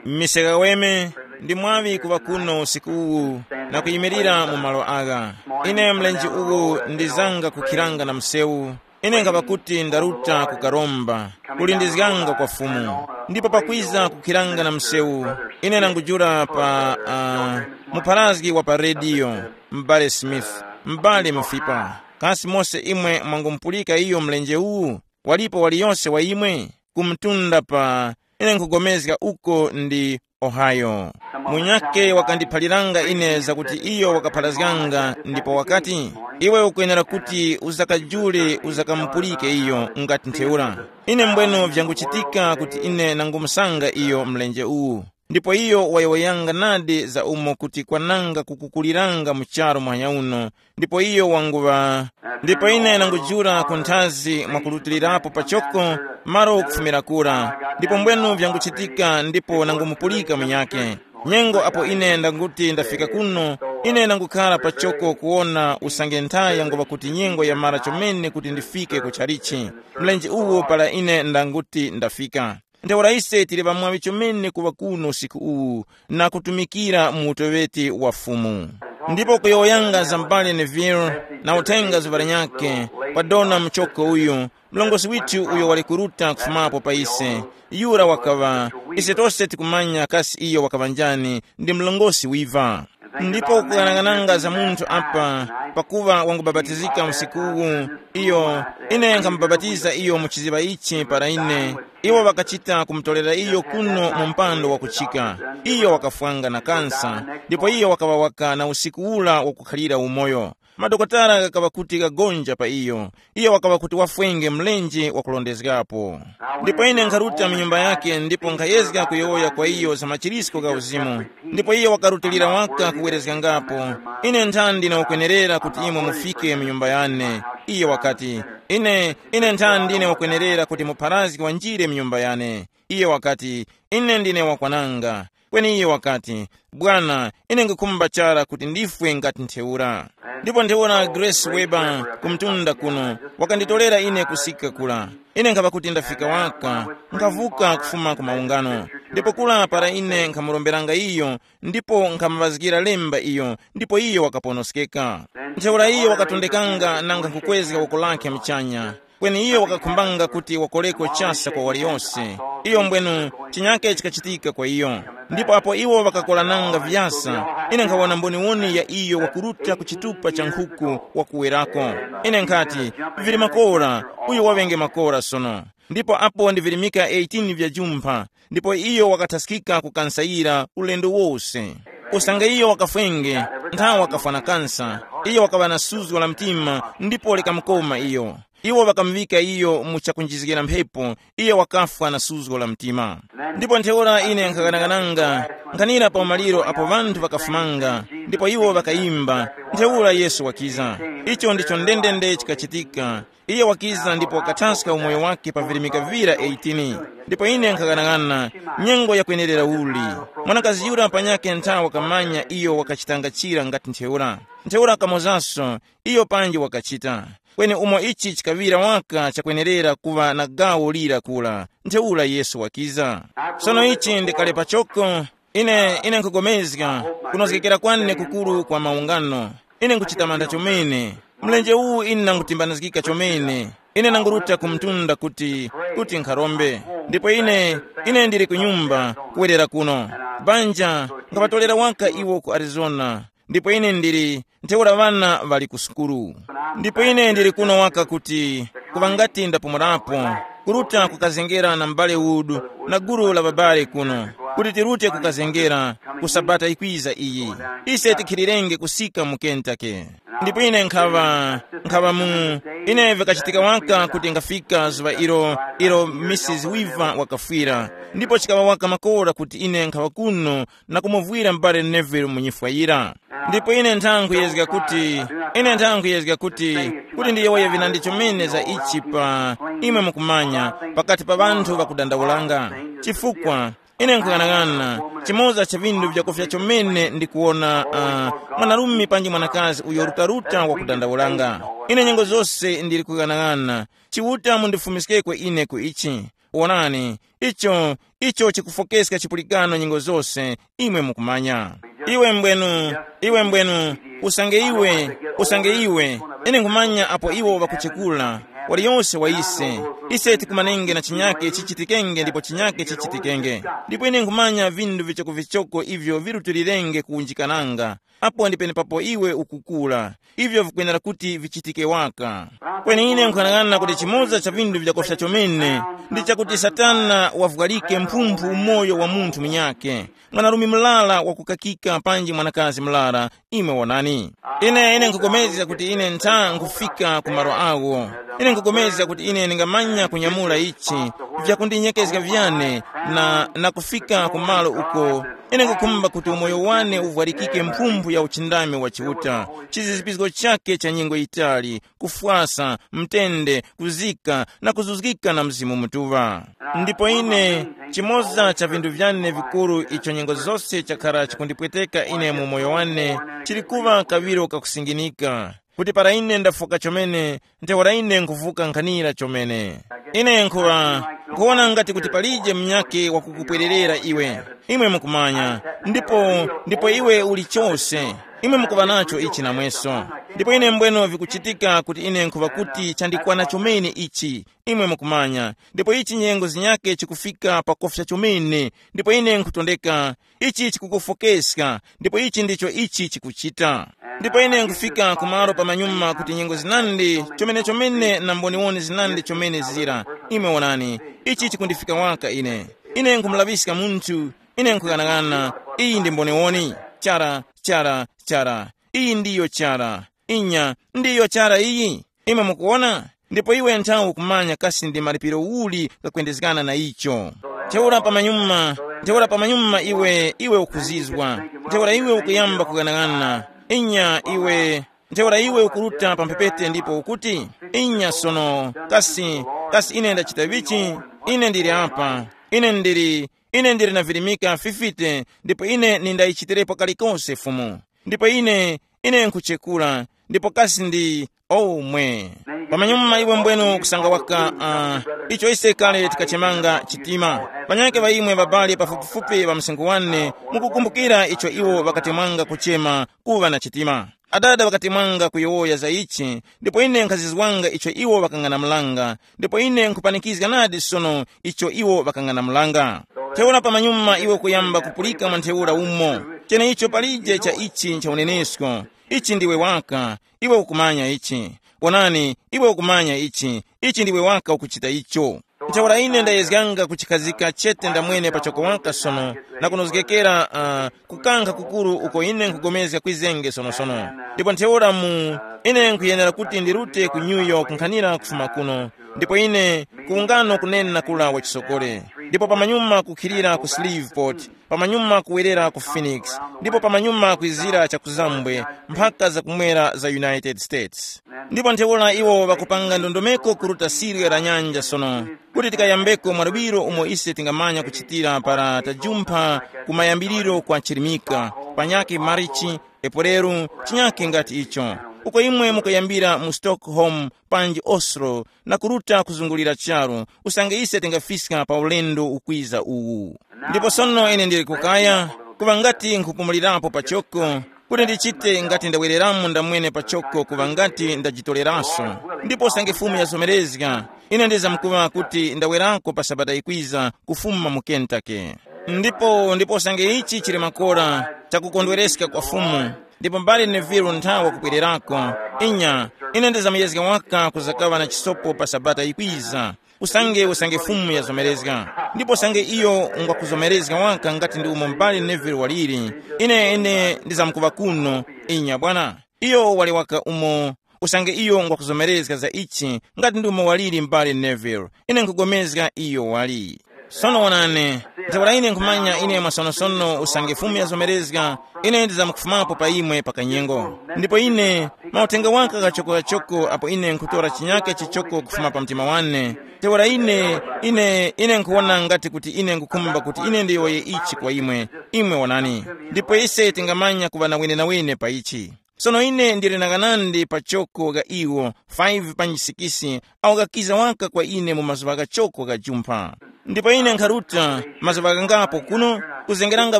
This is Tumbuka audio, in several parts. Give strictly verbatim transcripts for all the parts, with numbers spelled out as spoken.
Mise Kaweme, ndi mwaŵi kuŵa kuno usiku uwu na kuyimirira mu malo agha. Ine mlenje uwu ndizanga kukhiranga na msewu. Ine nkhaŵa kuti ndaruta kukaromba, kulindizganga kwa Fumu. Ndipo pakwiza kukhiranga na msewu, ine nangujula pa uh, mupharazgi wa pa rediyo, m'bale Smith, m'bale Mufipa. Kasi mose imwe mwangumupulika iyo mlenje uwu? Walipo waliyose wa imwe? Kumtunda pa, ine nkhugomezga uko ndi Ohio. Munyakhe wakandiphaliranga ine zakuti iyo wakapharazganga ndipo wakati, iwe ukwenera kuti uzakajule uzakamupulike iyo ngati ntheura. Ine mbwenu vyanguchitika kuti ine nangumusanga iyo mlenje uwu. Ndipo iyo wayowoyanga nadi za umo kuti kwananga kukukuliranga mu charu muhanya uno. Ndipo iyo wanguŵa, ndipo ine nangujula ku nthazi mwakurutilirapo pachoko, malo kufumira kura. Ndipo mbwenu vyanguchitika ndipo nangumupulika munyakhe. Nyengo apo ine ndanguti ndafika kuno, ine nangukhala pachoko kuwona usange nthayi yanguŵa kuti nyengo yamara chomene kuti ndifike ku chalichi. Mlenje uwo para ine ndanguti ndafika. Ntheura ise tili ŵamwaŵi chomene kuŵa kuno usiku uwu na kutumikira mu utoŵeti wa Fumu. Ndipo kuyowoyanga za m'bale Neville na uthenga zuŵa linyakhe, kwa dona muchoko uyu, mlongosi withu uyo wali kuruta kufumapo pa ise, yura wakaŵa, ise tose tikumanya kasi iyo wakaŵa njani, ndi mlongosi wiva. Ndipo kughanaghananga za munthu apa, pakuva wangubapatizika usiku uwu, iyo, ine nkhamubapatiza iyo mu chiziŵa ichi para ine, iwo ŵakachita kumutorera iyo kuno mu mpando wakuchika. Iyo wakafwanga na kansa, ndipo iyo wakaŵa waka na usiku ura wakukhalira umoyo. Madokotala ghakaŵa kuti ghagonja pa iyo. Iyo wakaŵa kuti wafwenge mlenje wakulondezgapo. Ndipo ine nkharuta mu nyumba yake ndipo nkhayezga kuyowoya kwa iyo za machirisko gha uzimu. Ndipo iyo wakarutilira waka kuwerezgangapo, ine nthandi ndine wakwenerera kuti imwe mufike mu nyumba yane. Iyo wakati, ine ine nthandi ndine wakwenerera kuti mupharazgi wanjire mu nyumba yane. Iyo wakati, ine ndine wakwananga. Kweni iyo wakati, bwana, ine ngikhumba chara kuti ndifwe ngati ntheura. Ndipo ntheura Grace Weber kumtunda kuno wakanditorera ine kusika kula. Ine nkhaŵa kuti ndafika waka, nkhavuka kufuma ku maungano. Ndipo kula para ine nkhamuromberanga iyo, ndipo nkhamuŵazgira lemba iyo, ndipo iyo wakaponoskeka. Ntheura iyo wakatondekanga nanga nkukwezga woko lakhe mchanya. Kweni iyo wakakhumbanga kuti wakoreko chasa kwa waliyose. Iyo mbwenu, chinyake chikachitika kwa iyo. Ndipo apo iwo ŵakakorananga vyasa, ine nkhawona mboniwoni ya iyo wakuruta ku chitupa cha nkhuku wakuwerako. Ine nkhati, vili makora, uyu waŵenge makora sono. Ndipo apo ndi virimika eighteen vya jumpha, ndipo iyo wakathaskika kukansayira ulendo wose. Usange iyo wakafwenge, nthawe wakafwa na kansa, iyo wakaŵa na suzgo la mtima ndipo likamukoma iyo. Iwo ŵakamuŵika iyo mu chakunjizgira mphepo, iyo wakafwa na suzgo la mtima. Ndipo ntheura ine nkhaganagananga, nkhanira pa umaliro apo ŵanthu ŵakafumanga, ndipo iwo ŵakayimba, ntheura Yesu wakiza. Icho ndicho ndendende chikachitika. Iye wakiza ndipo wakathaska umoyo wake pa virimika vira eighteen. Ndipo ine nkhaganaghana, nyengo yakwenerera uli. Mwanakazi yura panyakhe nthawe wakamanya iyo wakachitanga chira ngati ntheura. Ntheura kamozaso, iyo panji wakachita. Kweni umo ichi chikaŵira waka chakwenerera kuŵa na gawo lira kula, ntheura Yesu wakiza. Sono ichi ndi kale pachoko, ine ine nkugomezga kunozgekera kwane kukuru kwa maungano. Ine nkuchita mantha chomene. Mlenje uwu ine nangutimbanizgika chomene. Ine nanguruta ku mtunda kuti kuti nkharombe. Ndipo ine ine ndili ku nyumba kuwerera kuno. Banja, nkhaŵatolera waka iwo ku Arizona. Ndipo ine ndili ntheura ŵana ŵali ku sukulu. Ndipo ine ndili kuno waka kuti kuŵa ngati ndapumulapo, kuruta kukazengera na m'bale Wood na gulu la ŵabale kuno, kuti tirute kukazengera ku sabata yikwiza iyi. Ise tikhilirenge kusika mu Kentucky. Ndipo ine nkhaŵa nkhaŵa mu ine vikachitika waka kuti ngafika zuŵa ilo ilo Mrs Weaver wakafwira. Ndipo chikaŵa waka makora kuti ine nkhaŵa kuno na kumuvwira m'bale Neville mu nyifwa yira. Ndipo ine nthankhu yezga kuti ine nthankhu yezga kuti kuti ndiyowoye vinandi chomene za ichi pa imwe mukumanya pakati pa ŵanthu ŵakudandaulanga. Chifukwa ine nkuyang'ana chimoza cha vinthu vyakufya chomene ndikuwona uh, mwanarume panji mwanakazi uyo rutaruta wakudandaulanga. Ine nyengo zose ndili kuyang'ana. Chiuta mundifumiskeko ine ku ichi. Wonani, icho Icho chikufokeska chipulikano nyengo zose, imwe mukumanya. Iwe mbwenu, iwe mbwenu, usange iwe, usange iwe, ine nkhumanya apo iwo ŵakuchekula, waliyose wa ise, ise tikumanenge na chinyake chichitikenge ndipo chinyake chichitikenge. Ndipo ine nkhumanya vinthu vichokovichoko ivyo virutilirenge kuwunjikananga, apo ndi penepapo iwe ukukula, ivyo vikwenera kuti vichitike waka. Kweni ine nkhanang'ana kuti chimoza cha vinthu vyakofya chomene ndi chakuti Satana wavwalike mphumphu umoyo wa munthu munyakhe, mwanarume murara wakukakika panji mwanakazi murara. Imwe wonani, ine ine nkhukomezga kuti ine ntha nkufika ku malo awo. Ine nkhukomezga kuti ine ndingamanya kunyamula ichi vyakundinyekezga vyane na, na kufika ku malo uko ine nkhukhumba kuti umoyo wane uvwarikike mphumphu ya uchindami wa Chiuta, chizizipizgo chake cha nyengo yitali, kufwasa, mtende, kuzika na kuzuzgika na Mzimu Mutuŵa. Ndipo ine, chimoza cha vinthu vyane vikuru icho nyengo zose chakhara chikundipweteka ine mu moyo wane, chili kuŵa kaŵiro kakusinginika, kuti para ine ndafoka chomene, ntheura ine nkhuvuka nkhanira chomene. Ine nkhuŵa, nkhuwona ngati kuti palije munyakhe wakukupwererera iwe. Imwe mukumanya, ndipo, ndipo iwe uli chose. Imwe mukuŵa nacho ichi namweso. Ndipo ine mbweno vikuchitika kuti ine nkhuŵa kuti chandikwana chomene ichi. Imwe mukumanya, ndipo ichi nyengo zinyakhe chikufika pakofya chomene, ndipo ine nkhutondeka, ichi chikukufokeska, ndipo ichi ndicho ichi chikuchita. Ndipo ine nkufika kumalo pamanyuma kuti nyengo zinandi chomene-chomene na mboniwoni zinandi chomene zira. Imwe wonani, ichi chikundifika waka ine. Ine nkhumulaŵiska munthu, ine nkhughanaghana, iyi ndi mboniwoni. Chara, chara, chara. Iyi ndiyo chara. Inya, ndiyo chara iyi. Imwe mukuwona? Ndipo iwe nthawi ukumanya kasi ndi malipiro uli ghakwendezgana na icho. Ntheura pamanyuma, ntheura pamanyuma iwe, iwe ukuzizwa. Ntheura iwe ukuyamba kughanagana. Inya iwe, ntheura iwe ukuruta pa mphepete ndipo ukuti, inya sono, kasi, kasi ine ndachita vichi? Ine ndili apa. Ine ndili, ine ndili na virimika fifite, ndipo ine nindayichitirepo kalikose Fumu. Ndipo ine, ine nkhuchekura, ndipo kasi ndi, oh mwe. Pamanyuma iwe mbwenu kusanga waka, uh, icho ise kale tikachemanga chitima. Panyake ŵa imwe ŵabali pafupifupi ŵa msinkhu wane, mukukumbukira icho iwo ŵakatemwanga kuchema kuŵa na chitima. Adada ŵakatemwanga kuyowoya za ichi, ndipo ine nkhazizwanga icho iwo ŵakang'anamulanga, ndipo ine nkhupanikizga nadi sono icho iwo ŵakang'anamulanga. Ntheura pamanyuma iwe kuyamba kupulika mwa ntheura umo, cheneicho palije cha ichi ncha unenesko. Ichi ndiwe waka, iwe ukumanya ichi. Wonani, iwe ukumanya ichi, ichi ndiwe waka ukuchita icho. Ntheura ine ndayezganga kuchikhazika chete ndamwene pachoko waka sono, na kunozgekera, uh, kukankha kukuru uko ine nkugomezga kwizenge sonosono. Ndipo ntheura mu, ine nkhuyenera kuti ndirute ku New York nkhanira kufuma kuno, ndipo ine kuwungano kunena kula wachisokole, ndipo pamanyuma kukhilira ku Shreveport, pamanyuma kuwerera ku Phoenix, ndipo pamanyuma kwizira chakuzambwe, mphaka za kumwera za United States. Ndipo ntheura iwo ŵakupanga ndondomeko kuruta sirya la nyanja sono, kuti tikayambeko mwa luŵiro umo ise tingamanya kuchitira para tajumpha kumayambiriro kwa chirimika, panyake Marichi, Epuleru, chinyake ngati icho. Uko imwe mukuyambira mu Stockholm panji Oslo na kuruta kuzungulira charu, usange ise tingafiska pa ulendo ukwiza uwu. Ndipo sono ine ndili kukaya, kuŵa ngati nkhupumulirapo pachoko, kuti ndichite ngati ndawereramo ndamwene pachoko kuŵa ngati ndajitoleraso. Ndipo usange Fumu yazomerezga, ine ndizamkuŵa kuti ndawerako pa Sabata yikwiza kufuma mu Kentucky. Ndipo, ndipo usange ichi chili makora chakukondwereska kwa Fumu, ndipo mbale Neville nthawe kubwererako, inya, ine ndizamuyezga waka kuzakaŵa na chisopo pa Sabata yikwiza. Usange, usange Fumu yazomerezga. Ndipo usange iyo ngwakuzomerezga waka ngati ndi umo mbale Neville waliri, ine, ine ndizamkuŵa kuno. Inya bwana. Iyo wali waka umo. Usange iyo ngwakuzomerezga za ichi, ngati ndi umo waliri mbale Neville, ine nkugomezga iyo wali. Sono wonani, ntheura ine nkhumanya ine mwasonosono usange Fumu yazomerezga, ine ndizamkufumapo pa imwe pa kanyengo. Ndipo ine, mauthenga waka kachoko-kachoko apo ine nkhutora chinyake chichoko kufuma pa mtima wane, ntheura ine, ine, ine nkhuwona ngati kuti ine nkhukhumba kuti ine ndiyowoye ichi kwa imwe, imwe wonani. Ndipo ise tingamanya kuŵa na wenenawene pa ichi. Sono ine ndili na ghanandi pachoko gha iwo, five panji sikisi, awo ghakiza waka kwa ine mu mazuŵa ghachoko gha jumpha. Ndipo ine nkharuta mazuŵa ghangapo kuno, kuzengeranga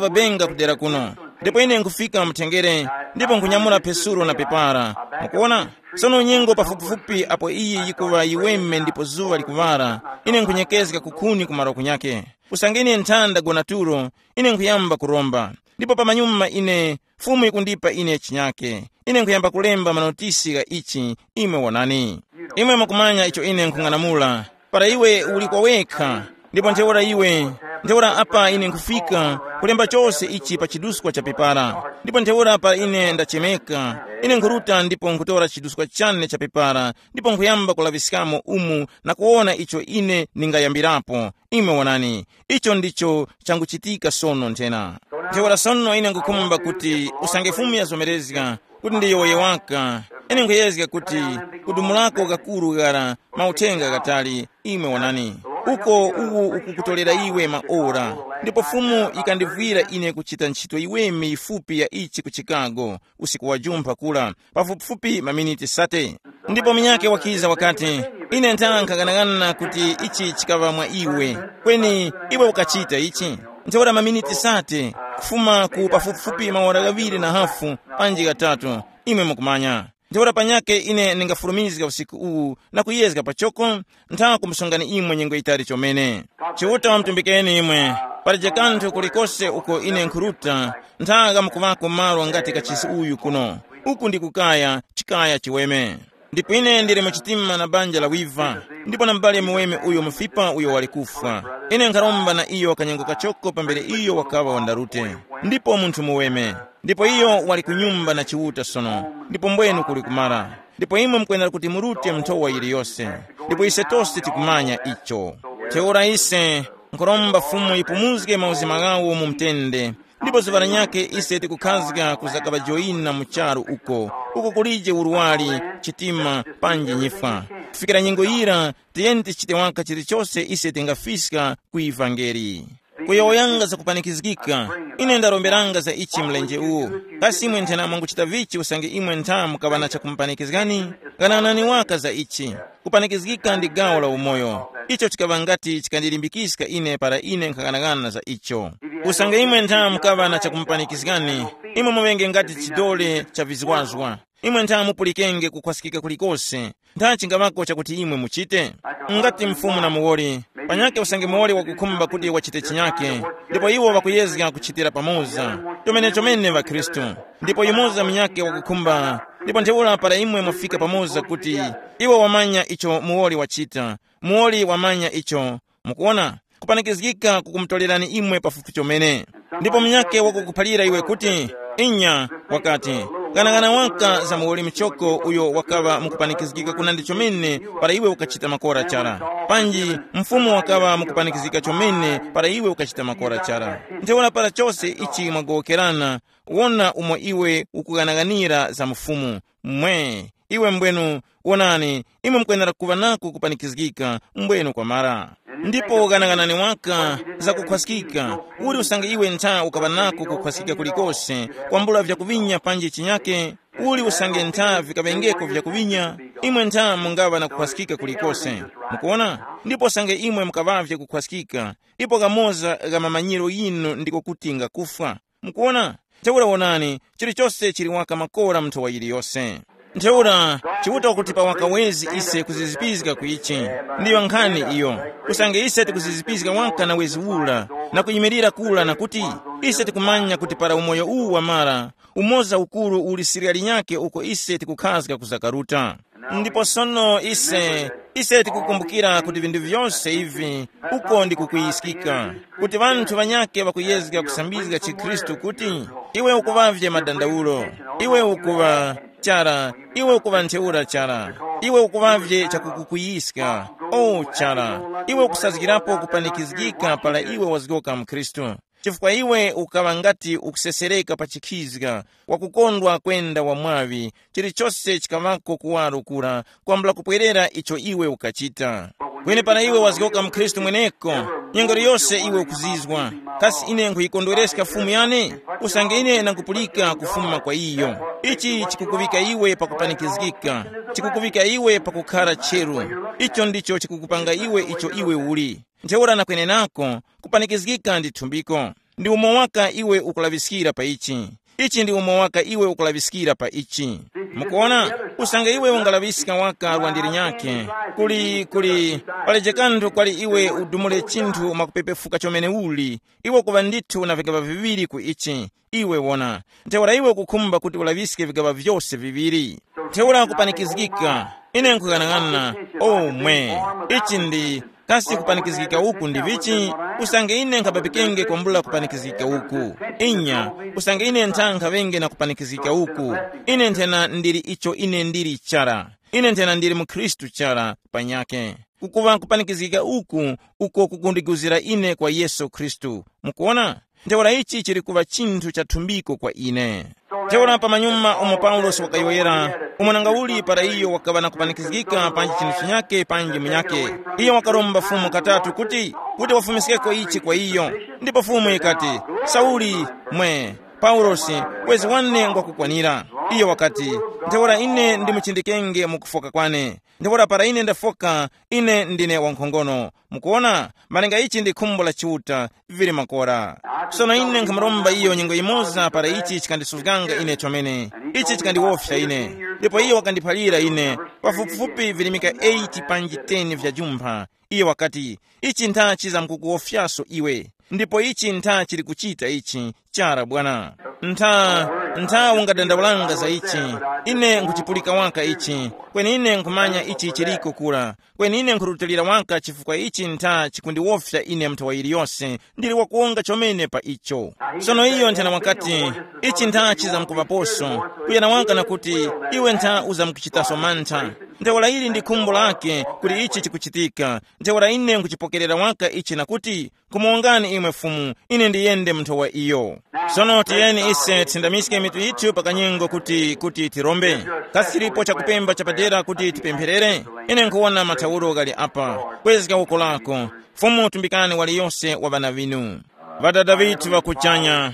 pabenga kudera kuno. Ndipo ine nkhufika mutengere, ndipo nkhunyamula phesuro na pepara. Mukuona? Sono nyengo pafupifupi apo iyi yikuŵa yiweme ndipo zuŵa likuŵala, ine nkhunyekezga kukhuni ku malo kunyake. Usange ine nthanda gona tulo, ine nkhuyamba kuromba. Ndipo pamanyuma ine, Fumu yikundipa ine chinyake. Ine nkhuyamba kulemba manotisi gha ichi, imwe wonani. Imwe mukumanya icho ine nkhung'anamula. Para iwe uli kwa wekha, ndipo ntheura iwe, ntheura apa ine nkhufika, kulemba chose ichi pa chiduskwa cha pepara. Ndipo ntheura para ine ndachemeka, ine nkhuruta ndipo nkhutora chiduskwa chane cha pepara, ndipo nkhuyamba kulaŵiskamo umu na kuwona icho ine ndingayambirapo. Imwe wonani, icho ndicho changuchitika sono nthena. Ntheura sono ine ngukhumba kuti usange Fumu yazomerezga kuti ndiyowoye waka, ine nkhuyezga kuti kudumulako kakuru ghara mauthenga ghatali. Imwe wonani, uko uwu ukukutolera iwe maora. Ndipo Fumu yikandivwira ine kuchita ntchito yiweme yifupi ya ichi ku Chicago, usiku wa jumpha kula, pafupifupi maminiti sate. Ndipo munyakhe wakiza wakati, ine ntha nkhaghanaghana kuti ichi chikaŵa mwa iwe. Kweni iwe ukachita ichi. Ntheura maminiti sate, kufuma ku pafupifupi maora ghaŵiri na hafu, panji ghatatu, imwe mukumanya. Ntheura panyakhe ine ndingafulumizga usiku uwu na kuyezga pachoko, ntha kumusungani imwe nyengo yitali chomene. Chiuta wamutumbikeni imwe. Palije kanthu kulikose uko ine nkhuruta, ntha ghamkuŵako malo ngati kachisi uyu kuno. Uku ndi kukaya, chikaya chiweme. Ndipo ine ndili mu chitima na banja la wiva, ndipo na mubali muweme uyo mufipa uyo wali kufwa. Ine nkharomba na iyo kanyengo kachoko pambere iyo wakaŵa wandarute. Ndipo munthu muweme. Ndipo iyo wali ku nyumba na Chiuta sono, ndipo mbwenu kuli kumara. Ndipo imwe mukwenera kuti murute nthowa yiliyose. Ndipo ise tose tikumanya icho. Ntheura ise nkhoromba Fumu yipumuzge mauzima ghawo mu mtende. Ndipo zuŵa lanyakhe ise tikukhazga kuzakaŵajoyina mu charu uko, uko kulije urwari, chitima, panji nyifwa. Kufikira nyengo yira, tiyeni tichite waka chilichose ise tingafiska ku ivangeli. Kuyowoyanga za kupanikizgika, ine ndaromberanga za ichi mlenje uwu. Kasi imwe nthena mwanguchita vichi usange imwe ntha mukaŵa na chakumupanikizgani? Ghananani waka za ichi. Kupanikizgika ndi gawo la umoyo. Icho chikaŵa ngati chikandilimbikizga ine para ine nkhaghanaghana za icho. Usange imwe ntha mukaŵa na chakumupanikizgani, imwe muŵenge ngati chidole cha vizwazwa. Imwe ntha mupulikenge kukhwaskika kulikose. Ntha chingaŵako chakuti imwe muchite? Ngati mfumu na muwoli, panyakhe usange muwoli wakukhumba kuti wachite chinyake, ndipo iwo ŵakuyezga kuchitira pamoza. Chomene-chomene ŵakhristu. Ndipo yumoza munyakhe wakukhumba, ndipo ntheura para imwe mwafika pamoza kuti iwo wamanya icho muwoli wachita, muwoli wamanya icho. Mukuwona, kupanikizgika kukumutorerani imwe pafupi chomene. Ndipo munyakhe wakukuphalira iwe kuti, inya, wakati, ghanaghananga waka za muwoli muchoko uyo wakaŵa mukupanikizgika kunandi chomene para iwe ukachita makora chara. Panji, mfumu wakaŵa mukupanikizgika chomene para iwe ukachita makora chara. Ntheura para chose ichi mwagowokerana, wona umo iwe ukughanaghanira za mfumu. Mwe, iwe mbwenu, wonani, imwe mukwenera kuŵa nako kupanikizgika mbwenu kwamara. Ndipo ghanaghanani waka za kukhwaskika. Uli usange iwe ntha ukaŵa nako kukhwaskika kulikose, kwambula vyakuŵinya panji chinyake? Uli usange ntha vikaŵengeko vyakuŵinya, imwe ntha mungaŵa na kukhwaskika kulikose. Mukuona? Ndipo usange imwe mukaŵavye kukhwaskika, ipo kamoza gha mamanyiro ghinu ndiko kuti ngakufwa. Mukuona? Ntheura wonani, chilichose chili waka makora mu nthowa yiliyose. Ntheura, Chiuta wakutipa waka wezi ise kuzizipizga ku ichi. Ndiyo nkhani iyo. Usange ise tikuzizipizga waka na wezi ura, na kuyimirira kura na kuti, ise tikumanya kuti para umoyo uwu wamara, umoza ukuru uli sirya linyakhe uko ise tikukhazga kuzakaruta. Ndipo sono ise, ise tikukumbukira kuti vinthu vyose ivi uko ndi kukuyiskika, kuti ŵanthu ŵanyakhe ŵakuyezga kusambizga chikhristu kuti, iwe ukuŵavye madandaulo, iwe ukuŵa chara, iwe ukuŵa ntheura chara, iwe ukuŵavye chakukukuyiska, o chara, iwe ukusazgirapo kupanikizgika para iwe wazgoka mkhristu. Chifukwa iwe ukaŵa ngati ukusesereka pa chikhizga, wakukondwa kwenda wa mwaŵi, chilichose chikaŵako kuwaro kura, kwambula kupwerera icho iwe ukachita. Kweni para iwe wazgoka mkhristu mweneko, nyengo yose iwe ukuzizwa, kasi ine nkhuyikondwereska Fumu yane? Usange ine ndangupulika kufuma kwa iyo. Ichi chikukuŵika iwe pakupanikizgika, chikukuŵika iwe pakukhara cheru. Icho ndicho chikukupanga iwe icho iwe uli. Ntheura na kwenenako, kupanikizgika ndi thumbiko. Ndi umo waka iwe ukulaŵiskira pa ichi. Ichi ndi umo waka iwe ukulaŵiskira pa ichi. Mukuona, usange iwe ungalaŵiska waka lwa ndiri nyakhe, kuli kuli paleje kanthu kwali iwe udumule chinthu mwakupepefuka chomene uli, iwe kuŵa ndithu na vingaba viŵiri ku ichi. Iwe wona, ntheura iwe ukukhumba kuti ulaŵiske vigaŵa vyose viŵiri. Ntheura kupanikizgika, ine nkhuyang'ana. Omwe, ichi ndi kasi kupanikizgika uku ndi vichi? Usange ine nkhababikenge kwambula kupanikizgika uku. Inya, usange ine ntha nkhaŵenge na kupanikizgika uku, ine nthena ndili icho ine ndili chara. Ine nthena ndili mu Khristu chara panyakhe. Kukuŵa kupanikizgika uku, uko kukundiguzira ine kwa Yesu Khristu. Mukuona? Ntheura ichi chili kuŵa chinthu cha thumbiko kwa ine. Ntheura pamanyuma umo Paulosi wakayowoyera, umo nanga uli para iyo wakaŵa na kupanikizgika panji chinthu chinyake panji munyake, iyo wakaromba Fumu katatu kuti, kuti wafumiskeko ichi kwa iyo. Ndipo Fumu yikati, Sauli, mwe, Paulosi, wezi wane ngwakukwanira. Iyo wakati, ntheura ine ndimuchindikenge mu kufoka kwane. Ntheura para ine ndafoka, ine ndine wankhongono. Mukuona, malinga ichi ndi khumbo la Chiuta, vili makora. Sono ine nkhamuromba iyo nyengo yimoza para ichi chikandisuzganga ine chomene. Ichi chikandiwofya ine. Ndipo iyo wakandiphalira ine, pafupifupi virimika eight panji ten vya jumpha. Iyo wakati, ichi ntha chizamkukuwofyaso iwe. Ndipo ichi ntha chili kuchita ichi. Chara bwana. Ntha, ntha ungadandaulanga za ichi. Ine nkuchipulika waka ichi. Kweni ine nkhumanya ichi chiliko kura. Kweni ine nkhurutilira waka chifukwa ichi ntha chikundiwofya ine mnthawa yiliyose. Ndili wakuwonga chomene pa icho. Sono iyo nthena wakati, ichi ntha chizamkuŵaposo. Kuyana waka na kuti, iwe ntha uzamkuchitaso mantha. Ntheura ili ndi khumbo lake kuti ichi chikuchitika. Ntheura ine nkuchipokerera waka ichi na kuti, kumuwongani imwe Fumu, ine ndiyende mu nthowa iyo. Sono tiyeni ise tisindamiske mitu yithu pa kanyengo kuti, kuti tirombe. Kasi chilipo chakupemba chapadera kuti tipempherere? Ine nkhuwona mathauro ghali apa. Kwezga uko lako. Fumu tumbikani waliyose wa ŵana ŵinu. Ŵadada ŵithu ŵa kuchanya,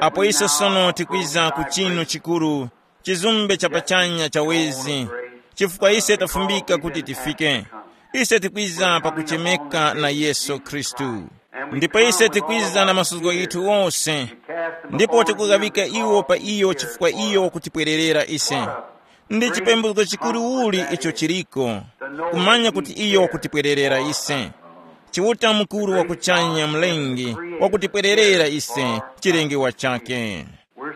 apo ise sono tikwiza ku chinu chikuru, chizumbe cha pachanya cha wezi, chifukwa ise tafumbika kuti tifike. Ise tikwiza pakuchemeka na Yesu Khristu. Ndipo ise tikwiza na masuzgo yithu wose, ndipo tikughawika iwo pa iyo chifukwa iyo wakutipwererera ise. Ndi chipembuzgo chikuru uli icho chiliko, kumanya kuti iyo wakutipwererera ise. Chiuta mukuru wa kuchanya, Mlengi, wakutipwererera ise, chilengewa chake.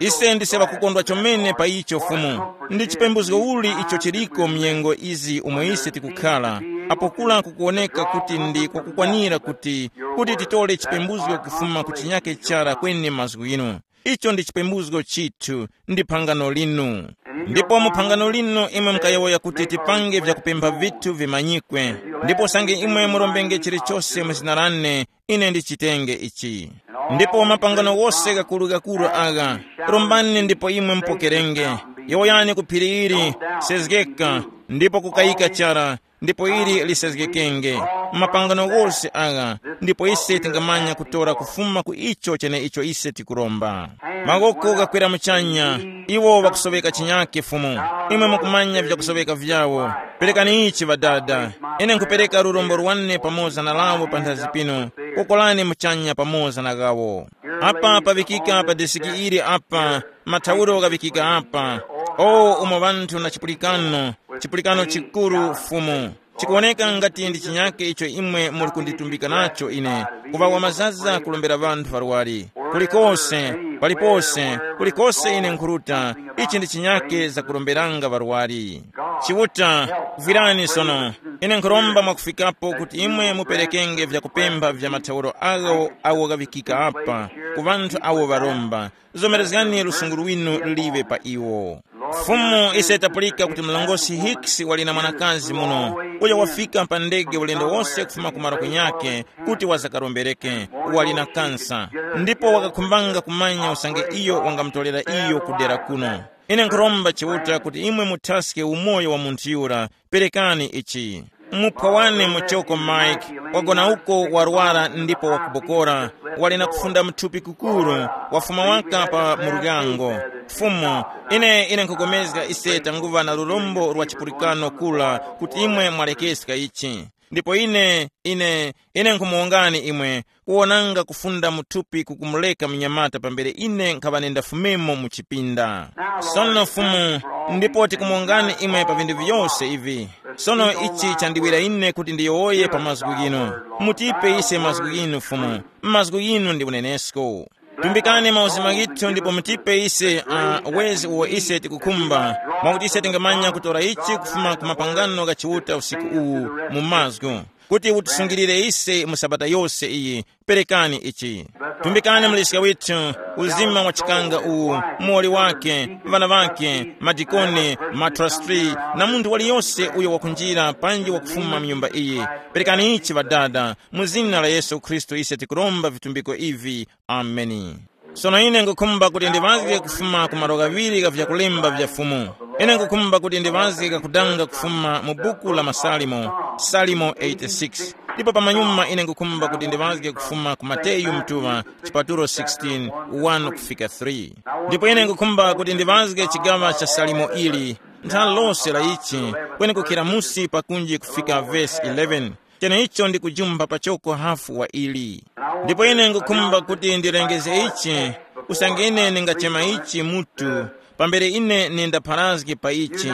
Ise ndise ŵakukondwa chomene pa icho Fumu. Ndi chipembuzgo uli icho chiliko mnyengo izi umo ise tikukhala, apo kula kukuwoneka kuti ndi kwakukwanira kuti, kuti titole chipembuzgo kufuma ku chinyake chara kweni mazgu inu. Icho ndi chipembuzgo chithu, ndi phangano linu. Ndipo mu phangano linu imwe mukayowoya kuti tipange vyakupempha vithu vimanyikwe. Ndipo usange imwe murombenge chilichose mu zina lane, ine ndichitenge ichi. Ndipo mapangano wose gakuru-gakuru agha, rombani ndipo imwe mupokerenge. Yowoyani ku phiri ili, sezgeka, ndipo kukayika chara, ndipo ili lisezgekenge. Mapangano ghose agha, ndipo ise tingamanya kutora kufuma ku icho cheneicho ise tikuromba. Mawoko ghakwera muchanya, iwo ŵakusoweka chinyake Fumu. Imwe mukumanya vyakusoweka vyawo. Perekani ichi ŵadada. Ine nkhupereka lurombo lwane pamoza na lawo panthazi pino. Kokolani muchanya pamoza na ghawo. Apa paŵikika pa desiki ili apa, mathauro ghaŵikika apa. O umo ŵanthu na chipulikano, chipulikano chikuru Fumu. Chikuwoneka ngati ndi chinyake icho imwe muli kunditumbika nacho ine, kuŵa wamazaza kulombera ŵanthu ŵarwari. Kulikose, palipose, kulikose ine nkhuruta, ichi ndi chinyake zakuromberanga ŵarwari. Chiuta, vwirani sono. Ine nkhuromba mwakufikapo kuti imwe muperekenge vyakupempha vya mathauro agho awo ghaŵikika apa, ku ŵanthu awo ŵaromba. Zomerezgani lusungu lwinu liŵe pa iwo. Fumu, ise tapulika kuti mlongosi Hicks wali na mwanakazi muno, uyo wafika pa ndege ulendo wose kufuma ku malo kunyakhe kuti wazakarombereke, wali na kansa, ndipo wakakhumbanga kumanya usange iyo wangamutorera iyo kudera kuno. Ine nkhuromba Chiuta kuti imwe muthaske umoyo wa munthu yura. Perekani ichi. Muphwa wane muchoko Mike, wagona uko warwara ndipo wakubokora, wali na kufunda muthupi kukuru, wafuma waka pa muryango. Fumu, ine ine nkhupulikana ise tanguŵa na lurombo lwa chipulikano kula kuti imwe mwalekeska ichi. Ndipo ine, ine, ine nkhumuwongani imwe, kuwonanga kufunda mu thupi kukumuleka munyamata pambere ine nkhaŵa nendafumemo mu chipinda. Sono Fumu, ndipo tikumuwongani imwe pa vinthu vyose ivi. Sono ichi chandiwira ine kuti ndiyowoye pa mazgu ghinu. Mutipe ise mazgu ghinu, Fumu. Mazgu ghinu ndi unenesko. Tumbikani mauzima ghithu ndipo mutipe ise uh, wezi uwo ise tikukhumba, mwakuti ise tingamanya kutora ichi kufuma ku mapangano gha Chiuta usiku uwu mu mazgu, kuti utisungilire ise mu sabata yose iyi. Perekani ichi. Tumbikani mliska withu, uzima wa chikanga uwu, muwoli wake, vana vake, madikoni, matrastri, na munthu waliyose uyo wakunjira panji wakufuma mu nyumba iyi. Perekani ichi, Ŵadada, mu zina la Yesu Khristu ise tikuromba vitumbiko ivi. Ameni. Sono ine ngukhumba kuti ndiŵazge kufuma ku malo ghaŵiri gha vyakulemba vya Fumu. Ine ngukhumba kuti ndiŵazge kakudanga kufuma mu buku la Masalimo, Salimo eighty-six. Ndipo pamanyuma ine ngukhumba kuti ndiŵazge kufuma ku Mateyu mtuŵa, chipatulo sixteen, one kufika three. Ndipo ine ngukhumba kuti ndiŵazge chigaŵa cha Salimo ili, ntha lose la ichi, kweni kukhira musi pakunji kufika vesi eleven. Cheneicho ndikujumba pachoko hafu wa ili. Ndipo ine ngukhumba kuti ndilengeze ichi, usange ine ndingachema ichi mutu, pambere ine nindapharazge pa ichi.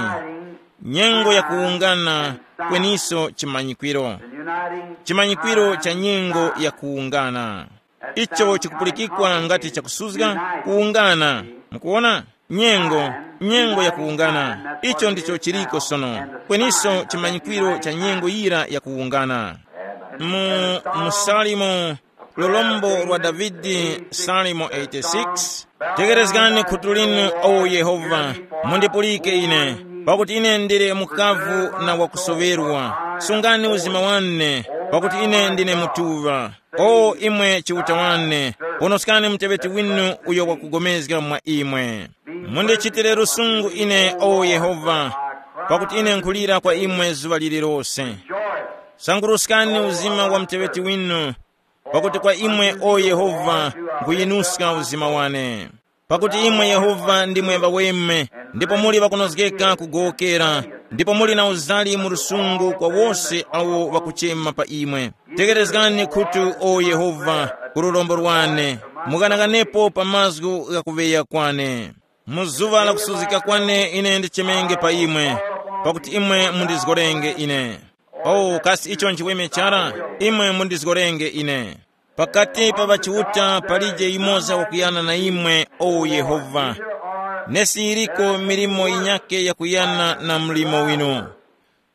Nyengo yakuwungana, kweniso chimanyikwiro. Chimanyikwiro cha nyengo yakuwungana. Icho chikupulikikwa ngati chakusuzga, kuwungana. Mukuwona? Nyengo, nyengo yakuwungana. Icho ndicho chiliko sono. Kweniso chimanyikwiro cha nyengo yira yakuwungana. Mu, mu Salimo, lulombo lwa Davide, Salimo eighty-six. Tekerezgani khutu linu, o Yehova, mundipulike ine, pakuti ine ndili mukavu na wakusoŵerwa. Sungani uzima wane, pakuti ine ndine mutuŵa. O imwe Chiuta wane, ponoskani muteŵeti winu uyo wakugomezga mwa imwe. Mundichitire lusungu ine, o Yehova, pakuti ine nkhulira kwa imwe zuŵa lililose. Sanguruskani uzima wa muteŵeti winu, pakuti kwa imwe, o Yehova, nkhuyinuska uzima wane. Pakuti imwe Yehova ndimwe ŵaweme, ndipo muli ŵakunozgeka kugowokera, ndipo muli na uzali mu lusungu kwa wose awo ŵakuchema pa imwe. Tekerezgani khutu, o Yehova, ku lurombo lwane, mughanaghananepo pa mazgu gha kuŵeya kwane. Mu zuŵa la kusuzgika kwane ine ndichemenge pa imwe, pakuti imwe mundizgorenge ine. O kasi icho nchiweme chara? Imwe mundizgorenge ine. Pakati pa ŵachiuta palije yumoza wakuyana na imwe, o Yehova. Nesi yiriko milimo yinyakhe yakuyana na mlimo winu.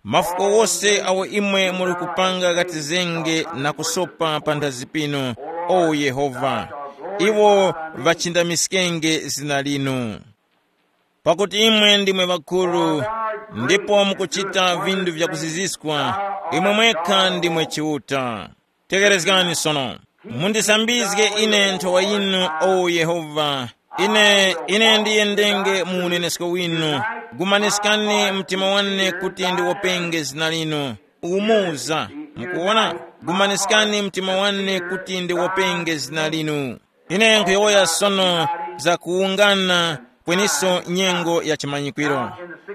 Mafuko wose awo imwe muli kupanga ghatizenge na kusopa panthazi pinu, o Yehova. Iwo ŵachindamiskenge zina linu. Pakuti imwe ndimwe ŵakuru, ndipo mukuchita vinthu vyakuziziskwa, imwe mwekha ndimwe Chiuta. Tekerezgani sono. Mundisambizge ine nthowa yinu, o Yehova. Ine, ine ndiyendenge mu unenesko winu. Gumaniskani mtima wane kuti ndiwopenge zina linu. Umuza. Mukuwona? Gumaniskani mtima wane kuti ndiwopenge zina linu. Ine nkhuyowoya sono za kuwungana, kweniso nyengo ya chimanyikwiro.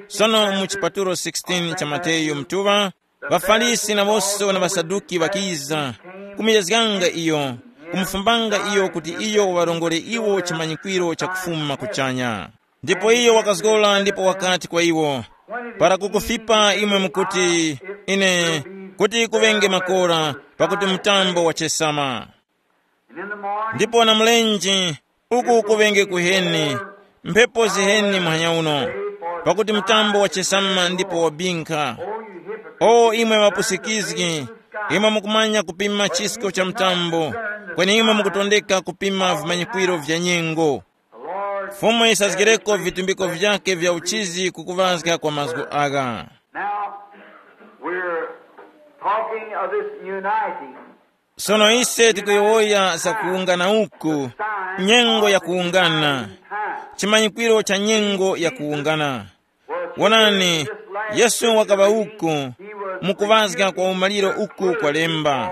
Sono mu chipatulo sixteen cha Mateyu mtuŵa, ŵaFarisi nawonso na ŵaSaduki ŵakiza, kumuyezganga iyo, kumufumbanga iyo kuti iyo waŵarongore iwo chimanyikwiro chakufuma kuchanya. Ndipo iyo wakazgora ndipo wakati kwa iwo, para kukufipa imwe mukuti, ine, kuti kuŵenge makora, pakuti mtambo wachesama. Ndipo na mlenje, uku kuŵenge kuheni, mphepo ziheni muhanya uno, pakuti mtambo wachesama ndipo wabinkha. O imwe ŵapusikizgi, imwe mukumanya kupima chisko cha mtambo, kweni imwe mukutondeka kupima vimanyikwiro vya nyengo. Fumu yisazgireko vitumbiko vyake vya uchizi kukuŵazga kwa mazgu agha. Now, we're talking of this uniting. Sono ise tikuyowoya za kuwungana uku, nyengo ya kuwungana, chimanyikwiro cha nyengo ya kuwungana. Wonani, Yesu wakaŵa uku, mukuŵazga kwa umaliro uku kwalemba.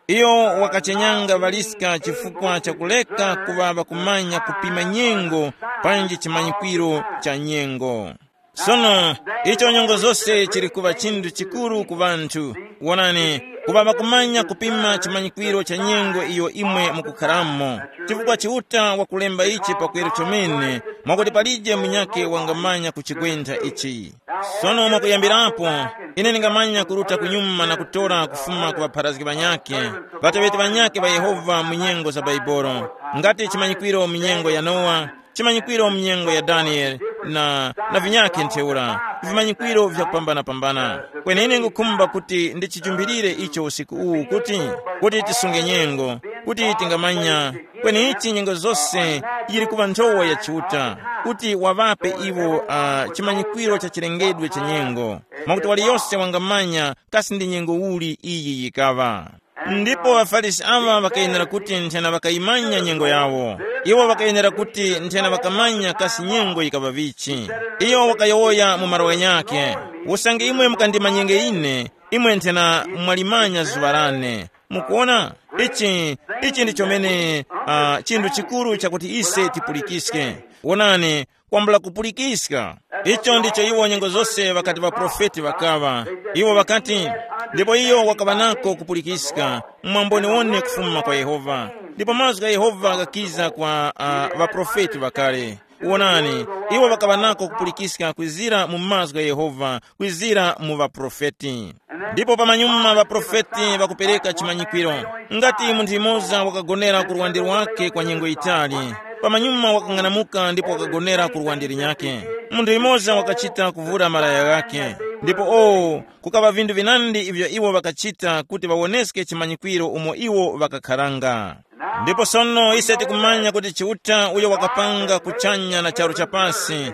Iyo wakachenyanga ŵaliska chifukwa cha kuleka kuŵa ŵakumanya kupima nyengo panji chimanyikwiro cha nyengo. Sono, icho nyengo zose chili kuŵa chinthu chikuru ku ŵanthu. Wonani, kuŵa ŵakumanya kupima chimanyikwiro cha nyengo iyo imwe mukukharamo. Chifukwa Chiuta wakulemba ichi pakweru chomene, mwakuti palije munyakhe wangamanya kuchigwentha ichi. Sono mwakuyambirapo, ine ndingamanya kuruta kunyuma na kutora kufuma ku ŵapharazgi ŵanyakhe, ŵateŵeti ŵanyakhe ŵa Yehova mu nyengo za Baibolo, ngati chimanyikwiro mu nyengo ya Nowa, chimanyikwiro mu nyengo ya Daniele, na, na vinyakhe ntheura, vimanyikwiro vyakupambana-pambana. Kweni ine ngukhumba kuti ndichijumbirire icho usiku uwu kuti, kuti tisunge nyengo, kuti tingamanya, kweni ichi nyengo zose yili kuŵa nthowa ya Chiuta, kuti waŵape iwo uh, chimanyikwiro cha chilengedwe cha nyengo, mwakuti waliyose wangamanya kasi ndi nyengo uli iyi yikaŵa. Ndipo ŵaFarisi aŵa ŵakayenera kuti nthena ŵakayimanya nyengo yawo. Iwo ŵakayenera kuti nthena ŵakamanya kasi nyengo yikaŵa vichi. Iyo wakayowoya mu malo ghanyakhe, usange imwe mukandimanyenge ine, imwe nthena mwalimanya zuŵa lane. Mukuona, ichi ichi ndi chomene uh, chinthu chikuru chakuti ise tipulikiske. Wonani, kwambula kupulikiska. Icho ndicho iwo nyengo zose ŵakati ŵaprofeti ŵakaŵa. Iwo ŵakati, ndipo iyo wakaŵa nako kupulikiska, mwamboniwone kufuma kwa Yehova. Ndipo mazgu gha Yehova ghakiza kwa uh, ŵaprofeti ŵakale. Wonani, iwo ŵakaŵa nako kupulikiska kwizira mu mazgu gha Yehova, kwizira mu ŵaprofeti. Ndipo pamanyuma ŵaprofeti ŵakupereka chimanyikwiro. Ngati munthu yumoza wakagonera ku lwande lwake kwa nyengo yitali, pamanyuma wakang'anamuka ndipo wakagonera ku lwande linyakhe. Munthu yumoza wakachita kuvura malaya ghakhe. Ndipo o, kukaŵa vinthu vinandi ivyo iwo ŵakachita kuti ŵawoneske chimanyikwiro umo iwo ŵakakharanga. Ndipo sono ise tikumanya kuti Chiuta uyo wakapanga kuchanya na charu cha pasi,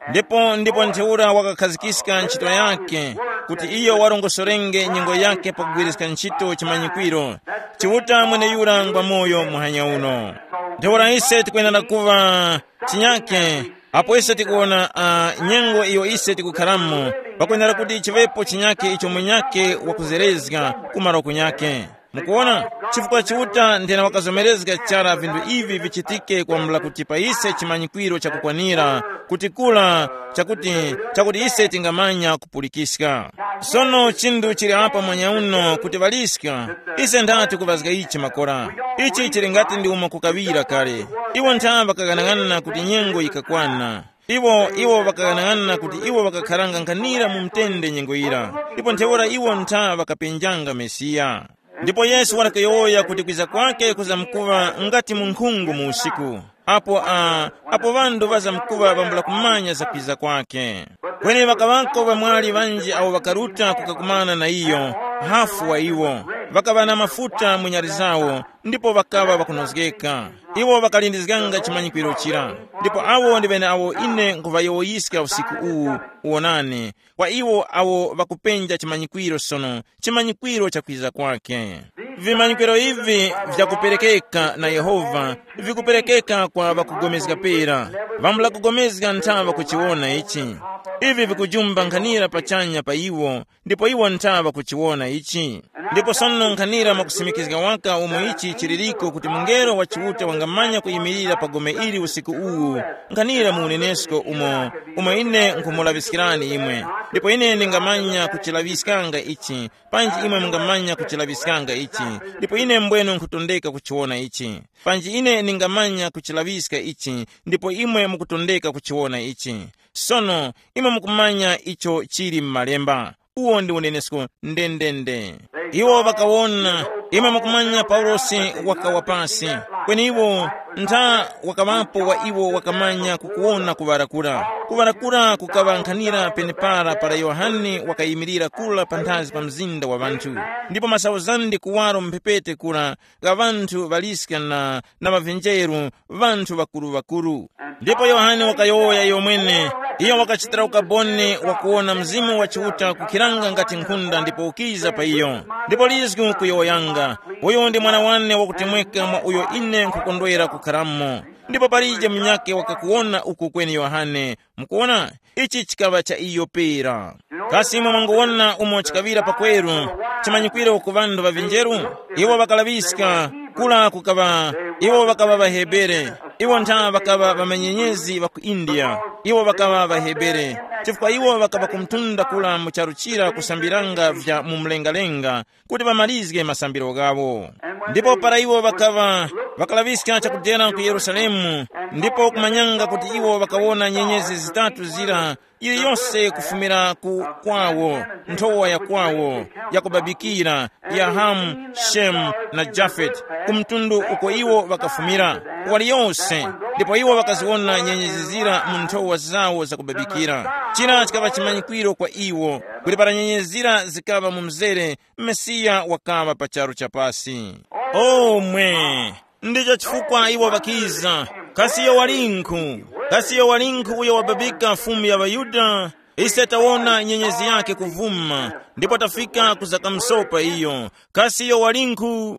ndipo ndipo ntheura wakakhazikiska ntchito yake, kuti iyo warongosorenge nyengo yake pakugwiriska ntchito chimanyikwiro. Chiuta mweneyura ngwa moyo muhanya uno. Ntheura ise tikwenera kuŵa chinyake. Apo ise tikuwona uh, nyengo iyo ise tikukharamo, pakwenera kuti chivepo chinyake icho munyake wakuzerezga kumaro kunyake. Mukuona, chifukwa Chiuta nthena wakazomerezga chara vinthu ivi vichitike kwambula kuti pa ise chimanyikwiro chakukwanira, kuti kula chakuti chakuti ise tingamanya kupulikiska. Sono chinthu chili apa mwanya uno kuti ŵaliska, ise ndati kuvazga ichi makora. Ichi chili ngati ndi umo kukaŵira kale. Iwo ntha ŵakaghanaghanana kuti nyengo yikakwana. Iwo iwo ŵakaghanaghanana kuti iwo ŵakakharanga nkhanira mu mtende nyengo yira, ndipo ntheura iwo ntha ŵakapenjanga Mesiya. Ndipo Yesu wakayowoya kuti kwiza kwake kuzamkuŵa ngati munkhungu mu usiku, apo a apo ŵanthu ŵazamkuŵa ŵambula kumanya za kwiza kwake. Kweni ŵakaŵako ŵamwali ŵanji awo ŵakaruta kukakumana na iyo, hafu wa iwo, ŵakaŵa na mafuta mu nyali zawo, ndipo ŵakaŵa ŵakunozgeka. Iwo ŵakalindizganga chimanyikwiro chira. Ndipo awo ndi ŵeneawo ine nkhuŵayowoyiska usiku uwu, wonani, kwa iwo awo ŵakupenja chimanyikwiro sono, chimanyikwiro cha kwiza kwake. Vimanyikwiro ivi vyakuperekeka na Yehova, vikuperekeka kwa ŵakupulikana pera. Ŵambula kupulikana nthaŵa kuchiwona ichi. Ivi vikujumba nkhanira pachanya pa iwo, ndipo iwo nthaŵa kuchiwona ichi. Ndipo sono nkhanira mwakusimikizga waka umo ichi chiliriko kuti mungelo wa Chiuta wangamanya kuyimirira pa gome ili usiku uwu, nkhanira mu unenesko umo, umo ine nkhumulaŵiskirani imwe. Ndipo ine ndingamanya kuchilaŵiskanga ichi, panji imwe mungamanya kuchilaŵiskanga ichi, ndipo ine mbwenu nkhutondeka kuchiwona ichi. Panji ine ndingamanya kuchilaŵiska ichi, ndipo imwe mukutondeka kuchiwona ichi. Sono, imwe mukumanya icho chili m'Malemba. Uwo ndi unenesko ndendende. Iwo ŵakawona, imwe mukumanya Paulosi wakawa pasi. Kweni iwo ntha wakaŵapo wa iwo wakamanya kukuwona kuŵarakura. Kuŵarakura kukaŵa nkhanira penepara para Yohane wakayimirira kura panthazi pa mzinda wa ŵanthu. Ndipo masauzande kuwaro mphepete kura gha ŵanthu ŵaliska na, na ŵavinjeru, ŵanthu ŵakuru-ŵakuru. Ndipo Yohane wakayowoya iyo mwene, iyo wakachitira ukaboni wakuwona Mzimu wa Chiuta kukhiranga ngati nkhunda ndipo ukiza pa iyo. Ndipo lizgu kuyowoyanga, uyu ndi mwana wane wakutemweka mwa uyo ine nkhukondwera kukharamo. Ndipo palije munyakhe wakakuwona uku kweni Yohane. Mukuwona, ichi chikaŵa cha iyo pera. Kasi imwe mwangowona umo chikaŵira pakweru, chimanyikwiro ku ŵanthu ŵa vinjeru? Iwo ŵakalaŵiska, kula kukaŵa, iwo ŵakaŵa ŵaHebere, iwo ntha ŵakaŵa ŵamanyenyezi ŵa ku India, iwo ŵakaŵa ŵaHebere. Chifukwa iwo ŵakaŵa kumtunda kula mu charu chira kusambiranga vya mu mlengalenga, kuti ŵamalizge masambiro ghawo. Ndipo para iwo ŵakaŵa ŵakalaŵiska chakudera ku Yerusalemu, ndipo kumanyanga kuti iwo ŵakawona nyenyezi zitatu zira, yiliyose kufumira ku kwawo, nthowa ya kwawo, yakubabikira, ya Hamu, Shemu na Jafeti, ku mtundu uko iwo ŵakafumira, waliyose. Ndipo iwo ŵakaziwona nyenyezi zira mu nthowa zawo zakubabikira. Chira chikaŵa chimanyikwiro kwa iwo, kuti para nyenyezi zira zikaŵa mu mzere, Mesiya wakaŵa pa charu cha pasi. Omwe! Ndicho chifukwa iwo ŵakiza. Kasi iyo walinkhu? Kasi iyo walinkhu uyo wababika Fumu ya ŵaYuda? Ise tawona nyenyezi yake kuvuma, ndipo tafika ku za kamsopa iyo. Kasi iyo walinkhu?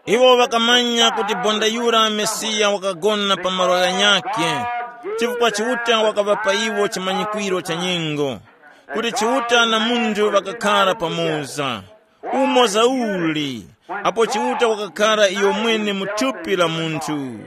Iwo ŵakamanya kuti bonda yura Mesiya wakagona pa malo ghanyakhe, chifukwa Chiuta wakaŵa pa iwo chimanyikwiro cha nyengo, kuti Chiuta na munthu ŵakakhara pamoza. Umo zauli, apo Chiuta wakakhara iyo mwene mu thupi la munthu.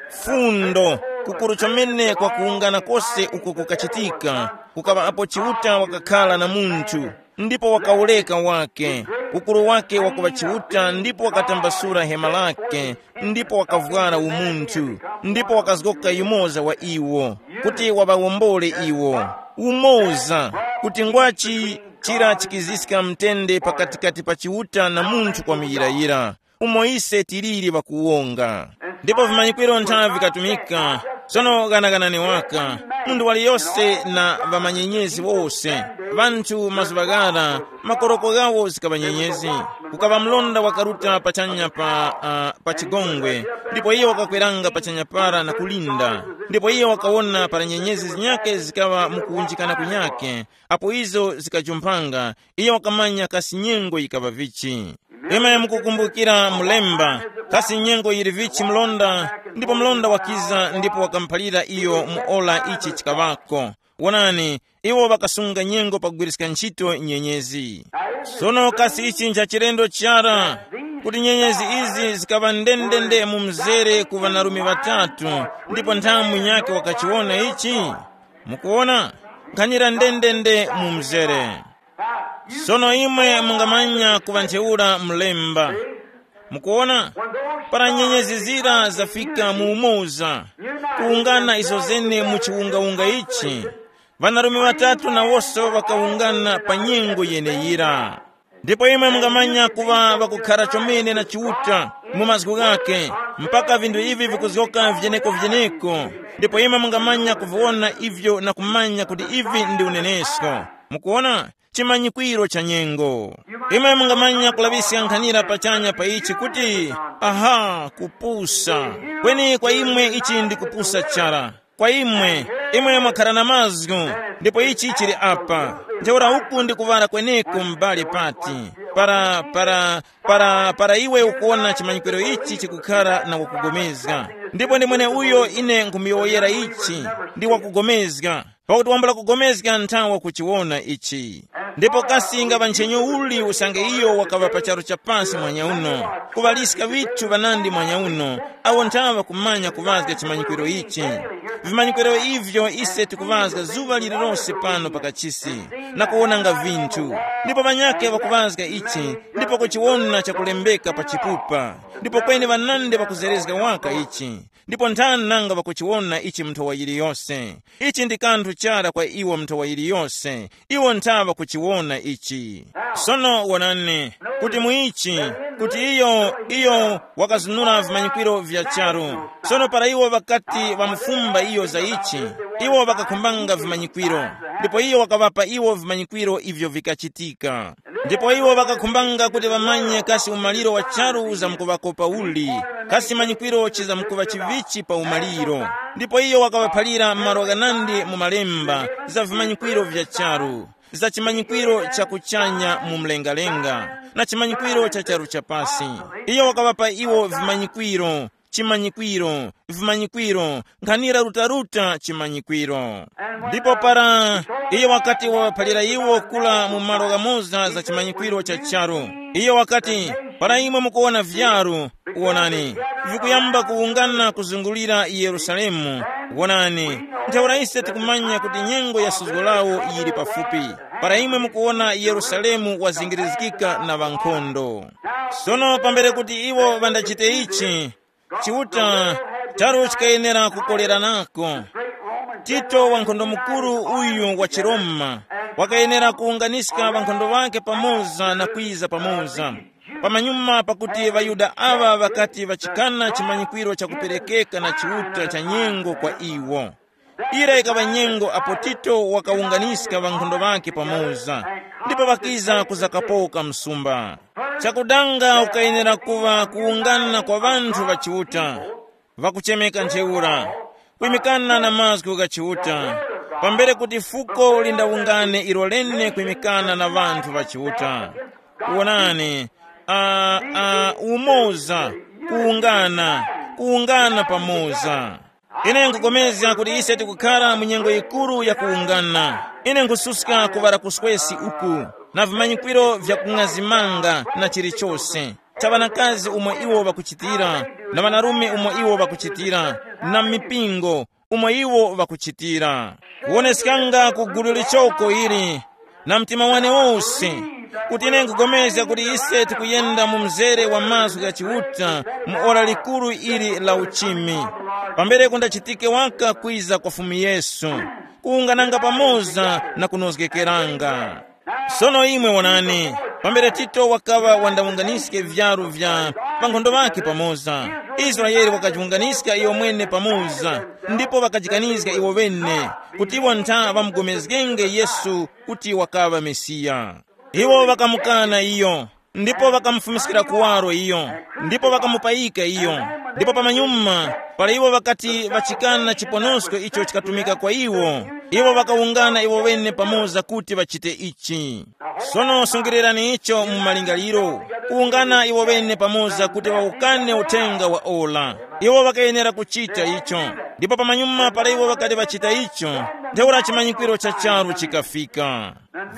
Fundo, kukuru chomene kwa kuwungana kose uko kukachitika, kukaŵa apo Chiuta wakakhara na munthu, ndipo wakawureka wake, ukuru wake wakuŵa Chiuta, ndipo wakatambasura hema lake, ndipo wakavwara umunthu, ndipo wakazgoka yumoza wa iwo, kuti waŵawombole iwo. Umoza, kuti ngwachi chira chikiziska mtende pakatikati pa Chiuta na munthu kwa muyirayira, umo ise tiliri ŵakuwonga. Ndipo vimanyikwiro nthawi vikatumika. Sono ghanaganani waka, munthu waliyose na ŵamanyenyezi wose, ŵanthu mazuŵa ghara, makoroko ghawo zikaŵa nyenyezi. Kukaŵa mlonda wakaruta pachanya pa, uh, pa chigongwe, ndipo iyo wakakweranga pachanya para na kulinda. Ndipo iyo wakawona para nyenyezi zinyake zikaŵa mukuwunjikana kunyake, apo izo zikajumphanga, iyo wakamanya kasi nyengo yikaŵa vichi. Imwe mukukumbukira mulemba, kasi nyengo yili vichi mlonda, ndipo mlonda wakiza ndipo wakamuphalira iyo mu ora ichi chikaŵako. Wonani, iwo ŵakasunga nyengo pakugwiriska ntchito nyenyezi. Sono kasi ichi ncha chilendo chara, kuti nyenyezi izi zikaŵa ndendende mu mzere ku ŵanarume ŵatatu, ndipo nthamu nyakhe wakachiwona ichi? Mukuwona? Nkhanira ndendende mu mzere. Sono imwe mungamanya kuŵa ntheura mlemba. Mukuwona? Para nyenyezi zira zafika mu umoza, kuwungana izo zene mu chiwungawunga ichi, ŵanarume ŵatatu nawonso ŵakawungana pa nyengo yeneyira. Ndipo imwe mungamanya kuŵa ŵakukhara chomene na Chiuta mu mazgu ghakhe, mpaka vinthu ivi vikuzgoka vyeneko-vyeneko. Ndipo imwe mungamanya kuviwona ivyo na kumanya kuti ivi ndi unenesko. Mukuwona? Chimanyikwiro cha nyengo. Imwe mungamanya kulaŵiska nkhanira pachanya pa ichi kuti, aha, kupusa. Kweni kwa imwe ichi ndi kupusa chara. Kwa imwe, imwe mwakhara na mazgu, ndipo ichi chili apa. Ntheura uku ndi kuŵala kweneko m'bale pati, para, para, para, para iwe ukuwona chimanyikwiro ichi chikukhara na wakugomezga. Ndipo ndi mweneuyo ine nkhumuyowoyera ichi, ndi wakugomezga. Pakuti wambula kugomezga nthawa kuchiwona ichi. Ndipo kasi ngaŵa nchenyu uli usange iyo wakaŵa pa charu cha pasi mwanyauno, kuŵaliska ŵithu ŵanandi mwanyauno, awo nthawa kumanya kuŵazga chimanyikwiro ichi. Vimanyikwiro ivyo ise tikuŵazga zuŵa lililose pano pa kachisi, na kuwonanga vinthu. Ndipo ŵanyakhe ŵakuŵazga ichi, ndipo kuchiwona chakulembeka pa chipupa. Ndipo kweni ŵanandi ŵakuzerezga waka ichi. Ndipo nthani nanga ŵakuchiwona ichi mu nthowa yiliyose? Ichi ndi kanthu chara kwa iwo mu nthowa yiliyose. Iwo nthaŵa kuchiwona ichi. Sono wonani, kuti mu ichi, kuti iyo, iyo wakazunura vimanyikwiro vya charu. Sono para iwo ŵakati ŵamufumba iyo za ichi, iwo ŵakakhumbanga vimanyikwiro. Ndipo iyo wakaŵapa iwo vimanyikwiro ivyo vikachitika. Ndipo iwo ŵakakhumbanga kuti ŵamanye kasi umaliro wa charu uzamkuŵako pauli, kasi chimanyikwiro chizamkuŵa chivichi pa umaliro. Ndipo iyo wakaŵaphalira malo ghanandi mu malemba za vimanyikwiro vya charu, za chimanyikwiro cha kuchanya mu mlengalenga, na chimanyikwiro cha charu cha pasi. Iyo wakaŵapa iwo vimanyikwiro, chimanyikwiro, vimanyikwiro, nkhanira rutaruta chimanyikwiro. Ndipo para iyo wakati wawaphalira iwo kula mu malo ghamoza za chimanyikwiro cha charu, iyo wakati, Para imwe mukuwona vyaru, wonani, vikuyamba kuwungana kuzungulira Yerusalemu, wonani, ntheura ise tikumanya kuti nyengo ya suzgo lawo yili pafupi. Para imwe mukuwona Yerusalemu wazingirizgika na ŵankhondo. Sono pambere kuti iwo ŵandachite ichi, Chiuta, charu chikayenera kukoleranako. Tito wankhondo mukuru uyu wa chiRoma wakayenera kuwunganiska ŵankhondo ŵakhe pamoza na kwiza pamoza. Pamanyuma pakuti ŵaYuda aŵa ŵakati ŵachikana chimanyikwiro chakuperekeka na Chiuta cha nyengo kwa iwo. Ira ikaŵa nyengo apo Tito wakawunganiska ŵankhondo ŵakhe pamoza, ndipo ŵakiza kuzakapoka msumba. Chakudanga ukayenera kuŵa kuwungana kwa ŵanthu ŵa Chiuta, ŵakuchemeka ntheura, kwimikana na mazgu gha Chiuta, pambere kuti fuko lindawungane ilo lene kwimikana na ŵanthu ŵa Chiuta. Wonani, a, a, umoza, kuwungana, kuwungana pamoza. Ine nkupulikana kuti ise tikukhara mu nyengo yikuru ya kuwungana. Ine nkususka kuŵala kuswesi uku, na vimanyikwiro vya kung'azimanga na chilichose, cha ŵanakazi umo iwo ŵakuchitira, na ŵanarume umo iwo ŵakuchitira, na mipingo umo iwo ŵakuchitira. Kuwoneskanga ku gulu lichoko ili, na mtima wane wose, kuti ine nkupulikana kuti ise tikuyenda mu mzere wa mazgu gha Chiuta mu ora likuru ili la uchimi, pambere kundachitike waka kwiza kwa Fumu Yesu, kuwungananga pamoza na kunozgekeranga. Sono imwe wonani, pambere Tito wakaŵa wandawunganiske vyaru vya ŵankhondo ŵakhe pamoza, Israele wakajiwunganiska iyo mwene pamoza, ndipo ŵakajikanizga iwo ŵene kuti iwo ntha ŵamugomezgenge Yesu kuti wakaŵa Mesiya. Iwo ŵakamukana iyo, ndipo ŵakamufumiskira kuwaro iyo, ndipo ŵakamupayika iyo. Ndipo pamanyuma, para iwo ŵakati ŵachikana chiponosko icho chikatumika kwa iwo, iwo ŵakawungana iwo ŵene pamoza kuti ŵachite ichi. Sono sungilirani icho mu malingaliro, kuwungana iwo ŵene pamoza kuti ŵawukane uthenga wa ola. Iwo ŵakayenera kuchita icho, ndipo pamanyuma para iwo ŵakati ŵachita icho, ntheura chimanyikwiro cha charu chikafika.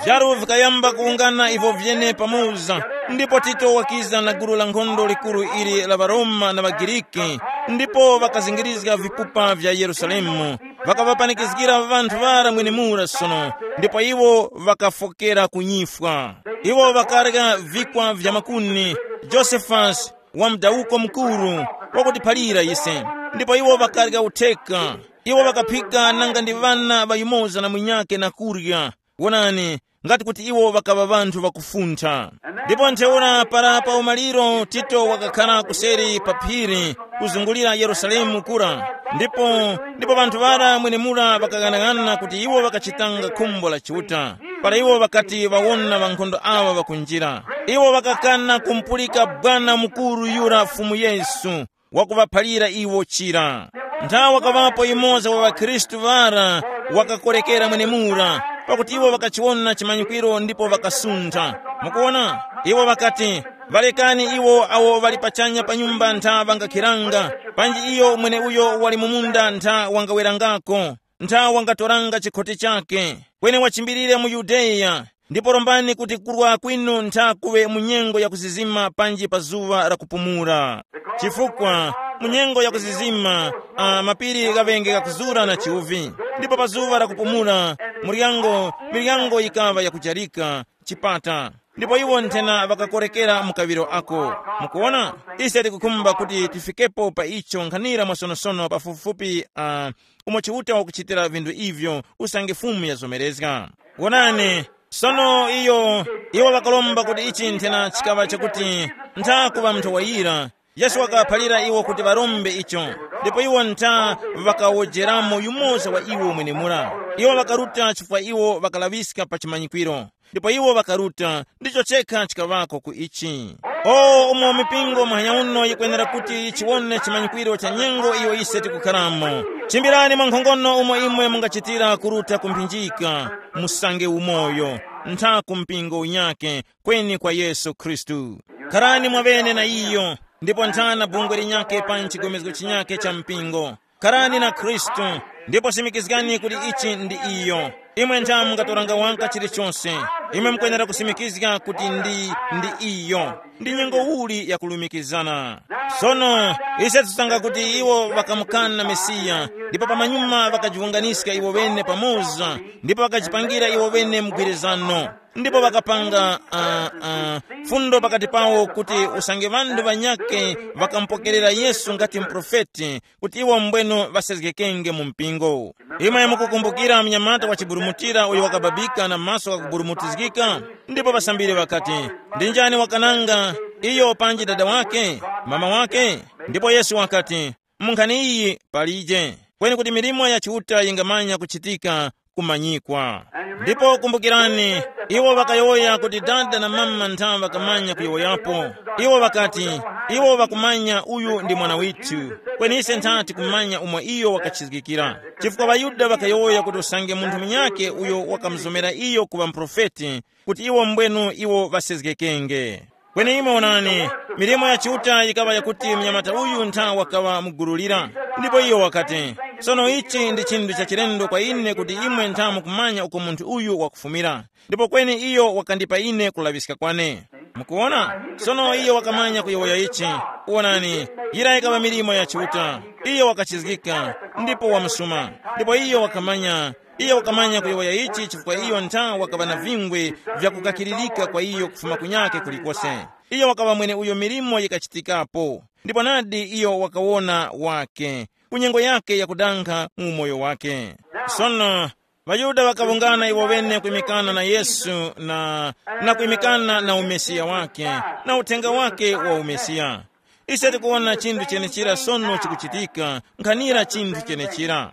Vyaru vikayamba kuwungana ivo vyene pamoza, ndipo Tito wakiza na gulu la nkhondo likuru ili la ŵaRoma na ŵaGiriki, ndipo ŵakazingirizga vipupa vya Yerusalemu, ŵakaŵapanikizgira ŵanthu ŵara mwenemura sono, ndipo iwo ŵakafokera ku nyifwa. Iwo ŵakarya vikwa vya makuni, Josefasi, wa mudawuko mukuru, wakutiphalira ise, ndipo iwo ŵakarya utheka. Iwo ŵakaphika nanga ndi ŵana ŵa yumoza na munyakhe na kurya. Wonani, ngati kuti iwo ŵakaŵa ŵanthu ŵakufuntha. Ndipo ntheura para pa umaliro Tito wakakhara kuseri pa phiri kuzungulira Yerusalemu kura, ndipo ndipo ŵanthu ŵara mwenemura ŵakaghanaghananga kuti iwo ŵakachitanga khumbo la Chiuta. Para iwo ŵakati ŵawona ŵankhondo awa ŵakunjira, iwo ŵakakana kumupulika bwana mukuru yura Fumu Yesu, wakuŵaphalira iwo chira. Nthawe wakaŵapo yumoza wa ŵakhristu ŵara wakakorekera mwenemura, pakuti iwo ŵakachiwona chimanyikwiro ndipo ŵakasuntha. Mukuwona, iwo ŵakati, ŵalekani iwo awo ŵali pachanya pa nyumba ntha ŵangakhiranga, panji iyo mweneuyo wali mu munda ntha wangawerangako, ntha wangatoranga chikhoti chakhe, kweni wachimbirire mu Yudeya, ndipo rombani kuti kurwa kwinu ntha kuŵe mu nyengo ya kuzizima panji pa zuŵa la kupumula. Chifukwa mu nyengo ya kuzizima, ah, mapiri ghaŵenge ghakuzura na chiuvi, ndipo pa zuŵa la kupumula muryango, miryango yikaŵa yakujarika, chipata, ndipo iwo nthena ŵakakorekera mu kaŵiro ako. Mukuwona, ise tikukhumba kuti tifikepo pa icho nkhanira mwasonosono pafupifupi, uh, umo Chiuta wakuchitira vinthu ivyo usange Fumu yazomerezga. Wonani, sono iyo, iwo ŵakaromba kuti ichi nthena chikaŵa chakuti ntha kuŵa munthu wayira, Yesu wakaphalira iwo kuti ŵarombe icho, ndipo iwo ntha ŵakawojeramo yumoza wa iwo mwenemura. Iwo ŵakaruta chifukwa iwo ŵakalaŵiska pa chimanyikwiro, ndipo iwo ŵakaruta, ndicho chekha chikaŵako ku ichi. O, umo mipingo muhanya uno yikwenera kuti chiwone chimanyikwiro cha nyengo iyo ise tikukharamo. Chimbirani mwankhongono umo imwe mungachitira kuruta kumphinjika, musange umoyo, ntha ku mpingo unyake, kweni kwa Yesu Khristu. Kharani mwaŵene na iyo, ndipo nthana bungwe linyakhe pa chigomezgo chinyakhe cha mpingo. Kharani na Khristu, ndipo simikizgani kuti ichi ndi iyo. Imwe ntha mungatoranga waka chilichonse. Imwe mukwenera kusimikizga kuti ndi, ndi iyo. Ndi nyengo uli yakulumikizana. Sono, ise tusanga kuti iwo ŵakamukana Mesiya, ndipo pamanyuma ŵakajiwunganiska iwo ŵene pamoza, ndipo ŵakajipangira iwo ŵene mgwirizano. Ndipo ŵakapanga uh, uh, fundo pakati pawo kuti usange ŵanthu ŵanyakhe ŵakamupokerera Yesu ngati mprofeti, kuti iwo mbwenu ŵasezgekenge mu mpingo. Imwe mukukumbukira mnyamata wa chiburumutira uyo wakababika na maso ghakuburumutizgika? Ndipo ŵasambiri ŵakati, ndi njani wakananga, iyo panji dada wake, mama wake? Ndipo Yesu wakati, mu nkhani iyi palije, kweni kuti milimo ya Chiuta yingamanya kuchitika kumanyikwa. Ndipo kumbukirani, iwo ŵakayowoya kuti dada na mama ntha ŵakamanya kuyowoyapo. Iwo ŵakati, iwo ŵakumanya uyu ndi mwana withu, kweni ise ntha tikumanya umo iyo wakachizgikira. Chifukwa ŵaYuda ŵakayowoya kuti usange munthu munyakhe uyo wakamuzomera iyo kuŵa muprofeti, kuti iwo mbwenu iwo ŵasezgekenge. Kweni imwe onani, milimo ya Chiuta yikaŵa yakuti mnyamata uyu ntha wakaŵa mugululira. Ndipo iyo wakati, sono ichi ndi chinthu cha chilendo kwa ine kuti imwe ntha mukumanya uko munthu uyu wakufumira. Ndipo kweni iyo wakandipa ine kulaŵiska kwane. Mukuona? Sono iyo wakamanya kuyowoya ichi. Wonani, yira yikaŵa milimo ya Chiuta. Iyo wakachizgika, ndipo wamusuma. Ndipo iyo wakamanya, iyo wakamanya kuyowoya ichi chifukwa iyo ntha wakaŵa na vingwe vyakukakiririka kwa iyo kufuma kunyake kulikose. Iyo wakaŵa mwene uyo milimo yikachitikapo. Ndipo nadi iyo wakawona wake, ku nyengo yake yakudankha mu umoyo wake. Sono, ŵaYuda ŵakawungana iwo ŵene kwimikana na Yesu na, na kwimikana na umesiya wake, na uthenga wake wa umesiya. Ise tikuwona chinthu chenechira sono chikuchitika, nkhanira chinthu chenechira.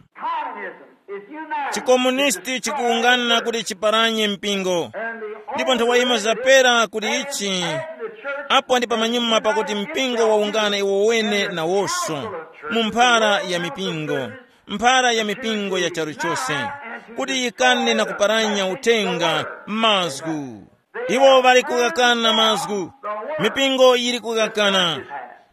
Chikomunisti chikuwungana kuti chiparanye mpingo. Ndipo nthawi yima zapera kuti ichi, apo ndi pamanyuma pakuti mpingo wawungana iwo wene nawoso, mu mphara ya mipingo, mphara ya mipingo ya charu chose, kuti yikane na kuparanya uthenga, mazgu. Iwo ŵali kughakana mazgu. Mipingo yili kughakana.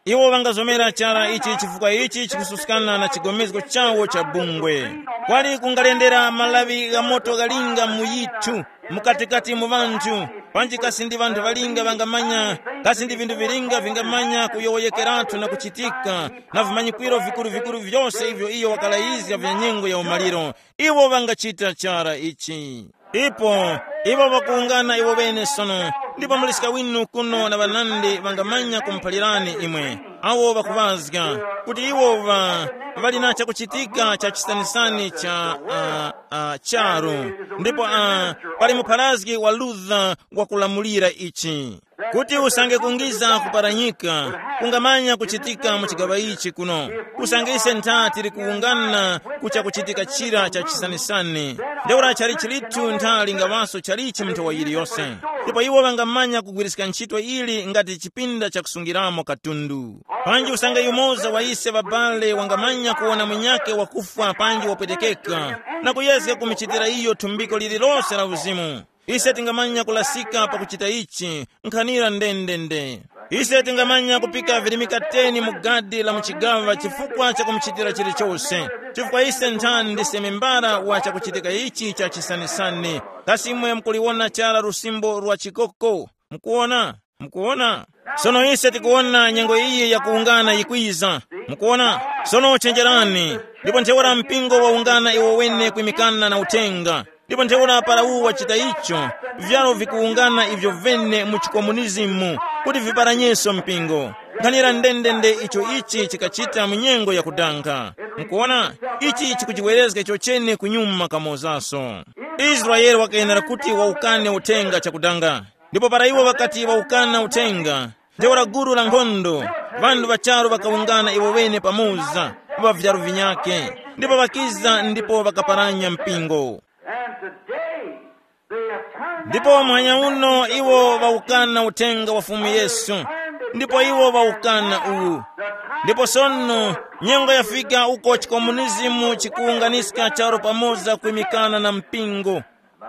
Iwo ŵangazomera chara ichi chifukwa ichi chikususkana na chigomezgo chawo cha bungwe. Kwali kungalendera malawi gha moto ghalinga mu yithu, mukatikati mu ŵanthu, panji kasi ndi ŵanthu ŵalinga ŵangamanya, kasi ndi vinthu vilinga vingamanya kuyowoyekeratu na kuchitika, na vimanyikwiro vikuru-vikuru vyose ivyo iyo wakalayizga vya nyengo ya umaliro, iwo ŵangachita chara ichi. Ipo, iwo ŵakuwungana iwo ŵene sono, ndipo muliska winu kuno na ŵanandi ŵangamanya kumuphalirani imwe, awo ŵakuŵazga, kuti iwo ŵa, ŵali na chakuchitika cha chisanisani cha uh, uh, charu, ndipo uh, pali mupharazgi wa Luther wakulamulira ichi. Kuti usange kungiza kuparanyika, kungamanya kuchitika mu chigaŵa ichi kuno. Usange ise ntha tili kuwungana ku chakuchitika chira cha chisanisani, ntheura chali chilithu ntha lingaŵaso chalichi mu nthawa yiliyose. Ndipo iwo ŵangamanya kugwiriska ntchito ili ngati chipinda chakusungiramo katundu. Panji usange yumoza wa ise ŵabale wangamanya kuwona munyakhe wakufwa panji wapwetekeka, na kuyezga kumuchitira iyo thumbiko lililose la uzimu. Ise tingamanya kulasika pakuchita ichi, nkhanira ndendende. Ise tingamanya kupika virimika teni mu gadi la mu chigaŵa chifukwa cha kumuchitira chilichose, chifukwa ise nthani ndise membara wa chakuchitika ichi cha chisanisani. Kasi imwe mukuliwona chara lusimbo lwa chikoko? Mukuwona? Mukuwona? Sono ise tikuwona nyengo iyi yakuwungana yikwiza. Mukuwona? Sono chenjerani. Ndipo ntheura mpingo wawungana iwo wene kwimikana na uthenga. Ndipo ntheura para uwu wachita icho, vyaro vikuwungana ivyo vene mu chikomunizimu, kuti viparanyeso mpingo. Nkhanira ndendende icho ichi chikachita mu nyengo yakudanga. Mukuwona? Ichi chikuchiwerezga chochene kunyuma kamozaso. Israele wakayenera kuti wawukane uthenga chakudanga. Ndipo para iwo ŵakati ŵawukana uthenga, ntheura gulu la nkhondo, ŵanthu ŵa charu ŵakawungana iwo ŵene pamoza, ŵa vyaru vinyakhe, ndipo ŵakiza ndipo ŵakaparanya mpingo. And today they have turned Ndipo back muhanya the uno message of iwo the Lord ŵawukana uthenga wa Fumu Yesu, ndipo iwo ŵawukana uwu. Ndipo sono nyengo yafika uko chikomunizimu chikuwunganiska charu pamoza kwimikana na mpingo.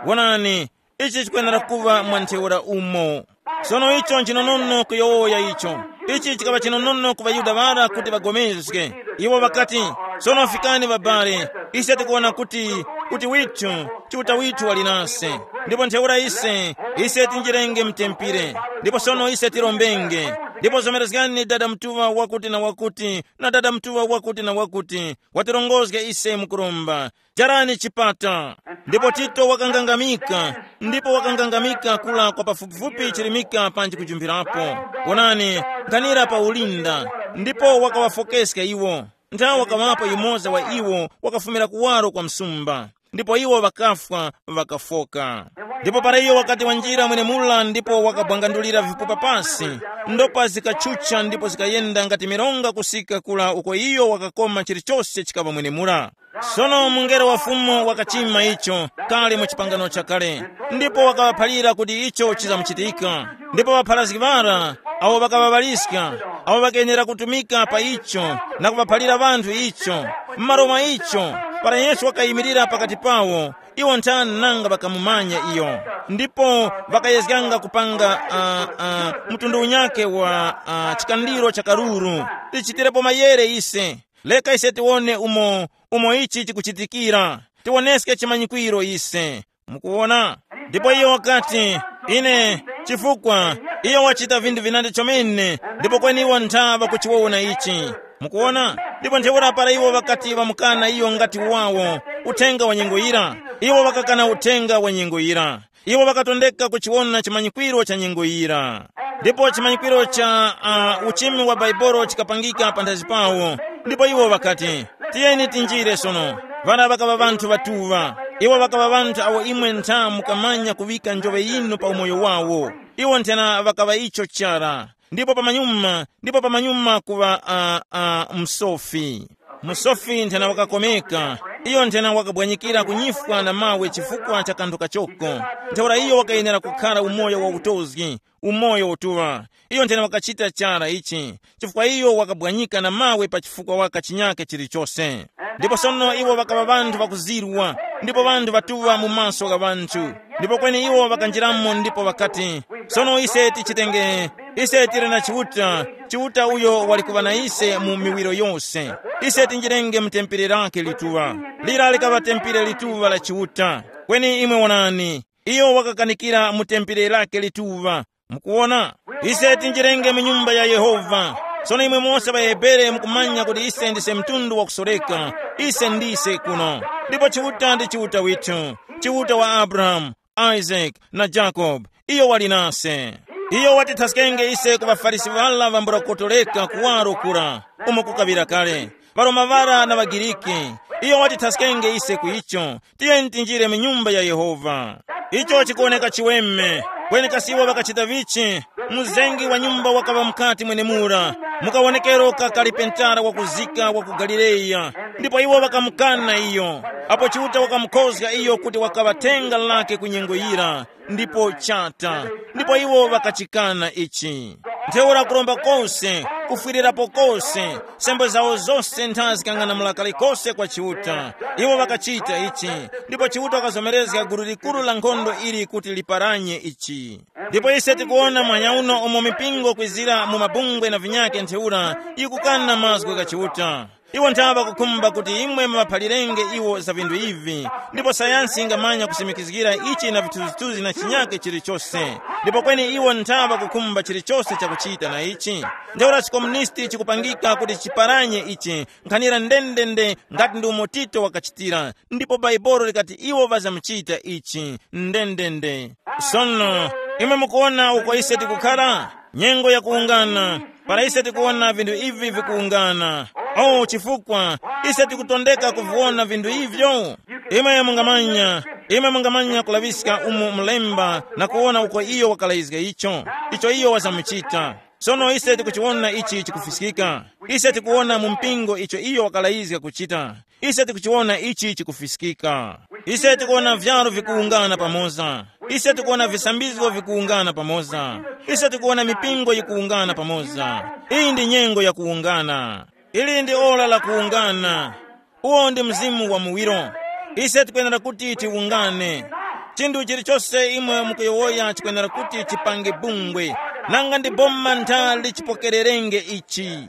Wonani, ichi chikwenera kuŵa mwa ntheura umo. Sono icho nchinonono kuyowoya icho. Ichi chikaŵa chinonono ku ŵaYuda ŵara kuti ŵagomezge. Iwo ŵakati, sono fikani ŵabale, ise tikuwona kuti, kuti withu, Chiuta withu wali nase. Ndipo ntheura ise, ise tinjirenge mtempire. Ndipo sono ise tirombenge. Ndipo zomerezgani dada mtuŵa wakuti na wakuti, na dada mtuŵa wakuti na wakuti, watirongozga ise mukuromba. Jarani chipata. Ndipo Tito wakangangamika, ndipo wakangangamika kula kwa pafupifupi chirimika panji kujumpirapo. Wonani, nkhanira pa ulinda, ndipo wakawafokeska iwo. Nthawi wakaŵapo yumoza wa iwo wakafumira kuwaro kwa msumba, ndipo iwo ŵakafwa, ŵakafoka. Ndipo para iyo wakati wanjira mwenemula ndipo wakabwangandulira vipupa pasi, ndopa zikachucha ndipo zikayenda ngati mironga kusika kula uko iyo wakakoma chilichose chikaŵa mwenemula. Sono mungelo wa Fumu wakachima icho kale mu chipangano chakale, ndipo wakaŵaphalira kuti icho chizamuchitika. Ndipo ŵapharazgi ŵara awo ŵakaŵaŵaliska, awo ŵakayenera kutumika pa icho na kuŵaphalira ŵanthu icho. M'malo mwa icho, para Yesu wakayimirira pakati pawo, iwo nthani nanga ŵakamumanya iyo. Ndipo ŵakayezganga kupanga uh, uh, mtundu unyake wa uh, chikandiro cha karuru. Tichitirepo mayere ise. Leka ise tiwone umo, umo ichi chikuchitikira. Tiwoneske chimanyikwiro ise. Mukuwona? Ndipo iyo wakati, ine, chifukwa iyo wachita vinthu vinandi chomene, ndipo kweni iwo ntha ŵakuchiwona ichi. Mukuwona? Ndipo ntheura para iwo ŵakati ŵamukana iyo ngati wawo, uthenga wa nyengo yira, iwo ŵakakana uthenga wa nyengo yira. Iwo ŵakatondeka kuchiwona chimanyikwiro cha nyengo yira. Ndipo chimanyikwiro cha uh, uchimi wa Baibolo chikapangika panthazi pawo. Ndipo iwo ŵakati, tiyeni tinjire sono. Ŵana ŵakaŵa ŵanthu ŵatuŵa. Iwo ŵakaŵa ŵanthu awo imwe ntha mukamanya kuŵika njoŵe yinu pa umoyo wawo. Iwo nthena ŵakaŵa icho chara. Ndipo pamanyuma, ndipo pamanyuma kuŵa uh, uh, msofi. Musofi nthena wakakomeka. Iyo nthena wakabwanyikira kunyifwa na mawe chifukwa cha kanthu kachoko. Ntheura iyo wakayenera kukhala umoyo wa utozgi, umoyo utuŵa. Iyo nthena wakachita chara ichi, chifukwa iyo wakabwanyika na mawe pa chifukwa waka chinyake chilichose. Ndipo sono iwo ŵakaŵa ŵanthu ŵakuzirwa, ndipo ŵanthu ŵatuŵa mu maso gha ŵanthu. Ndipo kweni iwo ŵakanjiramo ndipo ŵakati, sono ise tichitenge, ise tili na Chiuta, Chiuta uyo wali kuŵa na ise mu miwiro yose. Ise tinjirenge mu tempere lake lituŵa. Lira likaŵa tempere lituŵa la Chiuta. Kweni imwe wonani, iyo wakakanikira mu tempere lake lituŵa. Mukuwona? Ise tinjirenge mu nyumba ya Yehova. Sono imwe mose ŵaHebere mukumanya kuti ise ndise mtundu wakusoreka. Ise ndise kuno. Ndipo Chiuta ndi Chiuta withu, Chiuta wa Abrahamu, Isaac na Jacob. Iyo wali nase. Iyo watithaskenge ise ku ŵaFarisi ŵala ŵambula kukotoleka kuwaro kura, umo kukaŵira kale, ŵaroma ŵara na ŵaGiriki. Iyo watithaskenge ise ku icho. Tiyeni tinjire mu nyumba ya Yehova. Icho chikuwoneka chiweme. Kweni kasi iwo ŵakachita vichi? Mzengi wa nyumba wakaŵa mukati mwenemura, mukawonekero ka kalipentara wakuzika wa ku Galileya. Ndipo iwo ŵakamukana iyo. Apo Chiuta wakamukhozga iyo kuti wakaŵa thenga lake ku nyengo yira, ndipo chata. Ndipo iwo ŵakachikana ichi. Ntheura kuromba kose, kufwirirapo kose, sembo zawo zose ntha zikang'anamula kalikose kwa Chiuta. Iwo ŵakachita ichi. Ndipo Chiuta wakazomerezga gulu likuru la nkhondo ili kuti liparanye ichi. Ndipo ise tikuwona mwanya uno umo mipingo kwizira mu mabungwe na vinyake ntheura yikukana mazgu gha Chiuta. Iwo nthawe ŵakukhumba kuti imwe muŵaphalirenge iwo za vinthu ivi, ndipo sayansi ingamanya kusimikizgira ichi na vithunzithunzi na chinyake chilichose. Ndipo kweni iwo nthawe ŵakukhumba chilichose chakuchita na ichi. Ntheura chikomunisti chikupangika kuti chiparanye ichi, nkhanira ndendende ngati ndi umo Tito wakachitira, ndipo Baibolo likati iwo ŵazamuchita ichi ndendende. Sono, imwe mukuwona uko ise tikukhala? Nyengo yakuwungana, para ise tikuwona vinthu ivi vikuwungana. Oh, chifukwa ise tikutondeka kuviwona vinthu ivyo. Imwe mungamanya, imwe mungamanya kulaŵiska umo mulemba na kuwona uko iyo wakalazga icho, icho iyo wazamuchita. Sono ise tikuchiwona ichi chikufiskika. Ise tikuwona mu mpingo icho iyo wakalazga kuchita. Ise tikuchiwona ichi chikufiskika. Ise tikuwona vyaro vikuwungana pamoza. Ise tikuwona visambizgo vikuwungana pamoza. Ise tikuwona mipingo yikuwungana pamoza. Iyi ndi nyengo yakuwungana. Ili ndi ora la kuwungana. Uwo ndi mzimu wa muwiro. Ise tikwenera kuti tiwungane. Chinthu chilichose imwe mukuyowoya chikwenera kuti chipange bungwe. Nanga ndi boma ntha lichipokererenge ichi?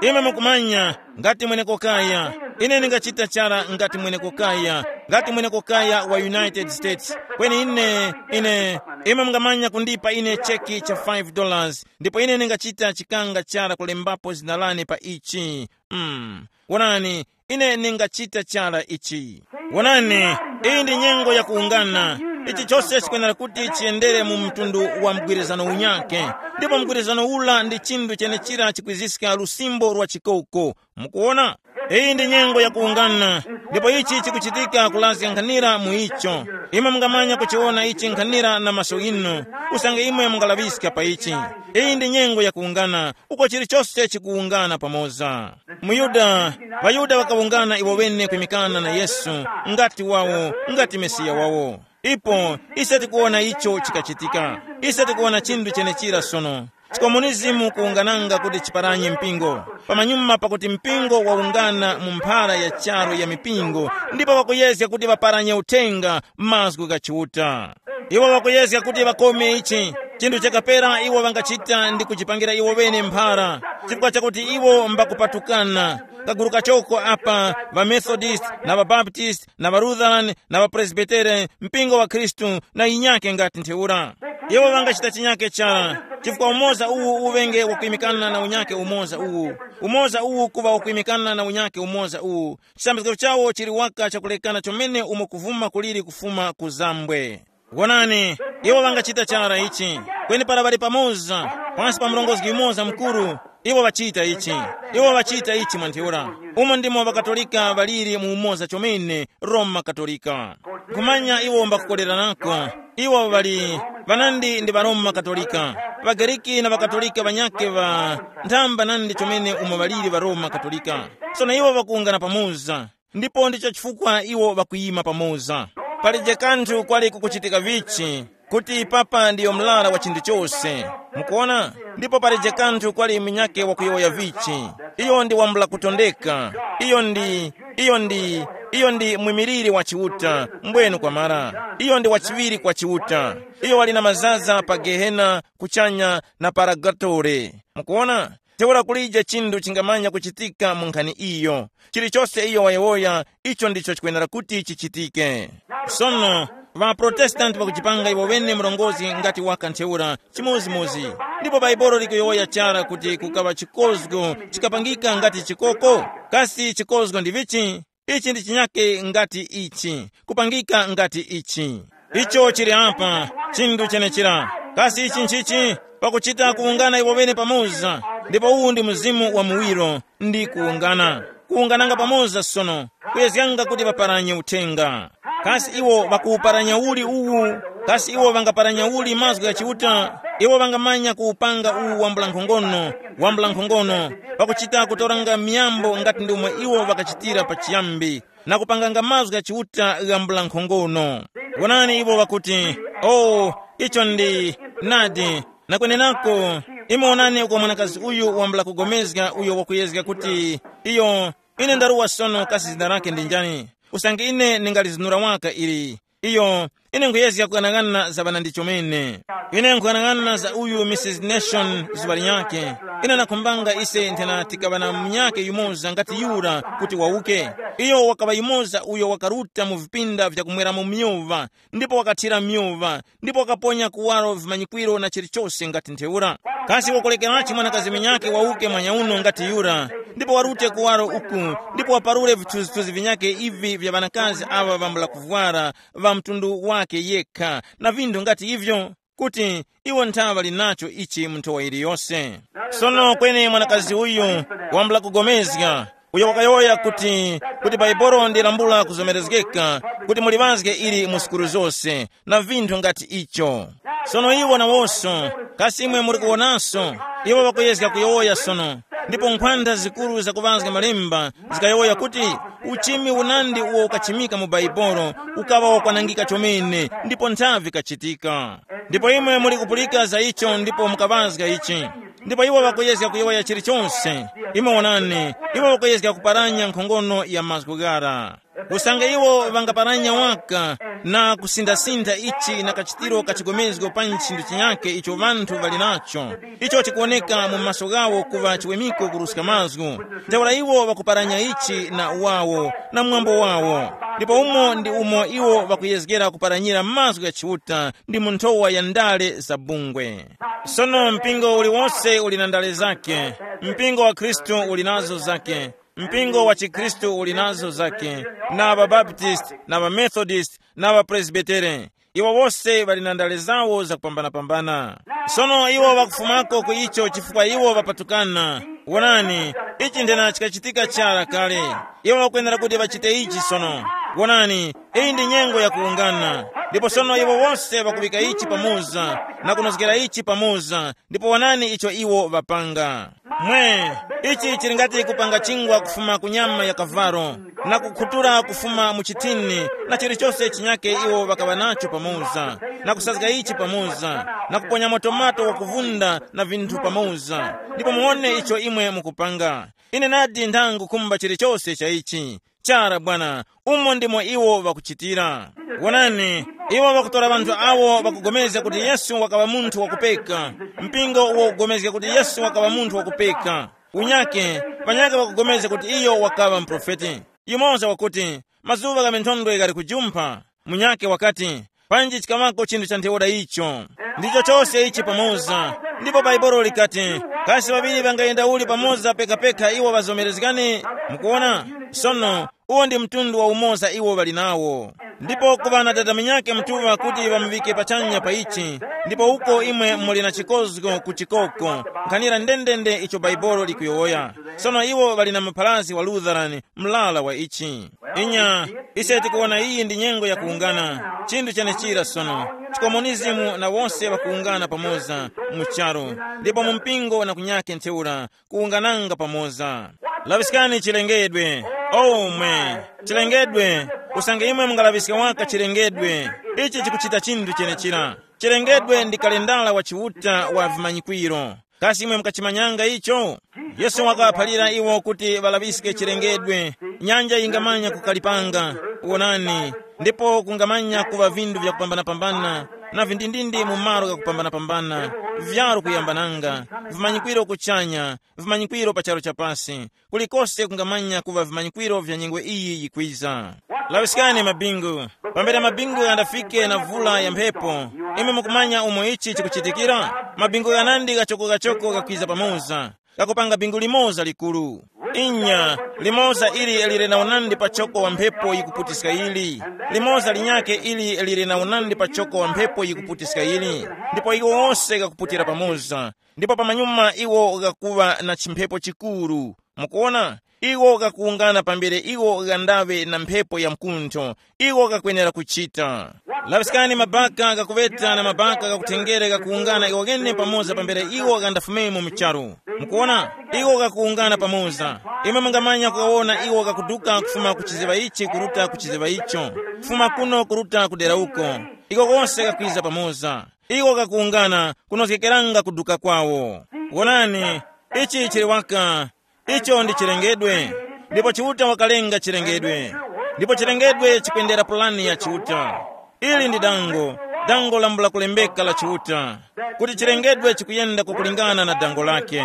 Imwe mukumanya, ngati mwenekokaya, ine ndingachita chara ngati mwenekokaya, ngati mwenekokaya wa United States. Kweni ine, ine, imwe mungamanya kundipa ine cheki cha five dollars, ndipo ine ndingachita chikanga chara kulembapo zina lane pa ichi. Mm. Wonani, ine ndingachita chara ichi. Wonani, iyi ndi nyengo yakuwungana. Ichi chose chikwenera kuti chiyendere mu mtundu wa mgwirizano unyake. Ndipo mgwirizano ula ndi chinthu chenechira chikwiziska lusimbo lwa chikoko. Mukuona? Iyi ndi nyengo yakuwungana. Ndipo ichi chikuchitika kulazga nkhanira mu icho. Imwe mungamanya kuchiwona ichi nkhanira na maso inu. Usange imwe mungalaŵiska pa ichi. Iyi ndi nyengo yakuwungana, uko chilichose chikuwungana pamoza. MuYuda, ŵaYuda ŵakawungana iwo ŵene kwimikana na Yesu, ngati wawo, ngati Mesiya wawo. Ipo, ise tikuwona icho chikachitika. Ise tikuwona chinthu chenechira sono. Chikomunizimu kuwungananga kuti chiparanye mpingo. Pamanyuma pakuti mpingo wawungana mu mphara ya charu ya mipingo, ndipo ŵakuyezga kuti ŵaparanye uthenga mazgu gha Chiuta. Iwo ŵakuyezga kuti ŵakome ichi. Chinthu chakapera iwo ŵangachita ndi kuchipangira iwo ŵene mphara, chifukwa chakuti iwo mbakupatukana. Kaguru kachoko apa, ŵaMethodist na ŵaBaptist na ŵaLutheran na ŵaPresbitere, mpingo wa Khristu na yinyake ngati ntheura. Iwo ŵangachita chinyake chara, chifukwa umoza uwu uŵenge wakuyimikana na unyake umoza uwu. Umoza uwu kuŵa wakuyimikana na unyake umoza uwu. Chisambizgo chawo chili waka chakulekana chomene umo kuvuma kuliri kufuma ku zambwe. Wonani, iwo ŵangachita chara ichi. Kweni para ŵali pamoza, pansi pa murongozgi yumoza mukuru, iwo ŵachita ichi. Iwo ŵachita ichi mwa ntheura. Umo ndimo ŵakatolika ŵaliri mu umoza chomene, Roma Katolika. Nkhumanya iwo mbakukoleranako. Iwo ŵali ŵanandi ndi ŵaroma Katolika. །ޣAGERIKI na ŵaKatolika ŵanyakhe ŵa nthamba nandi chomene umo ŵaliri ŵaroma Katolika. Sono iwo ŵakuwungana pamoza. Ndipo ndicho chifukwa iwo ŵakuyima pamoza. Palije kanthu kwali kukuchitika vichi, kuti papa ndiyo mlara wa chinthu chose. Mukuona? Ndipo palije kanthu kwali munyakhe wakuyowoya vichi. Iyo ndi wambula kutondeka. Iyo ndi, iyo ndi, iyo ndi mwimiriri wa Chiuta, mbwenu kwamara. Iyo ndi wachiŵiri kwa Chiuta. Iyo wali na mazaza pa Gehena, kuchanya, na paragatore. Mukuona? Ntheura kulije chinthu chingamanya kuchitika mu nkhani iyo. Chilichose iyo wayowoya, icho ndicho chikwenera kuti chichitike. Sono, ŵaProtestanti ŵakuchipanga iwo ŵene murongozgi ngati waka ntheura, chimodzimodzi. Ndipo Bhaibuli likuyowoya chara kuti kukaŵa chikozgo chikapangika ngati chikoko. Kasi chikozgo ndi vichi? Ichi ndi chinyake ngati ichi, kupangika ngati ichi. Icho chili apa, chinthu chenechira. Kasi ichi nchichi? Pakuchita kuwungana iwo ŵene pamoza, ndipo uwu ndi mzimu wa muwiro, ndi kuwungana. Kuwungananga pamoza sono, kuyezganga kuti ŵaparanye uthenga. Kasi iwo ŵakuwuparanya uli uwu? Kasi iwo ŵangaparanya uli mazgu gha Chiuta? Iwo ŵangamanya kuwupanga uwu wambula nkhongono, wambula nkhongono, pakuchita kutoranga miyambo ngati ndomwe iwo ŵakachitira pachiyambi, na kupanganga mazgu gha Chiuta ghambula nkhongono. Wonani iwo ŵakuti, “Oh, icho ndi nadi.” Na kwenenako, imwe wonani uko mwanakazi uyu wambula kugomezga uyo wakuyezga kuti, iyo, ine ndaruwa sono kasi zina lake ndi njani? Usange ine ndingalizinura waka ili, iyo, ine nkhuyezga kughanaghanana za ŵanandi chomene. Ine nkhughanaghanana za uyu Mrs Nation zuŵa linyakhe. Ine nakhumbanga ise nthena tikaŵa na munyakhe yumoza ngati yura kuti wawuke. Iyo wakaŵa yumoza uyo wakaruta mu vipinda vyakumweramo myova, ndipo wakathira myova, ndipo wakaponya kuwaro vimanyikwiro na chilichose ngati ntheura. Kasi wakulekerachi mwanakazi munyakhe wawuke mwanyauno ngati yura, ndipo warute kuwaro uku, ndipo waparure vithunzithunzi vinyakhe ivi vya ŵanakazi aŵa ŵambula kuvwara, ŵa mtundu wake yekha, na vinthu ngati ivyo, kuti iwo nthaŵa linacho ichi mu nthowa yiliyose. Sono kweni mwanakazi uyu wambula kugomezga, uyo wakayowoya kuti, kuti Bhaibuli ndilambula kuzomerezgeka, kuti muliŵazge ili mu sukulu zose, na vinthu ngati icho. Sono iwo nawonso, kasi imwe muli kuwonanso, iwo ŵakuyezga kuyowoya sono, ndipo nkhwantha zikuru zakuŵazga malemba zikayowoya kuti, uchimi unandi uwo ukachimika mu Bhaibuli ukaŵa wakwanangika chomene, ndipo nthavi kachitika. Ndipo imwe muli kupulika za icho ndipo mukaŵazga ichi. Ndipo iwo ŵakuyezga kuyowoya chilichonse. Imwe wonani, iwo ŵakuyezga kuparanya nkhongono ya mazgu ghara. Usange iwo ŵangaparanya waka, na kusindasindha ichi na kachitiro ka chigomezgo pa nchinthu chinyakhe icho ŵanthu ŵali nacho, icho chikuwoneka mu maso ghawo kuŵa chiwemiko kuruska mazgu. Ntheura iwo ŵakuparanya ichi na uwawo na mwambo wawo, ndipo umo ndi umo iwo ŵakuyezgera kuparanyira mazgu gha Chiuta ndi mu nthowa ya ndale za bungwe. Sono mpingo uliwonse uli na ndale zake. Mpingo wa Khristu uli nazo zake. Mpingo wa chikhristu uli nazo zake, na ŵabaptisti na ŵamethodist na ŵapresbitere. Iwo wose ŵali na ndale zawo zakupambanapambana. Sono iwo ŵakufumako ku icho chifukwa iwo ŵapatukana. Wonani, ichi nthena chikachitika chara kale. Iwo ŵakwenera kuti ŵachite ichi sono. Wonani, iyi ndi nyengo yakuwungana. Ndipo sono iwo wose ŵakuŵika ichi pamoza na kunozgera ichi pamoza, ndipo wonani icho iwo ŵapanga. Mwe, ichi chili ngati kupanga chingwa kufuma ku nyama ya kavalo, na kukhutura kufuma mu chithini, na chilichose chinyake iwo ŵakaŵa nacho pamoza, na kusazga ichi pamoza, na kuponyamo tomato wakuvunda na vinthu pamoza. Ndipo muwone icho imwe mukupanga. Ine nadi nthangu kumba chilichose cha ichi. Chara bwana, umo ndimo iwo ŵakuchitira. Wonani, iwo ŵakutora ŵanthu awo ŵakupulikana kuti Yesu wakaŵa munthu wakupeka. Mpingo uwo ukupulikana kuti Yesu wakaŵa munthu wakupeka. Unyake, panyake ŵakupulikana kuti iyo wakaŵa muprofeti. Yumoza wakuti, mazuŵa gha minthondwe ghali kujumpha. Munyake wakati, panji chikaŵako chinthu cha ntheura icho. Ndicho chose ichi pamoza. Ndipo Baibolo likati, kasi ŵaŵiri ŵangayenda uli pamoza pekapeka iwo ŵazomerezgane? Mukuona? Sono, uwo ndi mtundu wa umoza iwo ŵali nawo. Ndipo kuŵa na dada munyakhe mutuŵa kuti ŵamuŵike pachanya pa ichi, ndipo uko imwe muli na chikozgo ku chikoko, nkhanira ndendende icho Baibolo likuyowoya. Sono iwo ŵali na muphalasi wa Lutheran, mlala wa ichi. Inya, ise tikuwona iyi ndi nyengo yakuwungana. Chinthu chenechira sono, chikomunizimu na wose ŵakuwungana pamoza mu charu, ndipo mu mpingo na kunyake ntheura kuwungananga pamoza. Laŵiskani chilengedwe. Oh mwe, chilengedwe. Usange imwe mungalaŵiska waka chilengedwe, ichi chikuchita chinthu chenechira. Chilengedwe ndi kalendala wa Chiuta wa vimanyikwiro. Kasi imwe mukachimanyanga icho? Yesu wakaphalira iwo kuti ŵalaŵiske chilengedwe. Nyanja yingamanya kukalipanga, wonani, ndipo kungamanya kuŵa vinthu vyakupambanapambana, na vindindindi mu malo ghakupambanapambana, vyaru kuyambananga, vimanyikwiro kuchanya, vimanyikwiro pa charu chapasi, kulikose kungamanya kuŵa vimanyikwiro vya nyengo iyi yikwiza. Laŵiskani mabingu. Pambere mabingu ghandafike na vula ya mphepo, imwe mukumanya umo ichi chikuchitikira? Mabingu ghanandi ghachokogachoko ghakwiza pamoza, ghakupanga bingu limoza likuru. Inya, limoza ili lili na unandi pa choko wa mphepo yikuputiska yili, limoza linyakhe ili lili na unandi pa choko wa mphepo yikuputiska yili, ndipo iwo wose ghakuputira pamoza, ndipo pamanyuma iwo ghakuŵa na chimphepo chikuru. Mukuona, iwo ghakuwungana pambere iwo ghandaŵe na mphepo ya mkuntho, iwo ghakwenera kuchita. Laŵiskani mabaka ghakuŵeta na mabaka ghakuthengere ghakuwungana iwo ghene pamoza pambere iwo ghandafumemo mu charu. Mukuona, iwo ghakuwungana pamoza. Imwe mungamanya kuwawona iwo ghakuduka kufuma ku chiziŵa ichi kuruta ku chiziŵa icho, kufuma kuno kuruta ku dera uko. Iko kose ghakwiza pamoza. Iwo ghakuwungana kunozgekeranga kuduka kwawo. Wonani, ichi chili waka. Icho ndi chilengedwe. Ndipo Chiuta wakalenga chilengedwe. Ndipo chilengedwe chikwendera pulani ya Chiuta. Ili ndi dango, dango lambula kulembeka la Chiuta, kuti chilengedwe chikuyenda kukulingana na dango lake.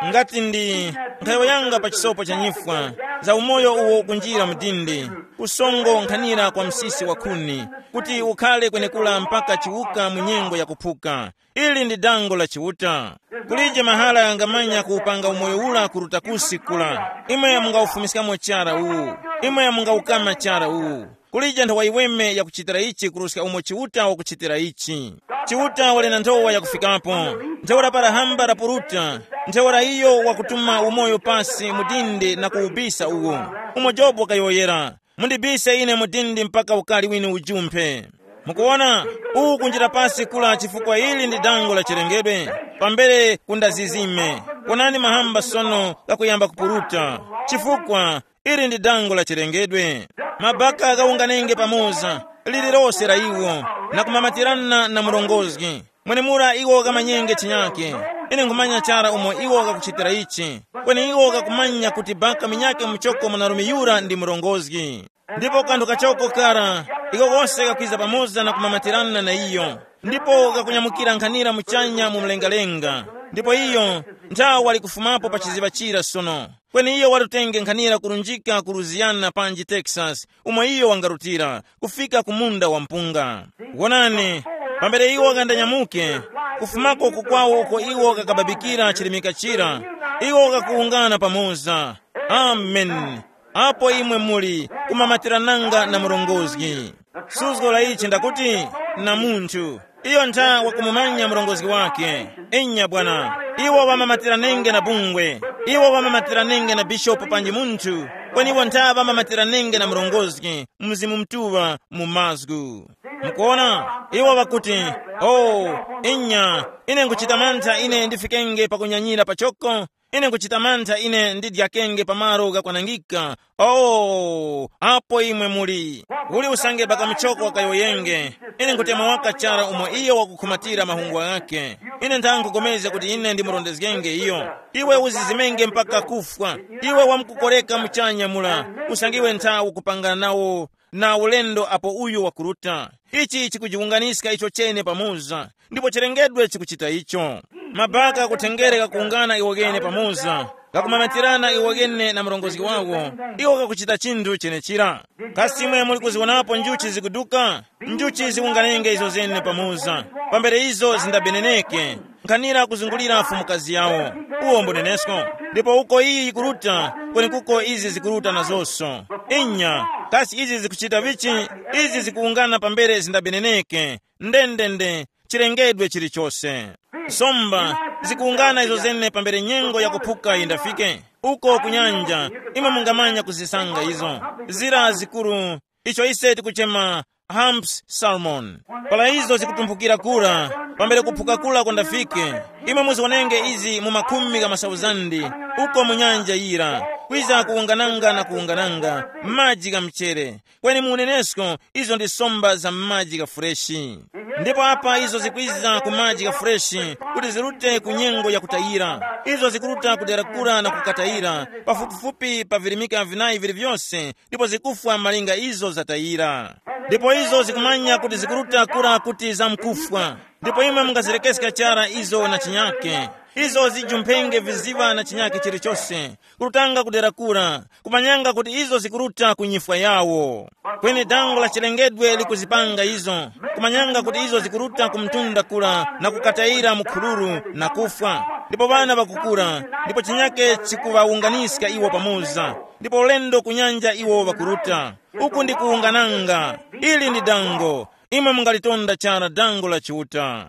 Ngati ndi nkhayo yanga pa chisopo cha nyifwa, za umoyo uwo ukunjira mdindi, kusongo nkhanira kwa msisi wa khuni, kuti ukhale kwenekura mpaka chiwuka mu nyengo yakuphuka. Ili ndi dango la Chiuta. Kulije mahala ghangamanya kuwupanga umoyo ura kuruta kusi kura. Imwe mungawufumiskamo chara uwu. Imwe mungawukama chara uwu. Kulije nthowa yiweme yakuchitira ichi kuruska umo Chiuta wakuchitira ichi. Chiuta wali na nthowa yakufikapo. Ntheura para hamba lapuruta, ntheura iyo wakutuma umoyo pasi mu dindi na kuwubisa uwo. Umo Jobu wakayowoyera, mundibise ine mu dindi mpaka ukari winu ujumphe. Mukuwona, uwu kunjira pasi kula chifukwa ili ndi dango la chilengedwe, pambere kundazizime. Wonani mahamba sono ghakuyamba kupuruta, chifukwa ili ndi dango la chilengedwe. Mabaka ghawunganenge pamoza, lililose la iwo, na kumamatirana na murongozgi. Mwenemura iwo ghamanyenge chinyake. Ine nkhumanya chara umo iwo ghakuchitira ichi. Kweni iwo ghakumanya kuti baka minyake muchoko mwanarume yura ndi murongozgi. Ndipo kanthu kachoko kara, Iko kose kakwiza pamoza na kumamatirana na iyo, ndipo kakunyamukira nkhanira muchanya mu mlengalenga. Ndipo iyo nthawi wali kufumapo pa chiziŵa chira sono. Kweni iyo watutenge nkhanira kurunjika ku Louisiana panji Texas, umo iyo wangarutira kufika ku munda wa mpunga. Wonani, pambere iwo ghandanyamuke, kufumako kukwawo uko iwo kakababikira chirimika chira, iwo kakuwungana pamoza. Amen. Apo imwe muli kumamatirananga na murongozgi. Suzgo la ichi ndakuti, na munthu iyo ntha wakumumanya murongozgi wake. Inya bwana, iwo ŵamamatiranenge na bungwe, iwo ŵamamatiranenge na bishopu panji munthu, kweni iwo ntha ŵamamatiranenge na murongozgi, Mzimu Mutuŵa mu mazgu. Mukuona, iwo ŵakuti, oh, inya, ine nkuchita mantha ine ndifikenge pakunyanyira pachoko. Ine nkuchita mantha ine ndidyakenge pa malo ghakwanangika. Oh, apo imwe muli. Uli usange baka muchoko wakayowoyenge. Ine nkutema waka chara umo iyo wakukhumatira mahungwa ghakhe. Ine ntha nkugomezga kuti ine ndimurondezgenge iyo. Iwe uzizimenge mpaka kufwa. Iwe wamkukoreka muchanya mula, usange iwe ntha ukupangana nawo na ulendo apo uyu wakuruta. Ichi chikujiwunganiska icho chene pamoza, ndipo chilengedwe chikuchita icho. Mabaka kuthengere kakuwungana iwo ghene pamoza, kakumamatirana iwo ghene na murongozgi wawo, iwo kakuchita chinthu chenechira. Kasi imwe muli kuzionapo njuchi zikuduka? Njuchi ziwunganenge izo zene pamoza, pambere izo zindabeneneke, nkhanira kuzungulira mfumukazi yawo. Uwo mbunenesko. Ndipo uko iyi yikuruta, kwenekuko izi zikuruta nazonso. Inya, kasi izi zikuchita vichi? Izi zikuwungana pambere zindabeneneke. Ndendende, chilengedwe chilichose. Nsomba zikuwungana izo zene pambere nyengo yakuphuka yindafike. Uko ku nyanja, imwe mungamanya kuzisanga izo. Zira zikuru, icho ise tikuchema humps salmon. Para izo zikutumphukira kura, pambere kuphuka kura kwandafike, imwe muziwonenge izi mu makhumi gha masauzandi, uko mu nyanja yira, kwiza kuwungananga na kuwungananga, maji gha mchere. Kweni mu unenesko, izo ndi somba za maji gha fureshi. Ndipo apa izo zikwiza ku maji gha fureshi, kuti zirute ku nyengo yakutayira. Izo zikuruta kudera kura na kukatayira, pafupifupi pa virimika vinayi vili vyose, ndipo zikufwa malinga izo zatayira. Ndipo izo zikumanya kuti zikuruta kura kuti zamkufwa. Ndipo imwe mungazirekeska chara izo na chinyake. Izo zijumphenge viziŵa na chinyake chilichose, kurutanga kudera kura, kumanyanga kuti izo zikuruta ku nyifwa yawo. Kweni dango la chilengedwe likuzipanga izo, kumanyanga kuti izo zikuruta ku mtunda kura na kukatayira mu khuluru na kufwa. Ndipo ŵana ŵakukura, ndipo chinyake chikuŵawunganiska iwo pamoza, ndipo ulendo ku nyanja iwo ŵakuruta. Uku ndi kuwungananga. Ili ndi dango. Imwe mungalitonda chara dango la Chiuta.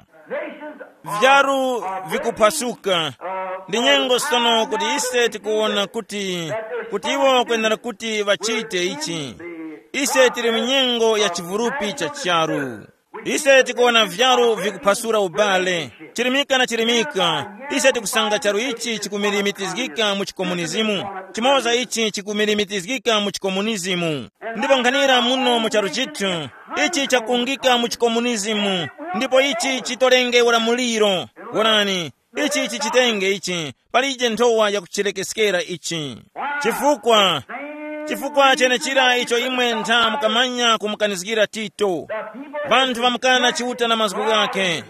Vyaru vikuphwasuka. Ndi nyengo sono kuti ise tikuwona kuti, kuti iwo kwenera kuti ŵachite ichi. Ise tili mu nyengo ya chivurupi cha charu. Ise tikuwona vyaru vikuphwasura ubale. Chirimika na chirimika, ise tikusanga charu ichi chikumilimitizgika mu chikomunizimu. Chimoza ichi chikumilimitizgika mu chikomunizimu. Ndipo nkhanira muno mu charu chithu, ichi chakungika mu chikomunizimu, ndipo ichi chitolenge ulamuliro. Wonani, ichi chichitenge ichi, palije nthowa yakuchirekeskera ichi. Chifukwa, chifukwa chenechira icho imwe ntha mukamanya kumukanizgira Tito. Vanthu vamukana Chiuta na mazgu ghakhe.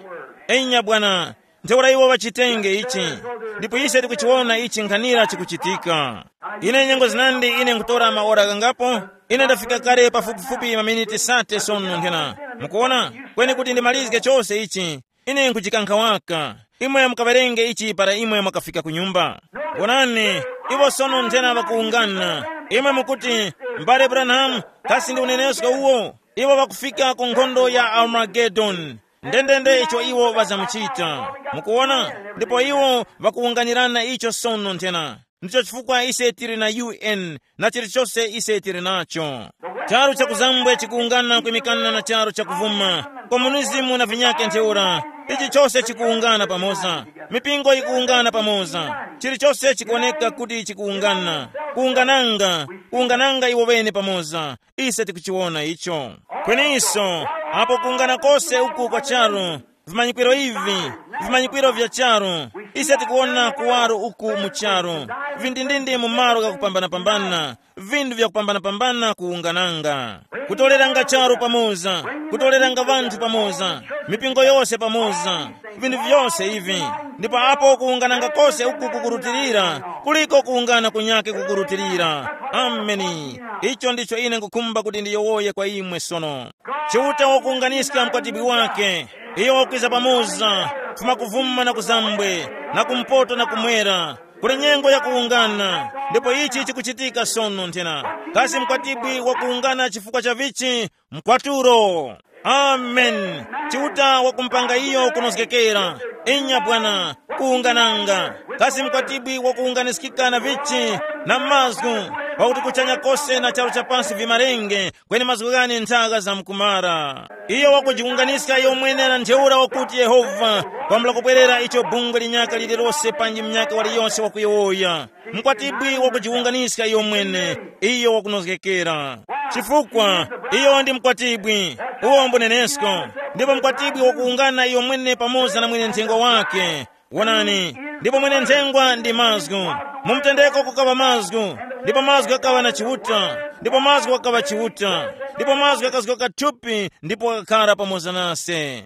Enya bwana, ntheura iwo ŵachitenge ichi, ndipo ise tikuchiwona ichi nkhanira chikuchitika. Ine nyengo zinandi ine nkutora maora ghangapo, ine ndafika kale pafupifupi maminiti sate sono nthena. Mukuona, kweni kuti ndimalizge chose ichi, ine nkuchikankha waka. Imwe mukawerenge ichi para imwe mwakafika ku nyumba. Wonani, iwo sono nthena ŵakuwungana. Imwe mukuti, mbale Branham, kasi ndi unenesko uwo? Iwo ŵakufika ku nkhondo ya Armagedoni. Ndendende icho iwo ŵazamuchita. Mukuwona? Ndipo iwo ŵakuwunganirana icho sono nthena. Ndicho chifukwa ise tili na U N na chilichose ise tili nacho. Charu chakuzambwe chikuwungana kwimikana na charu chakuvuma. Komunizimu na vinyake ntheura. Ichi chose chikuwungana pamoza. Mipingo yikuwungana pamoza. Chilichose chikuwoneka kuti chikuwungana. Kuwungananga, kuwungananga iwo ŵene pamoza. Ise tikuchiwona icho. Kweninso, apo kungana kose uku kwa charu, vimanyikwiro ivi, vimanyikwiro vya charu, Ise tikuwona kuwaro uku mu charu, vindindindi mu malo ghakupambanapambana, vinthu vyakupambanapambana kuwungananga, kutoreranga charu pamoza, kutoreranga vanthu pamoza, mipingo yose pamoza, vinthu vyose ivi. Ndipo apo kuwungananga kose uku kukurutilira, kuliko kuwungana kunyake kukurutilira. Ameni. Icho ndicho ine nkukhumba kuti ndiyowoye kwa imwe sono. Chiuta wakuwunganiska mkwatibwi wake, iyo wakwiza pamoza, kufuma kuvuma na kuzambwe, na kumpoto na kumwera. Kuli nyengo yakuwungana, ndipo ichi chikuchitika sono nthena. Kasi mkwatibwi wakuwungana chifukwa cha vichi? Mkwatulo. Amen. Chiuta wakumpanga iyo kunozgekera. Inya bwana, kuwungananga. Kasi mkwatibwi wakuwunganiskika na vichi? Na mazgu. Pakuti kuchanya kose na charu cha pasi vimarenge, kweni mazgu ghane nthaka zamkumara. Iyo wakujiwunganiska iyo mwene na ntheura wakuti Yehova, kwambula kubwerera icho bungwe linyaka lililose panji mnyaka waliyonse wakuyowoya. Mkwatibwi wakujiwunganiska iyo mwene, iyo wakunozgekera. Chifukwa iyo ndi mkwatibwi, uwo mbunenesko, ndipo mkwatibwi wakuwungana iyo mwene pamoza na mwene nthengwa wake. Wonani, ndipo mwene nthengwa ndi mazgu. Mu mtendeko kukaŵa mazgu, ndipo mazgu ghakaŵa na Chiuta, ndipo mazgu ghakaŵa Chiuta, ndipo mazgu ghakazgoka thupi ndipo ghakakhara pamoza nase.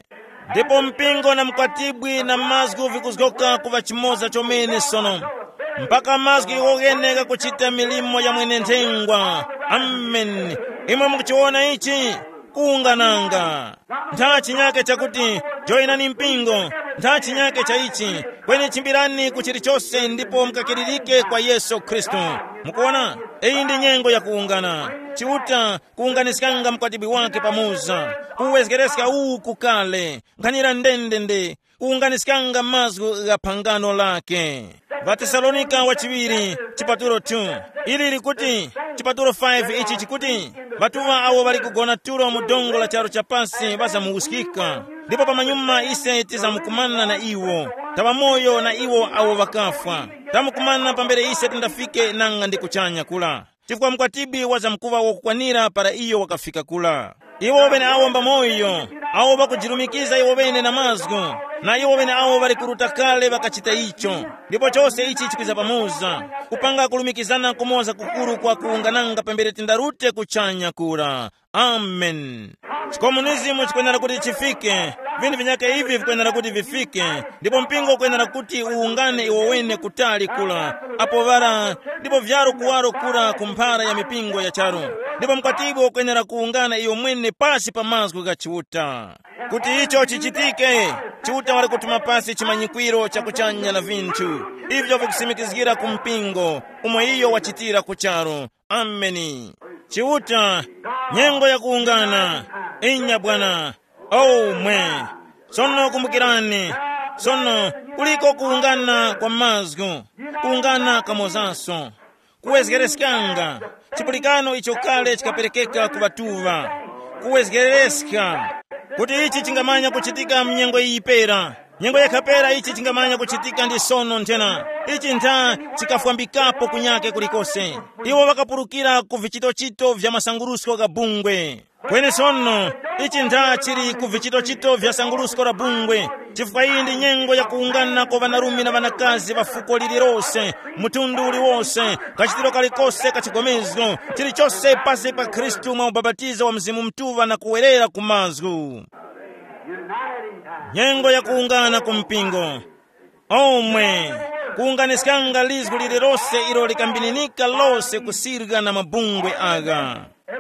Ndipo mpingo na mkwatibwi na mazgu vikuzgoka kuŵa chimoza chomene sono, mpaka mazgu iwo ghene ghakuchita milimo ya mwene nthengwa. Amen. Imwe mukuchiwona ichi? Kuwungananga. Ntha chinyake chakuti, joyinani mpingo. Ntha chinyake cha ichi, kweni chimbirani ku chilichose ndipo mukakiririke kwa Yesu Khristu. Mukuona, iyi ndi nyengo ya kuwungana. Chiuta kuwunganiskanga mkwatibwi wake pamoza, kuwezgereska uwu kukale, nkhanira ndendende, kuwunganiskanga mazgu gha phangano lake. Vatesalonika wachiŵiri, chipatulo two, ili likuti, chipatulo five ichi chikuti, ŵatuŵa awo ŵali kugona tulo mu dongo la charu cha pasi ŵazamuwuskika, ndipo pamanyuma ise tizamukumana na iwo, taŵamoyo na iwo awo ŵakafwa, tamukumana pambere ise tindafike nanga ndi kuchanya kula. Chifukwa mkwatibwi wazamkuŵa wakukwanira para iyo wakafika kula. Iwo ŵeneawo mbamoyo, awo ŵakujirumikiza iwo ŵene na mazgu, na iwo ŵeneawo ŵali kuruta kale ŵakachita icho. Ndipo chose ichi chikwiza pamoza, kupanga kulumikizana kumoza kukuru kwa kuwungananga pambere tindarute kuchanya kura. Amen. Chikomunizimu chikwenera kuti chifike, vinthu vinyake ivi vikwenera kuti vifike, ndipo mpingo ukwenera kuti uwungane iwo wene kutali kula, apo ŵara, ndipo vyaro kuwaro kura ku mphara ya mipingo ya charu, ndipo mkwatibwi ukwenera kuwungana iyo mwene pasi pa mazgu gha Chiuta. Kuti icho chichitike, Chiuta wali kutuma pasi chimanyikwiro cha kuchanya na vinthu, ivyo vikusimikizgira ku mpingo, umo iyo wachitira ku charu. Ameni. Chiuta, nyengo yakuwungana. Inya bwana. Oh mwe. Sono kumbukirani, sono kuliko kuwungana kwa mazgu, kuwungana kamozanso, kuwezgereskanga chipulikano icho kale chikaperekeka ku ŵatuŵa, kuwezgereska, kuti ichi chingamanya kuchitika mnyengo iyi pera. Nyengo yakhapera ichi chingamanya kuchitika ndi sono nthena. Ichi ntha chikafwambikapo kunyake kulikose. Iwo ŵakapulukira ku vichitochito vya masangurusko gha bungwe. Kweni sono, ichi ntha chili ku vichitochito vya sangurusko la bungwe, chifukwa iyi ndi nyengo yakuwungana kwa ŵanarume na ŵanakazi ŵa fuko lililose, mtundu uliwose, kachitiro kalikose ka chigomezgo, chilichose pasi pa Khristu mwa ubapatizo wa Mzimu Mutuŵa na kuwerera ku mazgu. Nyengo yakuwungana ku mpingo. Omwe, kuwunganiskanga lizgu lililose ilo likambininika lose kusirga na mabungwe agha.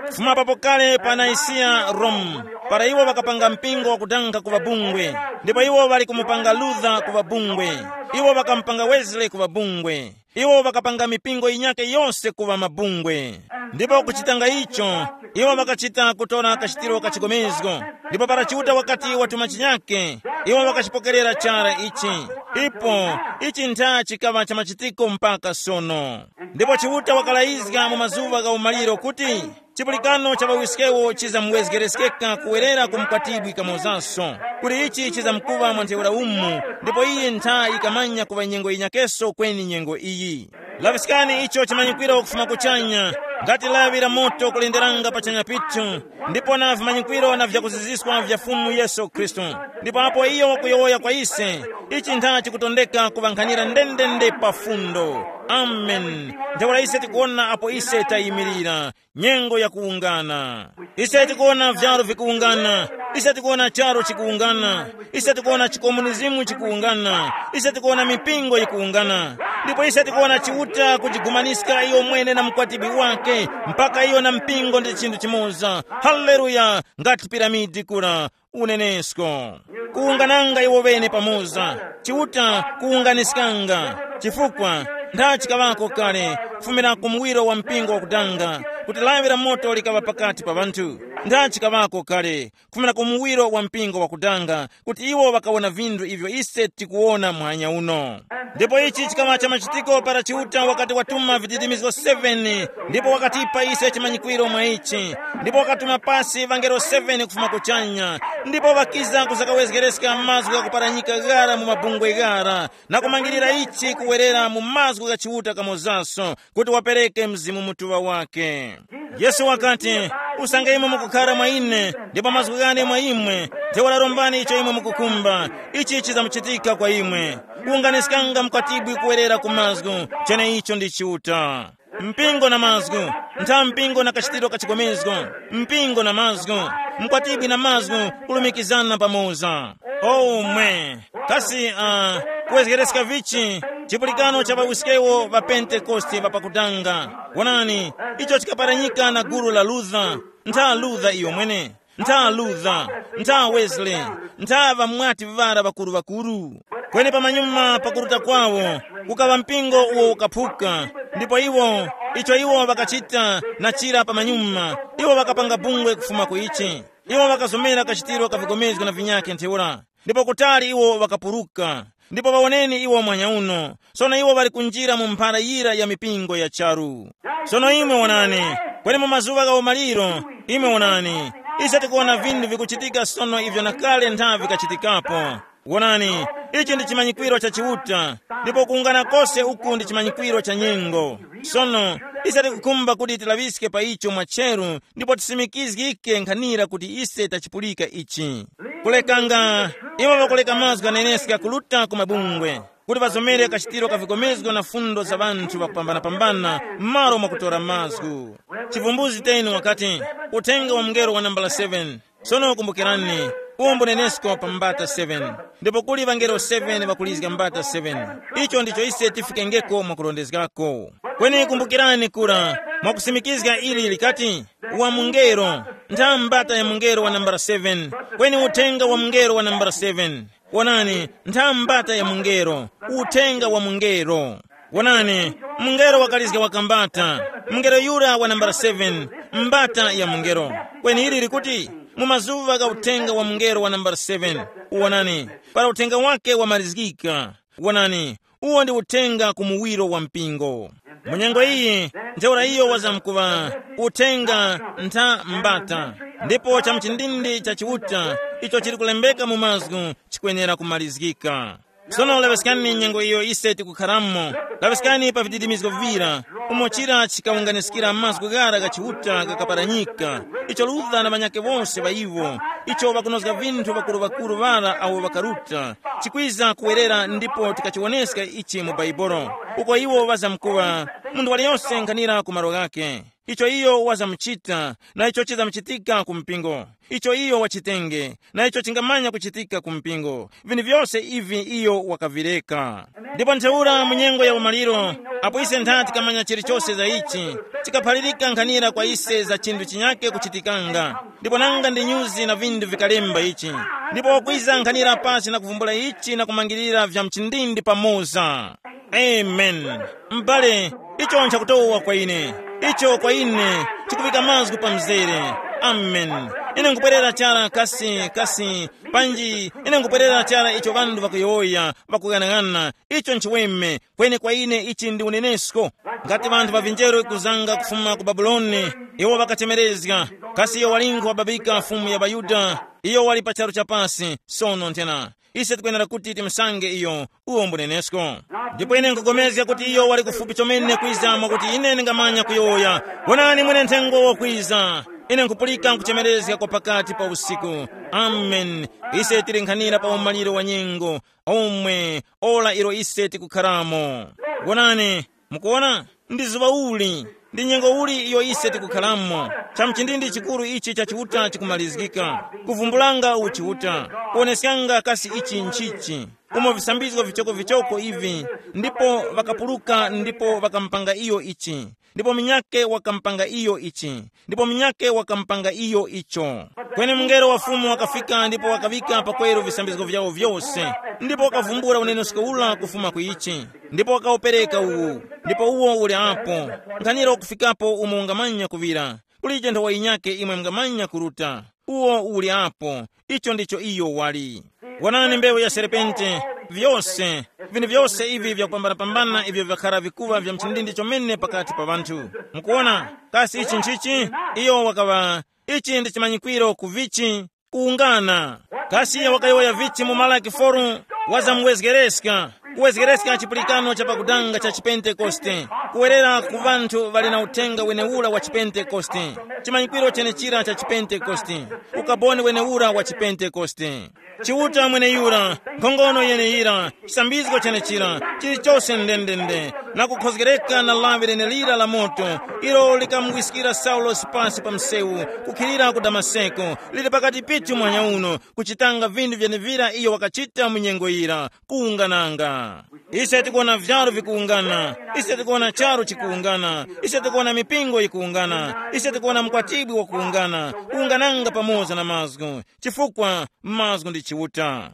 Kufuma papo kale pa Naisiya Rome, para iwo ŵakapanga mpingo wakudanga kuŵa bungwe, ndipo iwo ŵali kumupanga Luther kuŵa bungwe, iwo ŵakamupanga Wesley kuŵa bungwe, iwo ŵakapanga mipingo yinyakhe yose kuŵa mabungwe. Ndipo kuchitanga icho, iwo ŵakachita kutora kachitiro ka chigomezgo. Ndipo para Chiuta wakati watuma chinyakhe, iwo ŵakachipokerera chara ichi. Ipo, ichi ntha chikaŵa cha machitiko mpaka sono. Ndipo Chiuta wakalayizga mu mazuŵa gha umaliro kuti chipulikano cha ŵawiskewo chizamuwezgereskeka kuwerera ku mkwatibwi kamozanso, kuti ichi chizamkuŵa mwa ntheura umu, ndipo iyi ntha yikamanya kuŵa nyengo yinyakeso kweni nyengo iyi. Laŵiskani icho chimanyikwiro kufuma kuchanya, ngati lawi la moto kulenderanga pachanya pithu, ndipo na vimanyikwiro na vyakuziziswa vya Fumu Yesu Khristu. Ndipo apo iyo wakuyowoya kwa ise, Ichi ntha chikutondeka kuŵankhanira ndendende pa fundo. Amen. Ntheura ise tikuwona apo ise tayimirira, nyengo yakuwungana. Ise tikuwona vyaro vikuwungana. Ise tikuwona charo chikuwungana. Ise tikuwona chikomunizimu chikuwungana. Ise tikuwona mipingo yikuwungana. Ndipo ise tikuwona Chiuta kujigumaniska iyo mwene na mkwatibwi wake, mpaka iyo na mpingo ndi chinthu chimoza. Haleluya. Ngati piramidi kura, unenesko. Kuwungananga iwo ŵene pamoza. Chiuta kuwunganiskanga. Chifukwa, nda chikaŵako kale, kufumira ku muwiro wa mpingo wakudanga, kuti lawi la moto likaŵa pakati pa ŵanthu. Nda chikaŵako kale, kufumira ku muwiro wa mpingo wakudanga, kuti iwo ŵakawona vinthu ivyo ise tikuwona muhanya uno. Ndipo ichi chikaŵa cha machitiko para Chiuta wakati watuma vidirimizgo seven, ndipo wakatipa ise chimanyikwiro mwa ichi, ndipo wakatuma pasi ŵangelo seven kufuma kuchanya, ndipo ŵakiza kuzakawezgereska mazgu ghakuparanyika ghara mu mabungwe ghara, na kumangirira ichi kuwerera mu mazgu gha Chiuta kamozaso, kuti wapereke Mzimu Mutuŵa wake. Yesu wakati, usange imwe mukukhara mwa ine, ndipo mazgu ghane mwa imwe, ntheura rombani icho imwe mukukhumba, ichi chizamuchitika kwa imwe. Kuwunganiskanga mkwatibwi kuwerera ku mazgu, cheneicho ndi Chiuta. Mpingo na mazgu, ntha mpingo na kachitiro ka chigomezgo, mpingo na mazgu, mkwatibwi na mazgu, kulumikizana pamoza. Omwe, kasi uh, kuwezgereska vichi chipulikano cha ŵawiskewo ŵa Pentekoste ŵapakutanga? Wonani, icho chikaparanyika na gulu la Luther, ntha Luther iyo mwene, ntha Luther, ntha Wesley, ntha ŵamwati ŵara ŵakuru-ŵakuru. Kweni pamanyuma pakuruta kwawo, kukaŵa mpingo uwo ukaphuka, ndipo iwo, icho iwo ŵakachita na chira pamanyuma, iwo ŵakapanga bungwe kufuma ku ichi. Iwo ŵakazomera kachitiro ka vigomezgo na vinyakhe ntheura, ndipo kutali iwo ŵakapuruka. Ndipo ŵawoneni iwo mwanya uno, sono iwo ŵali kunjira mu mphara yira ya mipingo ya charu. Sono imwe wonani, kweni mu mazuŵa gha umaliro, imwe wonani, ise tikuwona vinthu vikuchitika sono ivyo na kale nthavi vikachitikapo. Wonani, ichi ndi chimanyikwiro cha Chiuta, ndipo kuwungana kose uku ndi chimanyikwiro cha nyengo. Sono, ise tikukhumba kuti tilaŵiske pa icho mwacheru, ndipo tisimikizgike nkhanira kuti ise tachipulika ichi. Kulekanga, iwo ŵakuleka mazgu ghaneneska kuruta ku mabungwe, kuti ŵazomere kachitiro ka vikomezgo na fundo za ŵanthu ŵakupambanapambana m'malo mwakutora mazgu. Chivumbuzi ten wakati, uthenga wa mngelo wa nambala seven. Sono kumbukirani, uwo mbunenesko pa mbata seven, ndipo kuli ŵangelo seven ŵakulizga mbata seven. Icho ndicho ise tifikengeko mwakurondezgako. Kweni kumbukirani kura, mwakusimikizga ili likati, wa mungelo, ntha mbata ya mungelo wa nambala seven, kweni uthenga wa mungelo wa nambala seven. Wonani, ntha mbata ya mungelo, uthenga wa mungelo. Wonani, mungelo wakalizga wakambata, mungelo yura wa nambala seven, mbata ya mungelo. Kweni ili likuti, mu mazuŵa gha uthenga wa mungelo wa nambala seven, wonani, para uthenga wake wamalizgika. Wonani, uwo ndi uthenga ku muwiro wa mpingo. Mu nyengo iyi, ntheura iyo wazamkuŵa uthenga ntha mbata, ndipo cha mchindindi cha Chiuta icho chili kulembeka mu mazgu chikwenera kumalizgika. Sono laŵiskani nyengo iyo ise tikukharamo, laŵiskani pa vididimizgo vira, umo chira chikawunganiskira mazgu ghara gha Chiuta gakaparanyika, icho Luther na ŵanyakhe wose ŵa iwo, icho ŵakunozga vinthu ŵakuru-ŵakuru ŵara awo ŵakaruta, chikwiza kuwerera ndipo tikachiwoneska ichi mu Bhaibuli, uko iwo ŵazamkuŵa, munthu waliyose nkhanira ku malo ghakhe. Icho iyo wazamuchita, na icho chizamuchitika ku mpingo. Icho iyo wachitenge, na icho chingamanya kuchitika ku mpingo. Vinthu vyose ivi iyo wakavireka. Ndipo ntheura mu nyengo ya umaliro, apo ise ntha tikamanya chilichose za ichi, chikaphalirika nkhanira kwa ise za chinthu chinyake kuchitikanga. Ndipo nanga ndi nyuzi na vinthu vikalemba ichi. Ndipo wakwiza nkhanira pasi na kuvumbula ichi na kumangirira vya mchindindi pamoza. Amen. M'bale, icho nchakutowa kwa ine. Icho kwa ine chikuvika mazgu pa mzere. Amen. Ine nkupwerera chara kasi, kasi, panji ine nkupwerera chara icho ŵanthu ŵakuyowoya, ŵakughanagana. Icho nchiweme, kweni kwa ine ichi ndi unenesko. Ngati ŵanthu ŵa vinjeru kuzanga kufuma ku Babuloni, iwo ŵakachemerezga, kasi iyo walingo wababika Fumu ya ŵaYuda, iyo wali pa charu cha pasi, sono nthena. Ise tikwenera kuti timusange iyo, uwo mbunenesko. Ndipo ine nkupulikana kuti iyo wali kufupi chomene kwiza mwakuti ine ndingamanya kuyowoya. Wonani mwene nthengo wakwiza. Ine nkhupulika nkuchemerezga kwa pakati pa usiku. Amen. Ise tili nkhanira pa umaliro wa nyengo, omwe ora ilo ise tikukharamo. Wonani, mukuona, ndi zuŵa uli, ndi nyengo uli iyo ise tikukharamo. Cha mchindindi chikuru ichi cha Chiuta chikumalizgika, kuvumbulanga uchiuta, kuoneskanga kasi ichi nchichi, umo visambizgo vichokovichoko ivi, ndipo ŵakapuluka ndipo ŵakamupanga iyo ichi, ndipo munyake wakamupanga iyo ichi, ndipo munyake wakamupanga iyo icho. Kweni mungelo wa Fumu wakafika ndipo wakaŵika pakweru visambizgo vyawo vyose, ndipo wakavumbula unenesko ula kufuma ku ichi, ndipo wakawupereka uwu, ndipo uwo uli apo. Nkhanira ukufikapo umo ungamanya kuŵira, kulije nthowa yinyake imwe mungamanya kuruta. Uwo uli apo. Icho ndicho iyo wali. Wonani mbewu ya serpente, vyose, vinthu vyose ivi vyakupambanapambana ivyo vyakhara vikuŵa vya mchindindi chomene pakati pa ŵanthu. Mukuona, kasi ichi nchichi? Iyo wakaŵa, ichi ndi chimanyikwiro ku vichi, kuwungana. Kasi iyo wakayowoya vichi mu Malaki foru? Wazamuwezgereska, kuwezgereska chipulikano cha pakudanga cha chipentekoste, kuwerera ku ŵanthu ŵali na uthenga wenewura wa chipentekoste, chimanyikwiro chenechira cha chipentekoste, ukaboni wenewura wa chipentekoste. Chiuta mweneyura, nkhongono yeneyira, chisambizgo chenechira, chilichose ndendende, na kukhozgereka na lawi lenelira la moto, ilo likamugwiskira Saulosi pasi pa msewu, kukhilira ku Damaseko, lili pakati pithu mwanya uno, kuchitanga vinthu vyenevira iyo wakachita mu nyengo yira, kuwungananga. Ise tikuwona vyalu vikuwungana, ise tikuwona charu chikuwungana, ise tikuwona mipingo yikuwungana, ise tikuwona mkwatibwi wakuwungana, kuwungananga pamoza na mazgu, chifukwa mazgu ndi Chiuta.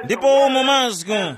Ndipo umo mazgu,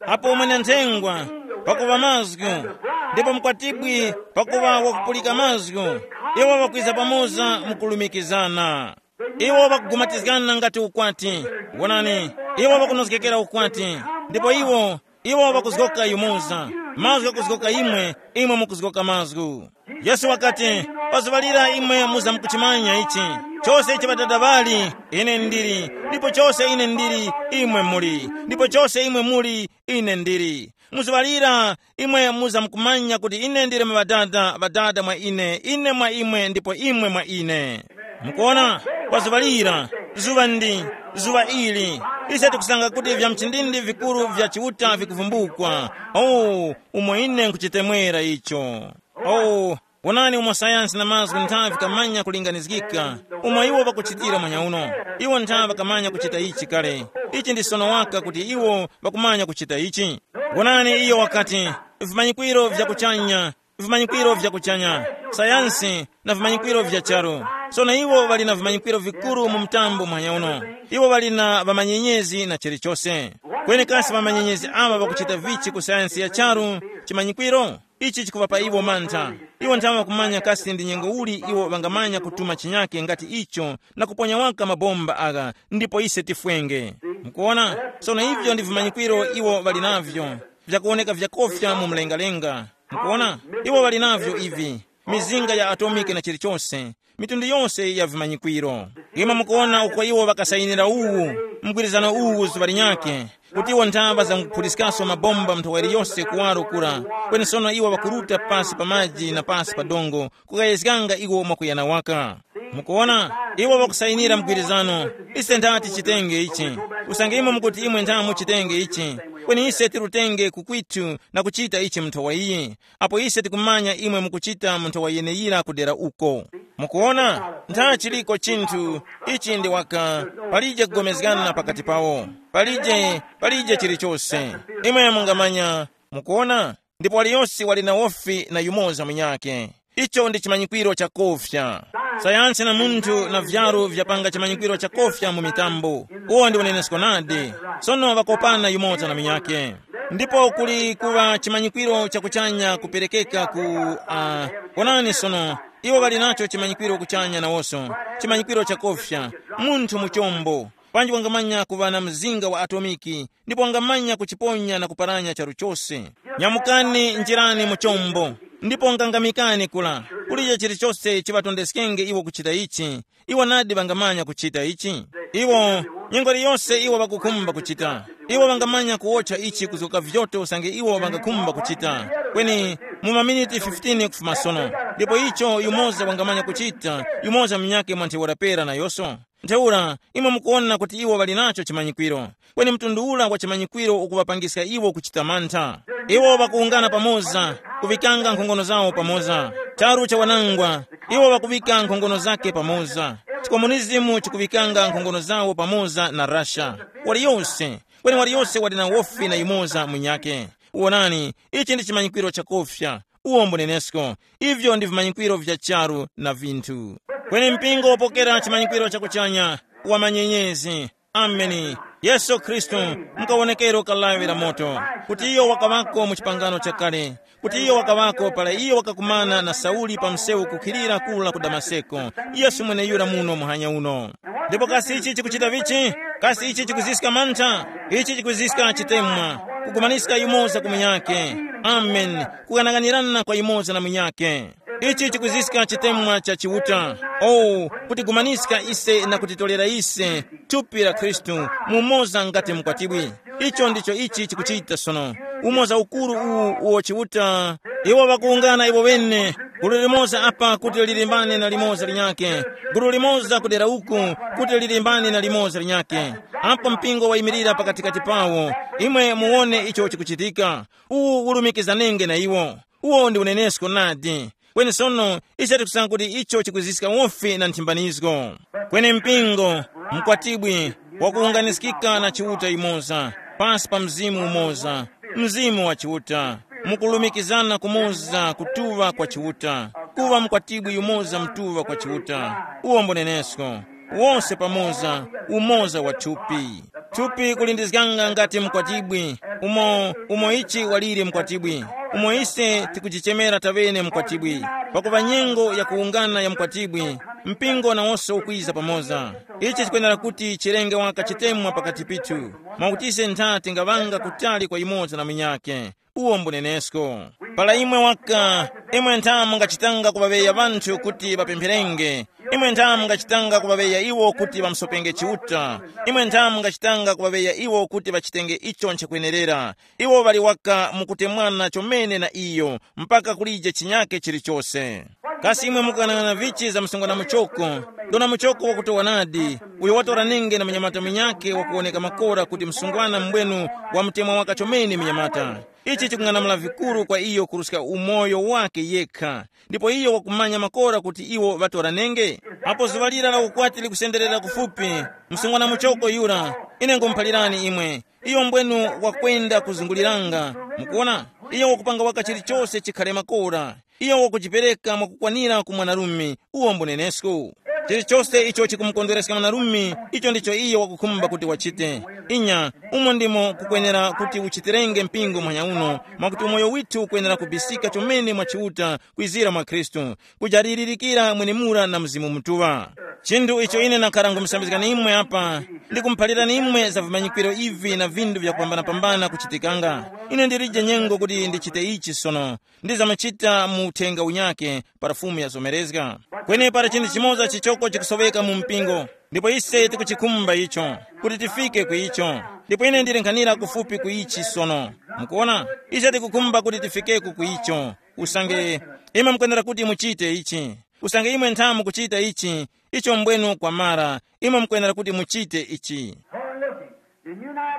apo mwene-nthengwa pakuŵa mazgu, ndipo mkwatibwi pakuŵa wakupulika mazgu, iwo ŵakwiza pamoza mukulumikizana. Iwo ŵakugumatizgana ngati ukwati. Wonani, iwo ŵakunozgekera ukwati, ndipo iwo, iwo ŵakuzgoka yumoza. Mazgu ghakuzgoka imwe, imwe mukuzgoka mazgu. Yesu wakati, pazuŵa lira imwe muzamkuchimanya ichi, chose ichi Ŵadada ŵali, ine ndili, ndipo chose ine ndili, imwe muli, ndipo chose imwe muli, ine ndili. Muzuŵa lira, imwe muzamkumanya kuti ine ndili mwa Ŵadada, Ŵadada mwa ine, ine mwa imwe, ndipo imwe mwa ine. Mukuona, pazuŵa lira, zuŵa ndi, zuŵa ili, ise tikusanga kuti vya mchindindi vikuru vya Chiuta vikuvumbukwa. Oh, umo ine nkuchitemwera icho. Oh, wonani umo sayansi na mazgu nthawi vikamanya kulinganizgika, umo iwo ŵakuchitira mwanyauno. Iwo nthawi ŵakamanya kuchita ichi kale. Ichi ndi sono waka kuti iwo ŵakumanya kuchita ichi. Wonani, iyo wakati, vimanyikwiro vya kuchanya, vimanyikwiro vya kuchanya, sayansi na vimanyikwiro vya charu. Sono iwo ŵali na vimanyikwiro vikuru mu mtambo mwanyauno. Iwo ŵali na ŵamanyenyezi na chilichose. Kweni kasi ŵamanyenyezi awa ŵakuchita vichi ku sayansi ya charu, chimanyikwiro? Ichi chikuŵapa iwo mantha. Iwo nthawe ŵakumanya kasi ndi nyengo uli iwo ŵangamanya kutuma chinyake ngati icho na kuponya waka mabomba agha, ndipo ise tifwenge. Mukuona? Sono ivyo ndi vimanyikwiro iwo ŵali navyo, vyakuwoneka vyakofya mu mlengalenga. Mukuona? Iwo ŵali navyo ivi, mizinga ya atomike na chilichose, mitundu yose ya vimanyikwiro. Imwe mukuwona uko iwo ŵakasayinira uwu, mgwirizano uwu zuŵa linyakhe, kuti iwo nthaŵa zanguphuliskaso mabomba mnthowa yose kuwaro kura, kweni sono iwo ŵakuruta pasi pa maji na pasi pa dongo, kukayezganga iwo mwakuyana waka. Mukuwona, iwo ŵakusayinira mgwirizano. Ise ndati chitenge ichi, usange imwe mukuti imwe nthamu chitenge ichi, kweni ise tirutenge ku kwitu na kuchita ichi mnthowa iyi, apo ise tikumanya imwe mukuchita mu nthowa yeneyira kudera uko. Mukuona, ntha chiliko chinthu ichi ndi waka, palije kugomezgana pakati pawo, palije, palije chilichose. Imwe mungamanya, mukuona, ndipo waliyonse wali na wofi na yumoza munyakhe. Icho ndi chimanyikwiro chakofya. Sayansi na munthu na vyaru vyapanga chimanyikwiro chakofya mu mitambo. Uwo ndi unenesko nadi. Sono ŵakopana yumoza na munyakhe. Ndipo kuli kuŵa chimanyikwiro chakuchanya kuperekeka ku uh, onani sono, iwo ŵali nacho chimanyikwiro kuchanya nawoso, chimanyikwiro chakofya, munthu mu chombo, panji wangamanya kuŵa na mzinga wa atomiki, ndipo wangamanya kuchiponya na kuparanya charu chose. Nyamukani, njirani mu chombo, ndipo ngangamikani kula, kulije chilichose chiŵatondeskenge iwo kuchita ichi. Iwo nadi ŵangamanya kuchita ichi. Iwo, nyengo iliyonse iwo ŵakukhumba kuchita, iwo ŵangamanya kuwotcha ichi kuzoka vyoto usange iwo ŵangakhumba kuchita, kweni mu maminiti fifteen kufuma sono. Ndipo icho yumoza wangamanya kuchita, yumoza munyakhe mwa ntheura pera nayonso. Ntheura, imwe mukuwona kuti iwo ŵali nacho chimanyikwiro. Kweni mtundu ura wa chimanyikwiro ukuŵapangiska iwo kuchita mantha. Iwo ŵakuwungana pamoza, kuŵikanga nkhongono zawo pamoza. Charu cha wanangwa, iwo ŵakuŵika nkhongono zake pamoza. Chikomunizimu chikuŵikanga nkhongono zawo pamoza na Russia. Waliyose, kweni waliyose wali na wofi na yumoza munyakhe. Wonani, ichi ndi chimanyikwiro chakufya. Uwo mbunenesko. Ivyo ndi vimanyikwiro vya charu na vinthu. Kweni mpingo wopokera chimanyikwiro cha kuchanya, wa manyenyezi. Ameni. Yesu Khristu, mukawonekero ka lawi la moto, kuti iyo wakaŵako mu chipangano chakale, kuti iyo wakaŵako para iyo wakakumana na Sauli pa msewu kukhilira kula ku Damaseko, Yesu mweneyura muno muhanya uno. Ndipo kasi ichi chikuchita vichi? Kasi ichi chikuziska mantha? Ichi chikuziska chitemwa, kugumaniska yumoza ku munyakhe. Amen. Kughanaghanirana kwa yumoza na munyakhe. Ichi chikuziska chitemwa cha Chiuta. Oh, kutigumaniska ise na kutitolera ise thupi la Khristu, mumoza ngati mkwatibwi. Icho ndicho ichi chikuchita sono. Umoza ukuru uwu uwo Chiuta. Iwo ŵakuwungana iwo ŵene, gulu limoza apa kuti lilimbane na limoza linyakhe, gulu limoza kudera uku kuti lilimbane na limoza linyakhe. Apo mpingo wayimirira pakatikati pawo, imwe muwone icho chikuchitika. Uwu ulumikizanenge na iwo. Uwo ndi unenesko nadi. Kweni sono, ise tikusanga kuti icho chikuziska wofi na nthimbanizgo. Kweni mpingo, mkwatibwi, wakuwunganiskika na Chiuta yumoza, pasi pa Mzimu umoza, Mzimu wa Chiuta, mukulumikizana kumoza kutuŵa kwa Chiuta, kuŵa mkwatibwi yumoza mtuŵa kwa Chiuta. Uwo mbunenesko. Wose pamoza, umoza wa thupi. Thupi kulindizganga ngati mkwatibwi, umo umo ichi waliri mkwatibwi, umo ise tikujichemera taŵene mkwatibwi. Pakuŵa nyengo ya kuwungana ya mkwatibwi, mpingo nawonso ukwiza pamoza. Ichi chikwenera kuti chirenge waka chitemwa pakati pithu, mwakuti ise ntha tingaŵanga kutali kwa yumoza na munyakhe. Uwo mbunenesko. Para imwe waka, imwe ntha mungachitanga kuŵaŵeya ŵanthu kuti ŵapempherenge. Imwe ntha mungachitanga kuŵaŵeya iwo kuti ŵamusopenge Chiuta. Imwe ntha mungachitanga kuŵaŵeya iwo kuti ŵachitenge icho nchakwenerera. Iwo ŵali waka mukutemwana chomene na iyo, mpaka kulije chinyake chilichose. Kasi imwe mukuyang'ana vichi za msungwana muchoko? Dona muchoko wakutowa nadi, uyo watora nenge na munyamata munyakhe wakuwoneka makora kuti msungwana mbwenu wamutemwa waka chomene munyamata. Ichi chikung'anamula vikuru kwa iyo kuruska umoyo wakhe yekha. Ndipo iyo wakumanya makora kuti iwo ŵatoranenge. Apo zuŵa lira la ukwati likusenderera kufupi, msungwana muchoko yura, ine ngumuphalirani imwe, iyo mbwenu wakwenda kuzunguliranga. Mukuona, iyo wakupanga waka chilichose chikhale makora. Iyo wakujipereka mwakukwanira ku mwanarume. Uwo mbunenesko. Chilichose icho chikumukondwereska mwanarume, icho ndicho iyo wakukhumba kuti wachite. Inya, umo ndimo kukwenera kuti uchitirenge mpingo muhanya uno, mwakuti umoyo withu ukwenera kubisika chomene mwa Chiuta kwizira mwa Khristu, kujalilirikira mwenemura na Mzimu Mutuŵa. Chinthu icho ine nakhara ngumusambizgani imwe apa, ndikumuphalirani imwe za vimanyikwiro ivi na vinthu vyakupambanapambana kuchitikanga. Ine ndilije nyengo kuti ndichite ichi sono, ndizamachita mu uthenga unyakhe para Fumu yazomerezga. Kweni para chinthu chimoza chichoko chikusoweka mu mpingo, ndipo ise tikuchikhumba icho, kuti tifike ku icho. Ndipo ine ndili nkhanira kufupi ku ichi sono. Mukuona, ise tikukhumba kuti tifikeko ku icho. Usange imwe mukwenera kuti muchite ichi, usange imwe nthamu kuchita ichi, icho mbwenu kwamara, imwe mukwenera kuti muchite ichi.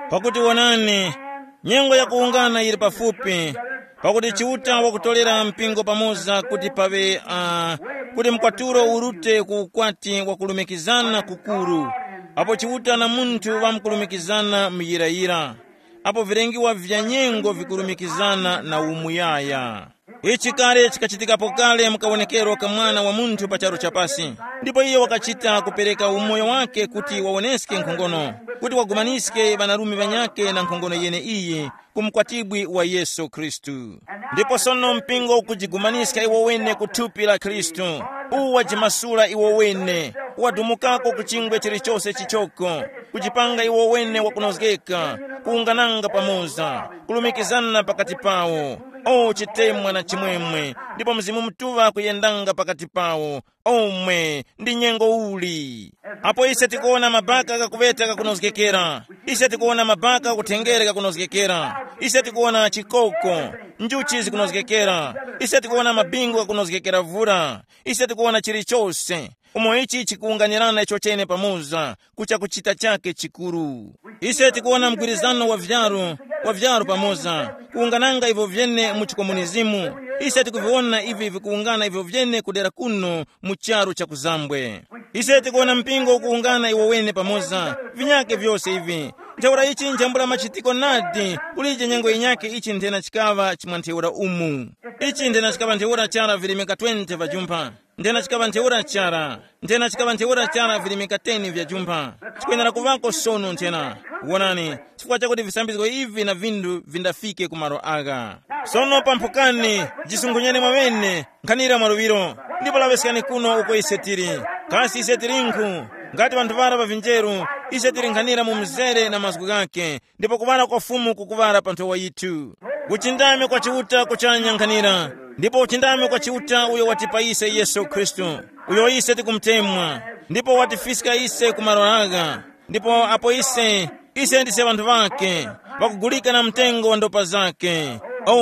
Pakuti wonani, nyengo yakuwungana yili pafupi, pakuti Chiuta wakutolera mpingo pamoza kuti paŵe, uh, kuti mkwatulo urute ku ukwati wakulumikizana kukuru, apo Chiuta na munthu ŵamkulumikizana muyirayira, apo vilengiwa vya nyengo vikulumikizana na umuyaya. Ichi kale chikachitikapo kale mu kawonekero ka Mwana wa Munthu pa charu chapasi, ndipo iye wakachita kupereka umoyo wake kuti wawoneske nkhongono, kuti wagumaniske ŵanarume ŵanyakhe na nkhongono yeneiyi ku mkwatibwi wa Yesu Khristu. Ndipo sono mpingo ukujigumaniska iwo wene ku thupi la Khristu, uwu wajimasula iwo wene, wadumukako ku chingwe chilichose chichoko, kujipanga iwo wene wakunozgeka, kuwungananga pamoza, kulumikizana pakati pawo. O chitemwa na chimwemwe, ndipo Mzimu Mutuŵa kuyendanga pakati pawo. Omwe ndi nyengo uli. Apo ise tikuwona mabaka ghakuŵeta ghakunozgekera, ise tikuwona mabaka kuthengere ghakunozgekera, Ise tikuwona chikoko, njuchi zikunozgekera. Ise tikuwona mabingu ghakunozgekera vura. Ise tikuwona chilichose. Umo ichi chikuwunganirana icho chene pamoza, kucha kuchita chake chikuru. Ise tikuwona mgwirizano wa vyaru, wa vyaru pamoza, kuwungananga ivyo vyene mu chikomunizimu. Ise tikuviwona ivi vikuwungana ivyo vyene kudera kuno mu charu cha kuzambwe. Ise tikuwona mpingo ukuwungana iwo wene pamoza, vinyake vyose ivi. Ntheura ichi nchambula machitiko nadi, kulije nyengo yinyake ichi nthena chikaŵa chimwa ntheura umu. Ichi nthena chikaŵa ntheura chara virimika twenty vya jumpha. Nthena chikaŵa ntheura chara. Nthena chikaŵa ntheura chara virimika ten vya jumpha. Chikwenera kuŵako sono nthena. Wonani, chifukwa chakuti visambizgo ivi na vinthu vindafike ku malo agha. Sono pamphukani, jisunkhunyeni mwaŵene, nkhanira mwa luŵiro, ndipo laŵeskani kuno uko ise tili. Kasi ise tilinkhu? Ngati ŵanthu ŵara ŵa vinjeru, ise tili nkhanira mu mzere na mazgu ghakhe, ndipo kuŵala kwa Fumu kukuŵala pa nthowa yithu. Kuchindame kwa Chiuta kuchanya nkhanira, ndipo uchindame kwa Chiuta uyo watipa ise Yesu Khristu, uyo ise tikumutemwa, ndipo watifiska ise ku malo agha. Ndipo apo ise, ise ndise ŵanthu ŵakhe, ŵakugulika na mtengo wa ndopa zakhe.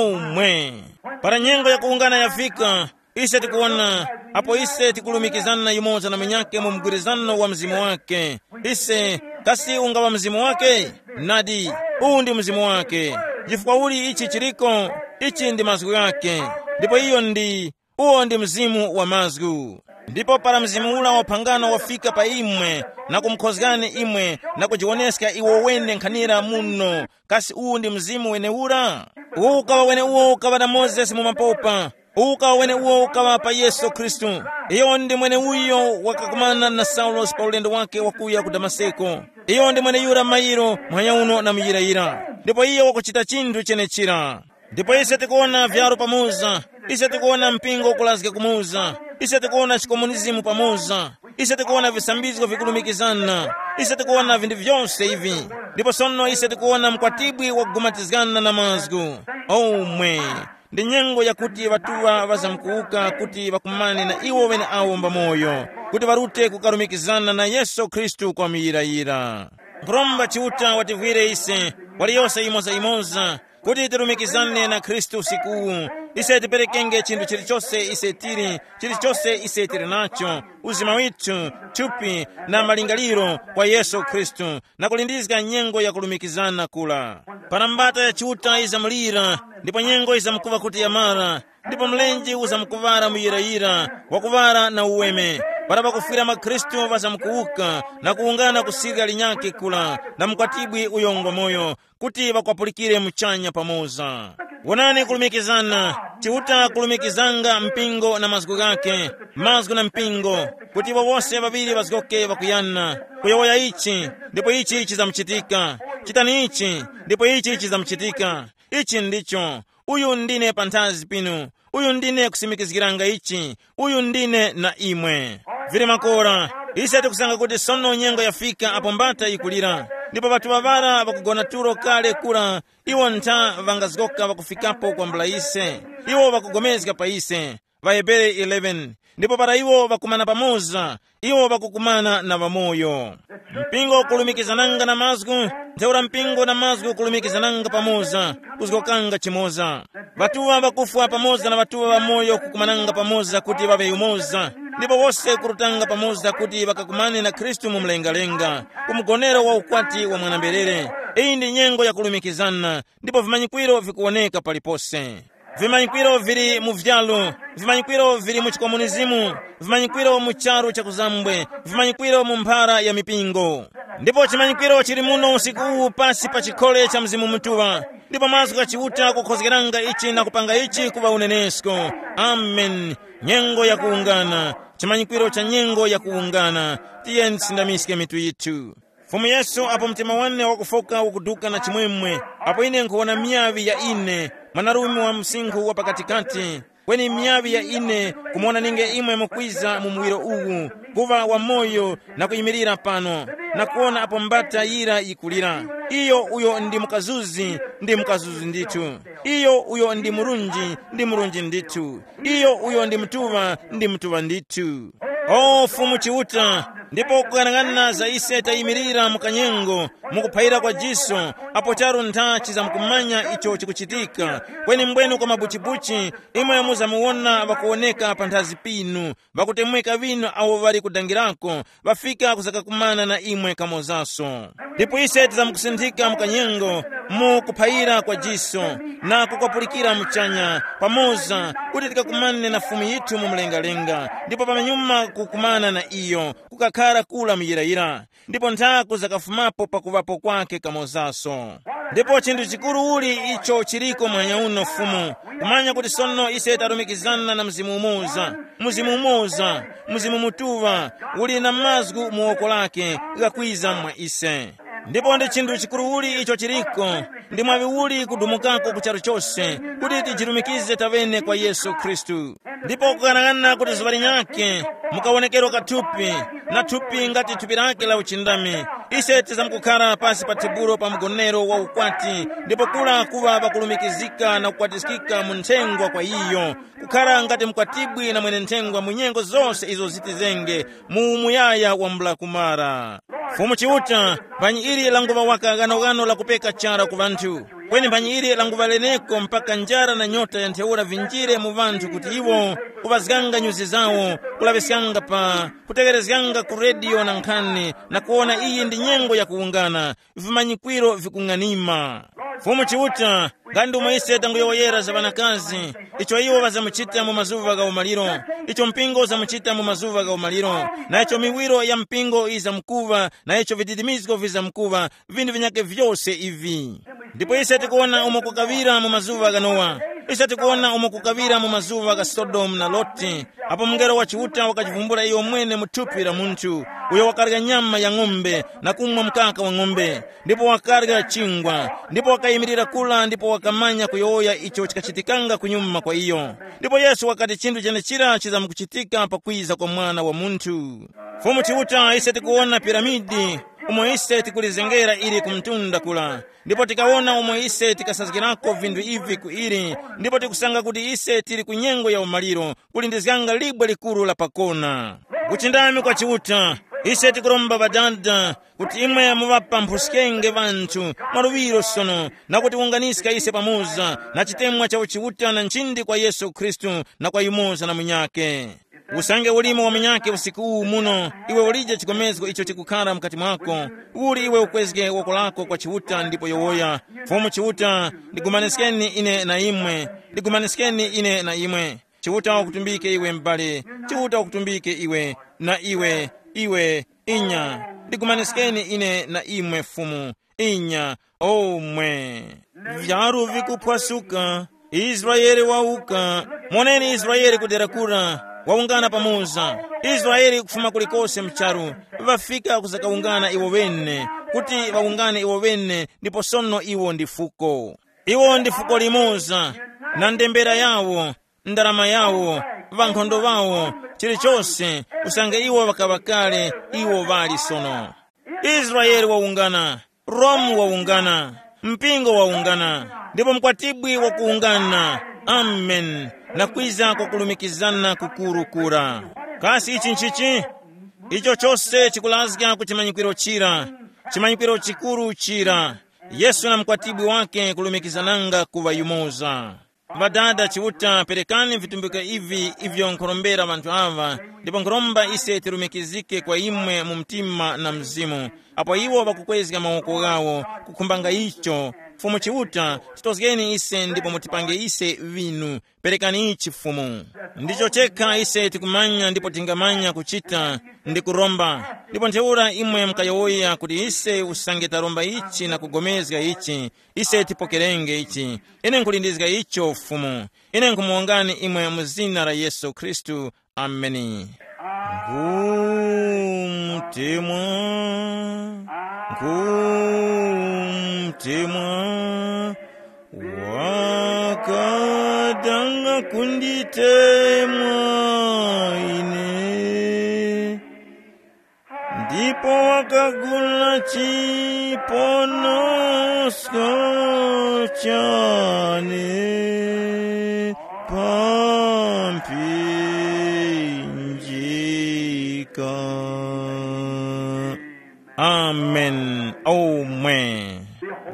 Omwe. Para nyengo yakuwungana yafika, ise tikuwona, apo ise tikulumikizana yumoza na munyakhe mu mgwirizano wa mzimu wake. Ise, kasi ungaŵa mzimu wake? Nadi, uwu ndi mzimu wake. Chifukwa uli ichi chiriko? Ichi ndi mazgu ghake. Ndipo iyo ndi, uwo ndi mzimu wa mazgu. Ndipo para mzimu ula wa phangano wafika pa imwe, na kumukhozgani imwe, na kujiwoneska iwo wene nkhanira muno, kasi uwu ndi mzimu wenewura? Uwu ukaŵa weneuwo ukaŵa na Mozesi mu mapopa. Uwu ukaŵa weneuwo ukaŵa pa Yesu Khristu. Iyo ndi mweneuyo wakakumana na Saulosi pa ulendo wake wakuya ku Damaseko. Iyo ndi mweneyura mairo muhanya uno na muyirayira. Ndipo iyo wakuchita chinthu chenechira. Ndipo ise tikuwona vyaro pamoza. Ise tikuwona mpingo ukulazga kumoza. Ise tikuwona chikomunizimu pamoza. Ise tikuwona visambizgo vikulumikizana. Ise tikuwona vinthu vyose ivi. Ndipo sono ise tikuwona mkwatibwi wakugumatizgana na mazgu. Omwe. Ndi nyengo yakuti ŵatuŵa ŵazamkuwuka kuti ŵakumane na iwo ŵeneawo mbamoyo, kuti ŵarute kukarumikizana na Yesu Khristu kwa muyirayira. Nkhuromba Chiuta wativwire ise, waliyose yimoza-yimoza, kuti tirumikizane na Khristu usikuwu. Ise tiperekenge chinthu chilichose ise tili, chilichose ise tili nacho, uzima withu, thupi, na malingaliro kwa Yesu Khristu, na kulindizga nyengo yakulumikizana kula. Para mbata ya Chiuta yizamulira, ndipo nyengo yizamkuŵa kuti yamara, ndipo mlenje uzamkuŵara muyirayira, wakuŵara na uweme. Para ŵakufwira mwa Khristu ŵazamkuwuka, na kuwungana ku sirya linyakhe kula, na mkwatibwi uyo ngwamoyo, kuti ŵakwapulikire muchanya pamoza. Wonani kulumikizana, Chiuta kulumikizanga mpingo na mazgu ghakhe, mazgu na mpingo, kuti iwo wose ŵaŵiri ŵazgoke ŵakuyana, kuyowoya ichi, ndipo ichi chizamuchitika, chitani ichi, ndipo ichi chizamuchitika. Ichi ndicho, uyu ndine panthazi pinu, uyu ndine kusimikizgiranga ichi, uyu ndine na imwe. Vili makora, ise tikusanga kuti sono nyengo yafika apo mbata yikulira, ndipo ŵatuŵa ŵara ŵakugona tulo kale kura, iwo ntha ŵangazgoka ŵakufikapo kwambula ise. Iwo ŵakugomezga pa ise. Vahebere eleven. Ndipo para iwo ŵakumana pamoza, iwo ŵakukumana na ŵamoyo. Mpingo ukulumikizananga na mazgu, ntheura mpingo na mazgu ukulumikizananga pamoza, kuzgokanga chimoza. Ŵatuŵa ŵakufwa pamoza na ŵatuŵa ŵamoyo kukumananga pamoza kuti ŵaŵe yumoza, ndipo wose kurutanga pamoza kuti ŵakakumane na Khristu mu mlengalenga, ku mgonero wa ukwati wa mwana-mberere. Iyi ndi nyengo yakulumikizana, ndipo vimanyikwiro vikuwoneka palipose. Vimanyikwiro vili mu vyalo, vimanyikwiro vili mu chikomunizimu, vimanyikwiro mu charu cha kuzambwe, vimanyikwiro mu mphara ya mipingo. Ndipo chimanyikwiro chili muno usiku uwu pasi pa chikhole cha Mzimu Mutuŵa, ndipo mazgu gha Chiuta kukhozgeranga ichi na kupanga ichi kuŵa unenesko. Amen. Nyengo yakuwungana, chimanyikwiro cha nyengo yakuwungana. Tiyeni tisindamiske mitu yithu. Fumu Yesu, apo mtima wane wakufoka ukuduka na chimwemwe, apo ine nkhuwona miyaŵi ya ine, mwanarume wa msinkhu wa pakatikati, kweni miyaŵi ya ine kumuwona ninge imwe mukwiza mu muwiro uwu, kuŵa wamoyo na kuyimirira pano, na kuwona apo mbata yira yikulira. Iyo uyo ndi mukazuzi, ndi mukazuzi ndithu. Iyo uyo ndi murunji, ndi murunji ndithu. Iyo uyo ndi mutuŵa, ndi mutuŵa ndithu. O Fumu Chiuta, Ndipo kukang'ana za ise tayimirira mu kanyengo, mukuphayira kwa jiso, apo charu ntha chizamkumanya icho chikuchitika. Kweni mbwenu kwa mabuchibuchi, imwe muzamuwona ŵakuwoneka panthazi pinu, ŵakutemweka ŵinu awo ŵali kudangirako, ŵafika kuzakakumana na imwe kamozaso. Ndipo ise tizamukusinthika mu kanyengo, mu kuphayira kwa jiso, na kukwapulikira muchanya pamoza, kuti tikakumane na Fumu yithu mu mlengalenga, ndipo pamenyuma kukumana na iyo, kukakhara kula muyirayira. Ndipo nthaku zakafumapo pakuŵapo kwake kamozaso. Ndipo chinthu chikuru uli icho chiriko mwanya uno Fumu, kumanya kuti sono ise tarumikizana na Mzimu umoza, Mzimu umoza, Mzimu Mutuŵa, uli na mazgu mu woko lake, ghakwiza mwa ise. Ndipo ndi chinthu chikuru uli icho chiriko, ndi mwaŵi uli kudumukako ku charu chose, kuti tijirumikize taŵene kwa Yesu Khristu. Ndipo kukanaghana kuti zuŵa linyakhe, mukawonekerwa kathupi, na thupi ngati thupi lake la uchindami, ise tizamkukhara pasi pa tebulo pa mgonero wa ukwati, ndipo kula kuŵa pakulumikizika na kukwatiskika mu nthengwa kwa iyo, kukhara ngati mkwatibwi na mwene nthengwa mu nyengo zose izo zitizenge, mu umuyaya wambula kumara. Fumu Chiuta, mphanyi ili languŵa waka ghanoghano lakupeka chara ku ŵanthu, kweni mphanyi ili languŵa leneko mpaka njara na nyota ya ntheura vinjire mu ŵanthu kuti iwo kuŵazganga nyuzi zawo, kulaŵiskanga pa kuteŵerezganga ku rediyo na nkhani na kuwona iyi ndi nyengo ya kuwungana, vimanyikwiro vikung'anima. Fumu Chiuta, nga ndi umo ise tanguyowoyera za ŵanakazi, icho iwo ŵazamuchita mu mazuŵa gha umaliro, icho mpingo uzamuchita mu mazuŵa gha umaliro, na icho miwiro ya mpingo yizamkuŵa, na icho vididimizgo vizamkuŵa, vinthu vinyakhe vyose ivi. Ndipo ise tikuwona umo kukaŵira mu mazuŵa gha Nowa, ise tikuwona umo kukaŵira mu mazuŵa gha Sodomu na Loti, apo mungelo wa Chiuta wakachivumbula iyo mwene mu thupi la munthu, uyo wakarya nyama ya ng'ombe na kumwa mkaka wa ng'ombe, ndipo wakarya chingwa, ndipo wakayimirira kula ndipo wakamanya kuyowoya icho chikachitikanga kunyuma kwa iyo. Ndipo Yesu wakati chinthu chenechira chizamukuchitika pakwiza kwa Mwana wa Munthu. Fumu Chiuta, ise tikuwona piramidi, umo ise tikulizengera ili ku mtunda kula, ndipo tikawona umo ise tikasazgirako vinthu ivi ku ili, ndipo tikusanga kuti ise tili ku nyengo ya umaliro, kulindizganga libwe likuru la pakona. Kuchindami kwa Chiuta, ise tikuromba Ŵadada, kuti imwe muŵapamphuskenge ŵanthu mwaluŵiro sono, na kutiwunganiska ise pamoza na chitemwa cha uchiuta na nchindi kwa Yesu Khristu na kwa yumoza na munyakhe. Usange ulimo wa munyakhe usiku uwu muno, iwe ulije chikomezgo icho chikukhara mukati mwako, uli iwe ukwezge woko lako kwa Chiuta ndipo yowoya, Fumu Chiuta, ndigumaniskeni ine na imwe, ndigumaniskeni ine na imwe. Chiuta wakutumbike iwe m'bale, Chiuta wakutumbike iwe, na iwe, iwe, inya, ndigumaniskeni ine na imwe Fumu, inya, omwe. Vyaru vikuphwasuka, Israele wauka. Moneni Israele kudera kura, waungana pamoza. Israele kufuma kulikose mcharu, vafika kuzakawungana iwo wene, kuti vawungane iwo wene, ndipo sono iwo ndi fuko. Iwo ndi fuko limoza, na ndembera yawo, ndarama yawo, ŵankhondo ŵawo, chilichose, usange iwo ŵakaŵa kale, iwo ŵali sono. Israele wawungana, Romu wawungana, mpingo wawungana, ndipo mkwatibwi wakuwungana. Amen. Na kwiza kwa kulumikizana kukuru kura. Kasi ichi nchichi? Icho chose chikulazga ku chimanyikwiro chira, chimanyikwiro chikuru chira. Yesu na mkwatibwi wake kulumikizananga kuŵa yumoza. Ŵadada Chiuta, perekani vitumbiko ivi ivyo nkhurombera ŵanthu aŵa, ndipo nkhuromba ise tirumikizike kwa imwe mu mtima na mzimu, apo iwo ŵakukwezga mawoko ghawo, kukhumbanga icho. Fumu Chiuta, titozgeni ise ndipo mutipange ise vinu. Perekani ichi Fumu. Ndicho chekha ise tikumanya ndipo tingamanya kuchita, ndi kuromba. Ndipo ntheura imwe mukayowoya kuti ise usange taromba ichi na kugomezga ichi, ise tipokerenge ichi. Ine nkhulindizga icho Fumu. Ine nkhumuwongani imwe mu zina la Yesu Khristu. Ameni. Nkhumtemwa, nkhumtemwa, wakadanga kunditemwa ine, ndipo wakagula chiponosko chane pa mphinjika. Amen. Omwe.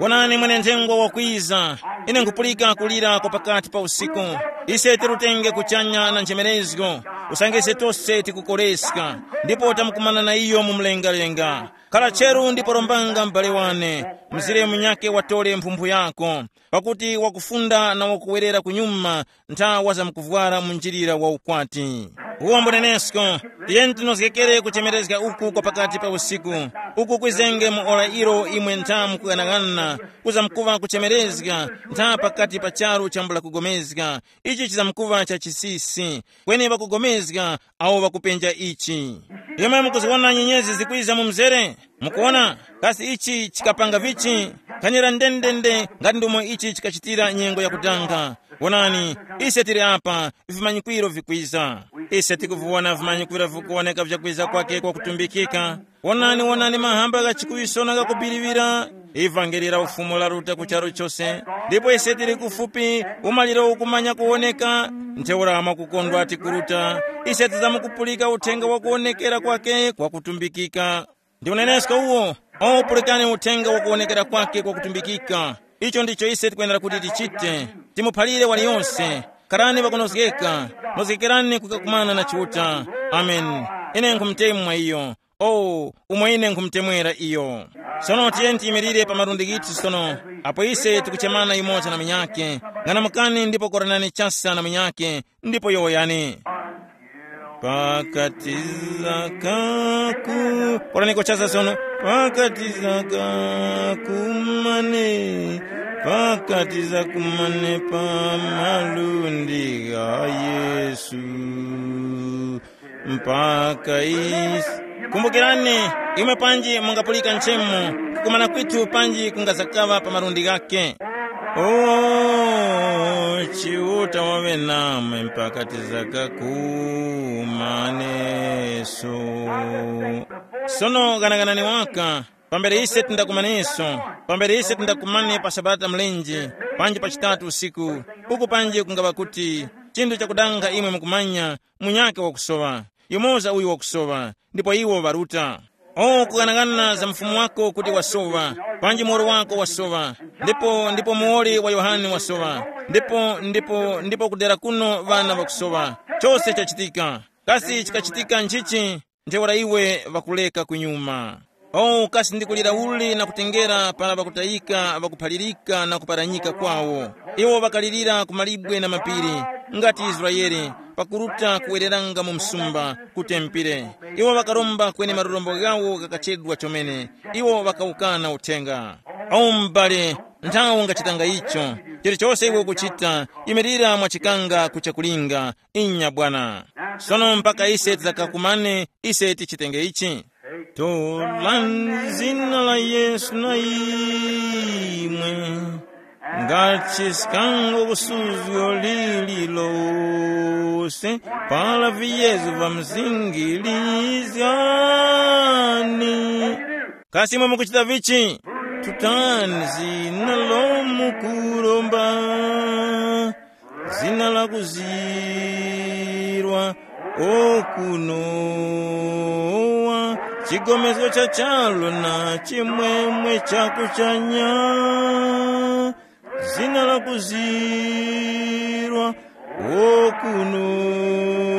Wonani, mwenenthengo wakwiza. Ine nkupulika kulira kwa pakati pa usiku. Ise tirutenge kuchanya na nchemerezgo, usange ise tose tikukoreska, ndipo tamukumana na iyo mu mlengalenga. Khala cheru ndipo rombanga m'bale wane, mzire munyake watore mphumphu yako, pakuti wakufunda na wakuwerera kunyuma ntha wazamkuvwara mu njilira wa ukwati. Uwombo nenesko, tiyeni tinozgekere kuchemerezga uku kwa pakati pa usiku, uku kwizenge mu ora ilo imwe ntha mukughanaghanana, kuzamkuva kuchemerezga ntha pakati pa charu chambula kugomezga. Ichi chizamkuva cha chisisi, kweni ŵakugomezga awo ŵakupenja ichi. Imwe mukuziwona nyenyezi zikwiza mu mzere? Mukuwona? Kasi ichi chikapanga vichi? Khanira ndendende ngati ndomo ichi chikachitira nyengo yakudanga. Wonani, ise tili apa, vimanyikwiro vikwiza. Ise tikuviwona vimanyikwiro vikuwoneka vyakwiza kwake kwa kutumbikika. Wonani, wonani, mahamba gha chikuwisona ghakubiliŵira. Ivangeli la Ufumu laruta ku charu chose, ndipo ise tili kufupi, umaliro ukumanya kuwoneka. Ntheura mwakukondwa tikuruta, ise tizamkupulika uthenga wa kuwonekera kwake kwa kutumbikika. Ndi unenesko uwo. O, pulikani uthenga wa kuwonekera kwake kwa kutumbikika. Icho ndicho ise tikwenera kuti tichite. Timuphalire waliyonse. Karani pakunozgeka. Nozgekerani kukakumana na Chiuta. Amen. Ine nkhumutemwa iyo. O, umo ine nkhumutemwera iyo. Sono tiyeni tiyimirire pa malundi ghithu sono, apo ise tikuchemana yumoza na munyakhe. Ng'anamukani ndipo koranani chasa na munyakhe, ndipo yowoyani. Pakatiza kaku, koraniko chasa sono. Pakatiza kakumane, pakatiza kumane pa malundi gha Yesu. Mpaka isi. Kumbukirani, imwe panji mungapulika nchemo, kukumana kwithu panji kungazakaŵa pa malundi ghakhe. O, Chiuta waŵe namwe mpaka tizakakumaneso. Sono ghanaganani waka, pambere ise tindakumaneso, pambere ise tindakumane pa Sabata mlenje, panji pa chitatu usiku, uku panji kungaŵa kuti chinthu chakudanga imwe mukumanya, munyakhe wakusoŵa, yumoza uyu wakusoŵa, ndipo iwo ŵaruta. O, kughanagana za mfumu wako kuti wasowa, panji muwoli wako wasowa, ndipo ndipo muwoli wa Yohane wasowa, ndipo ndipo ndipo kudera kuno ŵana ŵakusowa. Chose chachitika. Kasi chikachitika nchichi? Ntheura iwe ŵakuleka kunyuma. O, kasi ndikulira uli na kutengera para ŵakutayika ŵakuphalirika na kuparanyika kwawo. Iwo ŵakalirira ku malibwe na mapiri, ngati Israele, pakuruta kuwereranga mu msumba, ku tempere. Iwo ŵakaromba kweni malurombo ghawo ghakachedwa chomene. Iwo ŵakawukana uthenga. O m'bale, nthawe ungachitanga icho. Chilichose iwe ukuchita, yimirira mwachikanga ku chakulinga. Inya bwana. Sono mpaka ise tidzakakumane, ise tichitenge ichi. Tolani zina la Yesu na imwe ngati sikango kusuzgo lililose, para viyezo vamzingilizgani. Kasi imwe mukuchita vichi? Tutani zina lomukuromba, zina la kuzirwa okunowa, chigomezgo cha charu na chimwemwe cha kuchanya. Zina la kuzirwa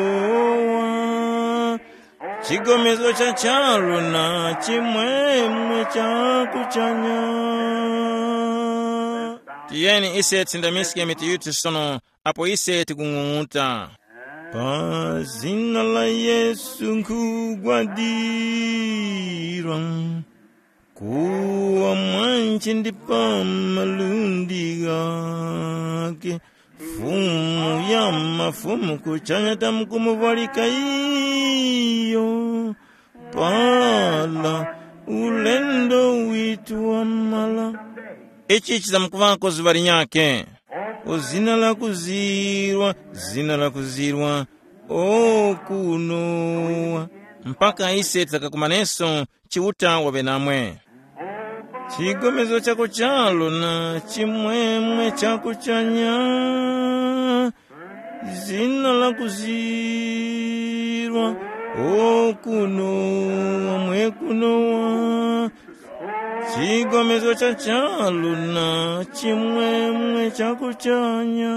okunowa, chigomezgo cha charu na chimwemwe cha kuchanya. Tiyeni ise tisindamiske mitu yithu sono, apo ise tikung'ung'uta. Pa zina la Yesu nkhugwadirwa, kuwa mwanje ndi pa malundi ghake. Fumu ya mafumu kuchanya tamkumuvwalika iyo. Pala ulendo witu wamala. Ichi chizamkuvako zuŵa linyakhe. O zina la kuzirwa, zina la kuzirwa, o kunowa. Mpaka ise tizakakumaneso, Chiuta waŵe namwe. Chigomezgo chako chalo na chimwemwe cha kuchanya. Zina la kuzirwa, O kuno, wamwe kunowa, chigomezo cha charu na chimwemwe cha kuchanya.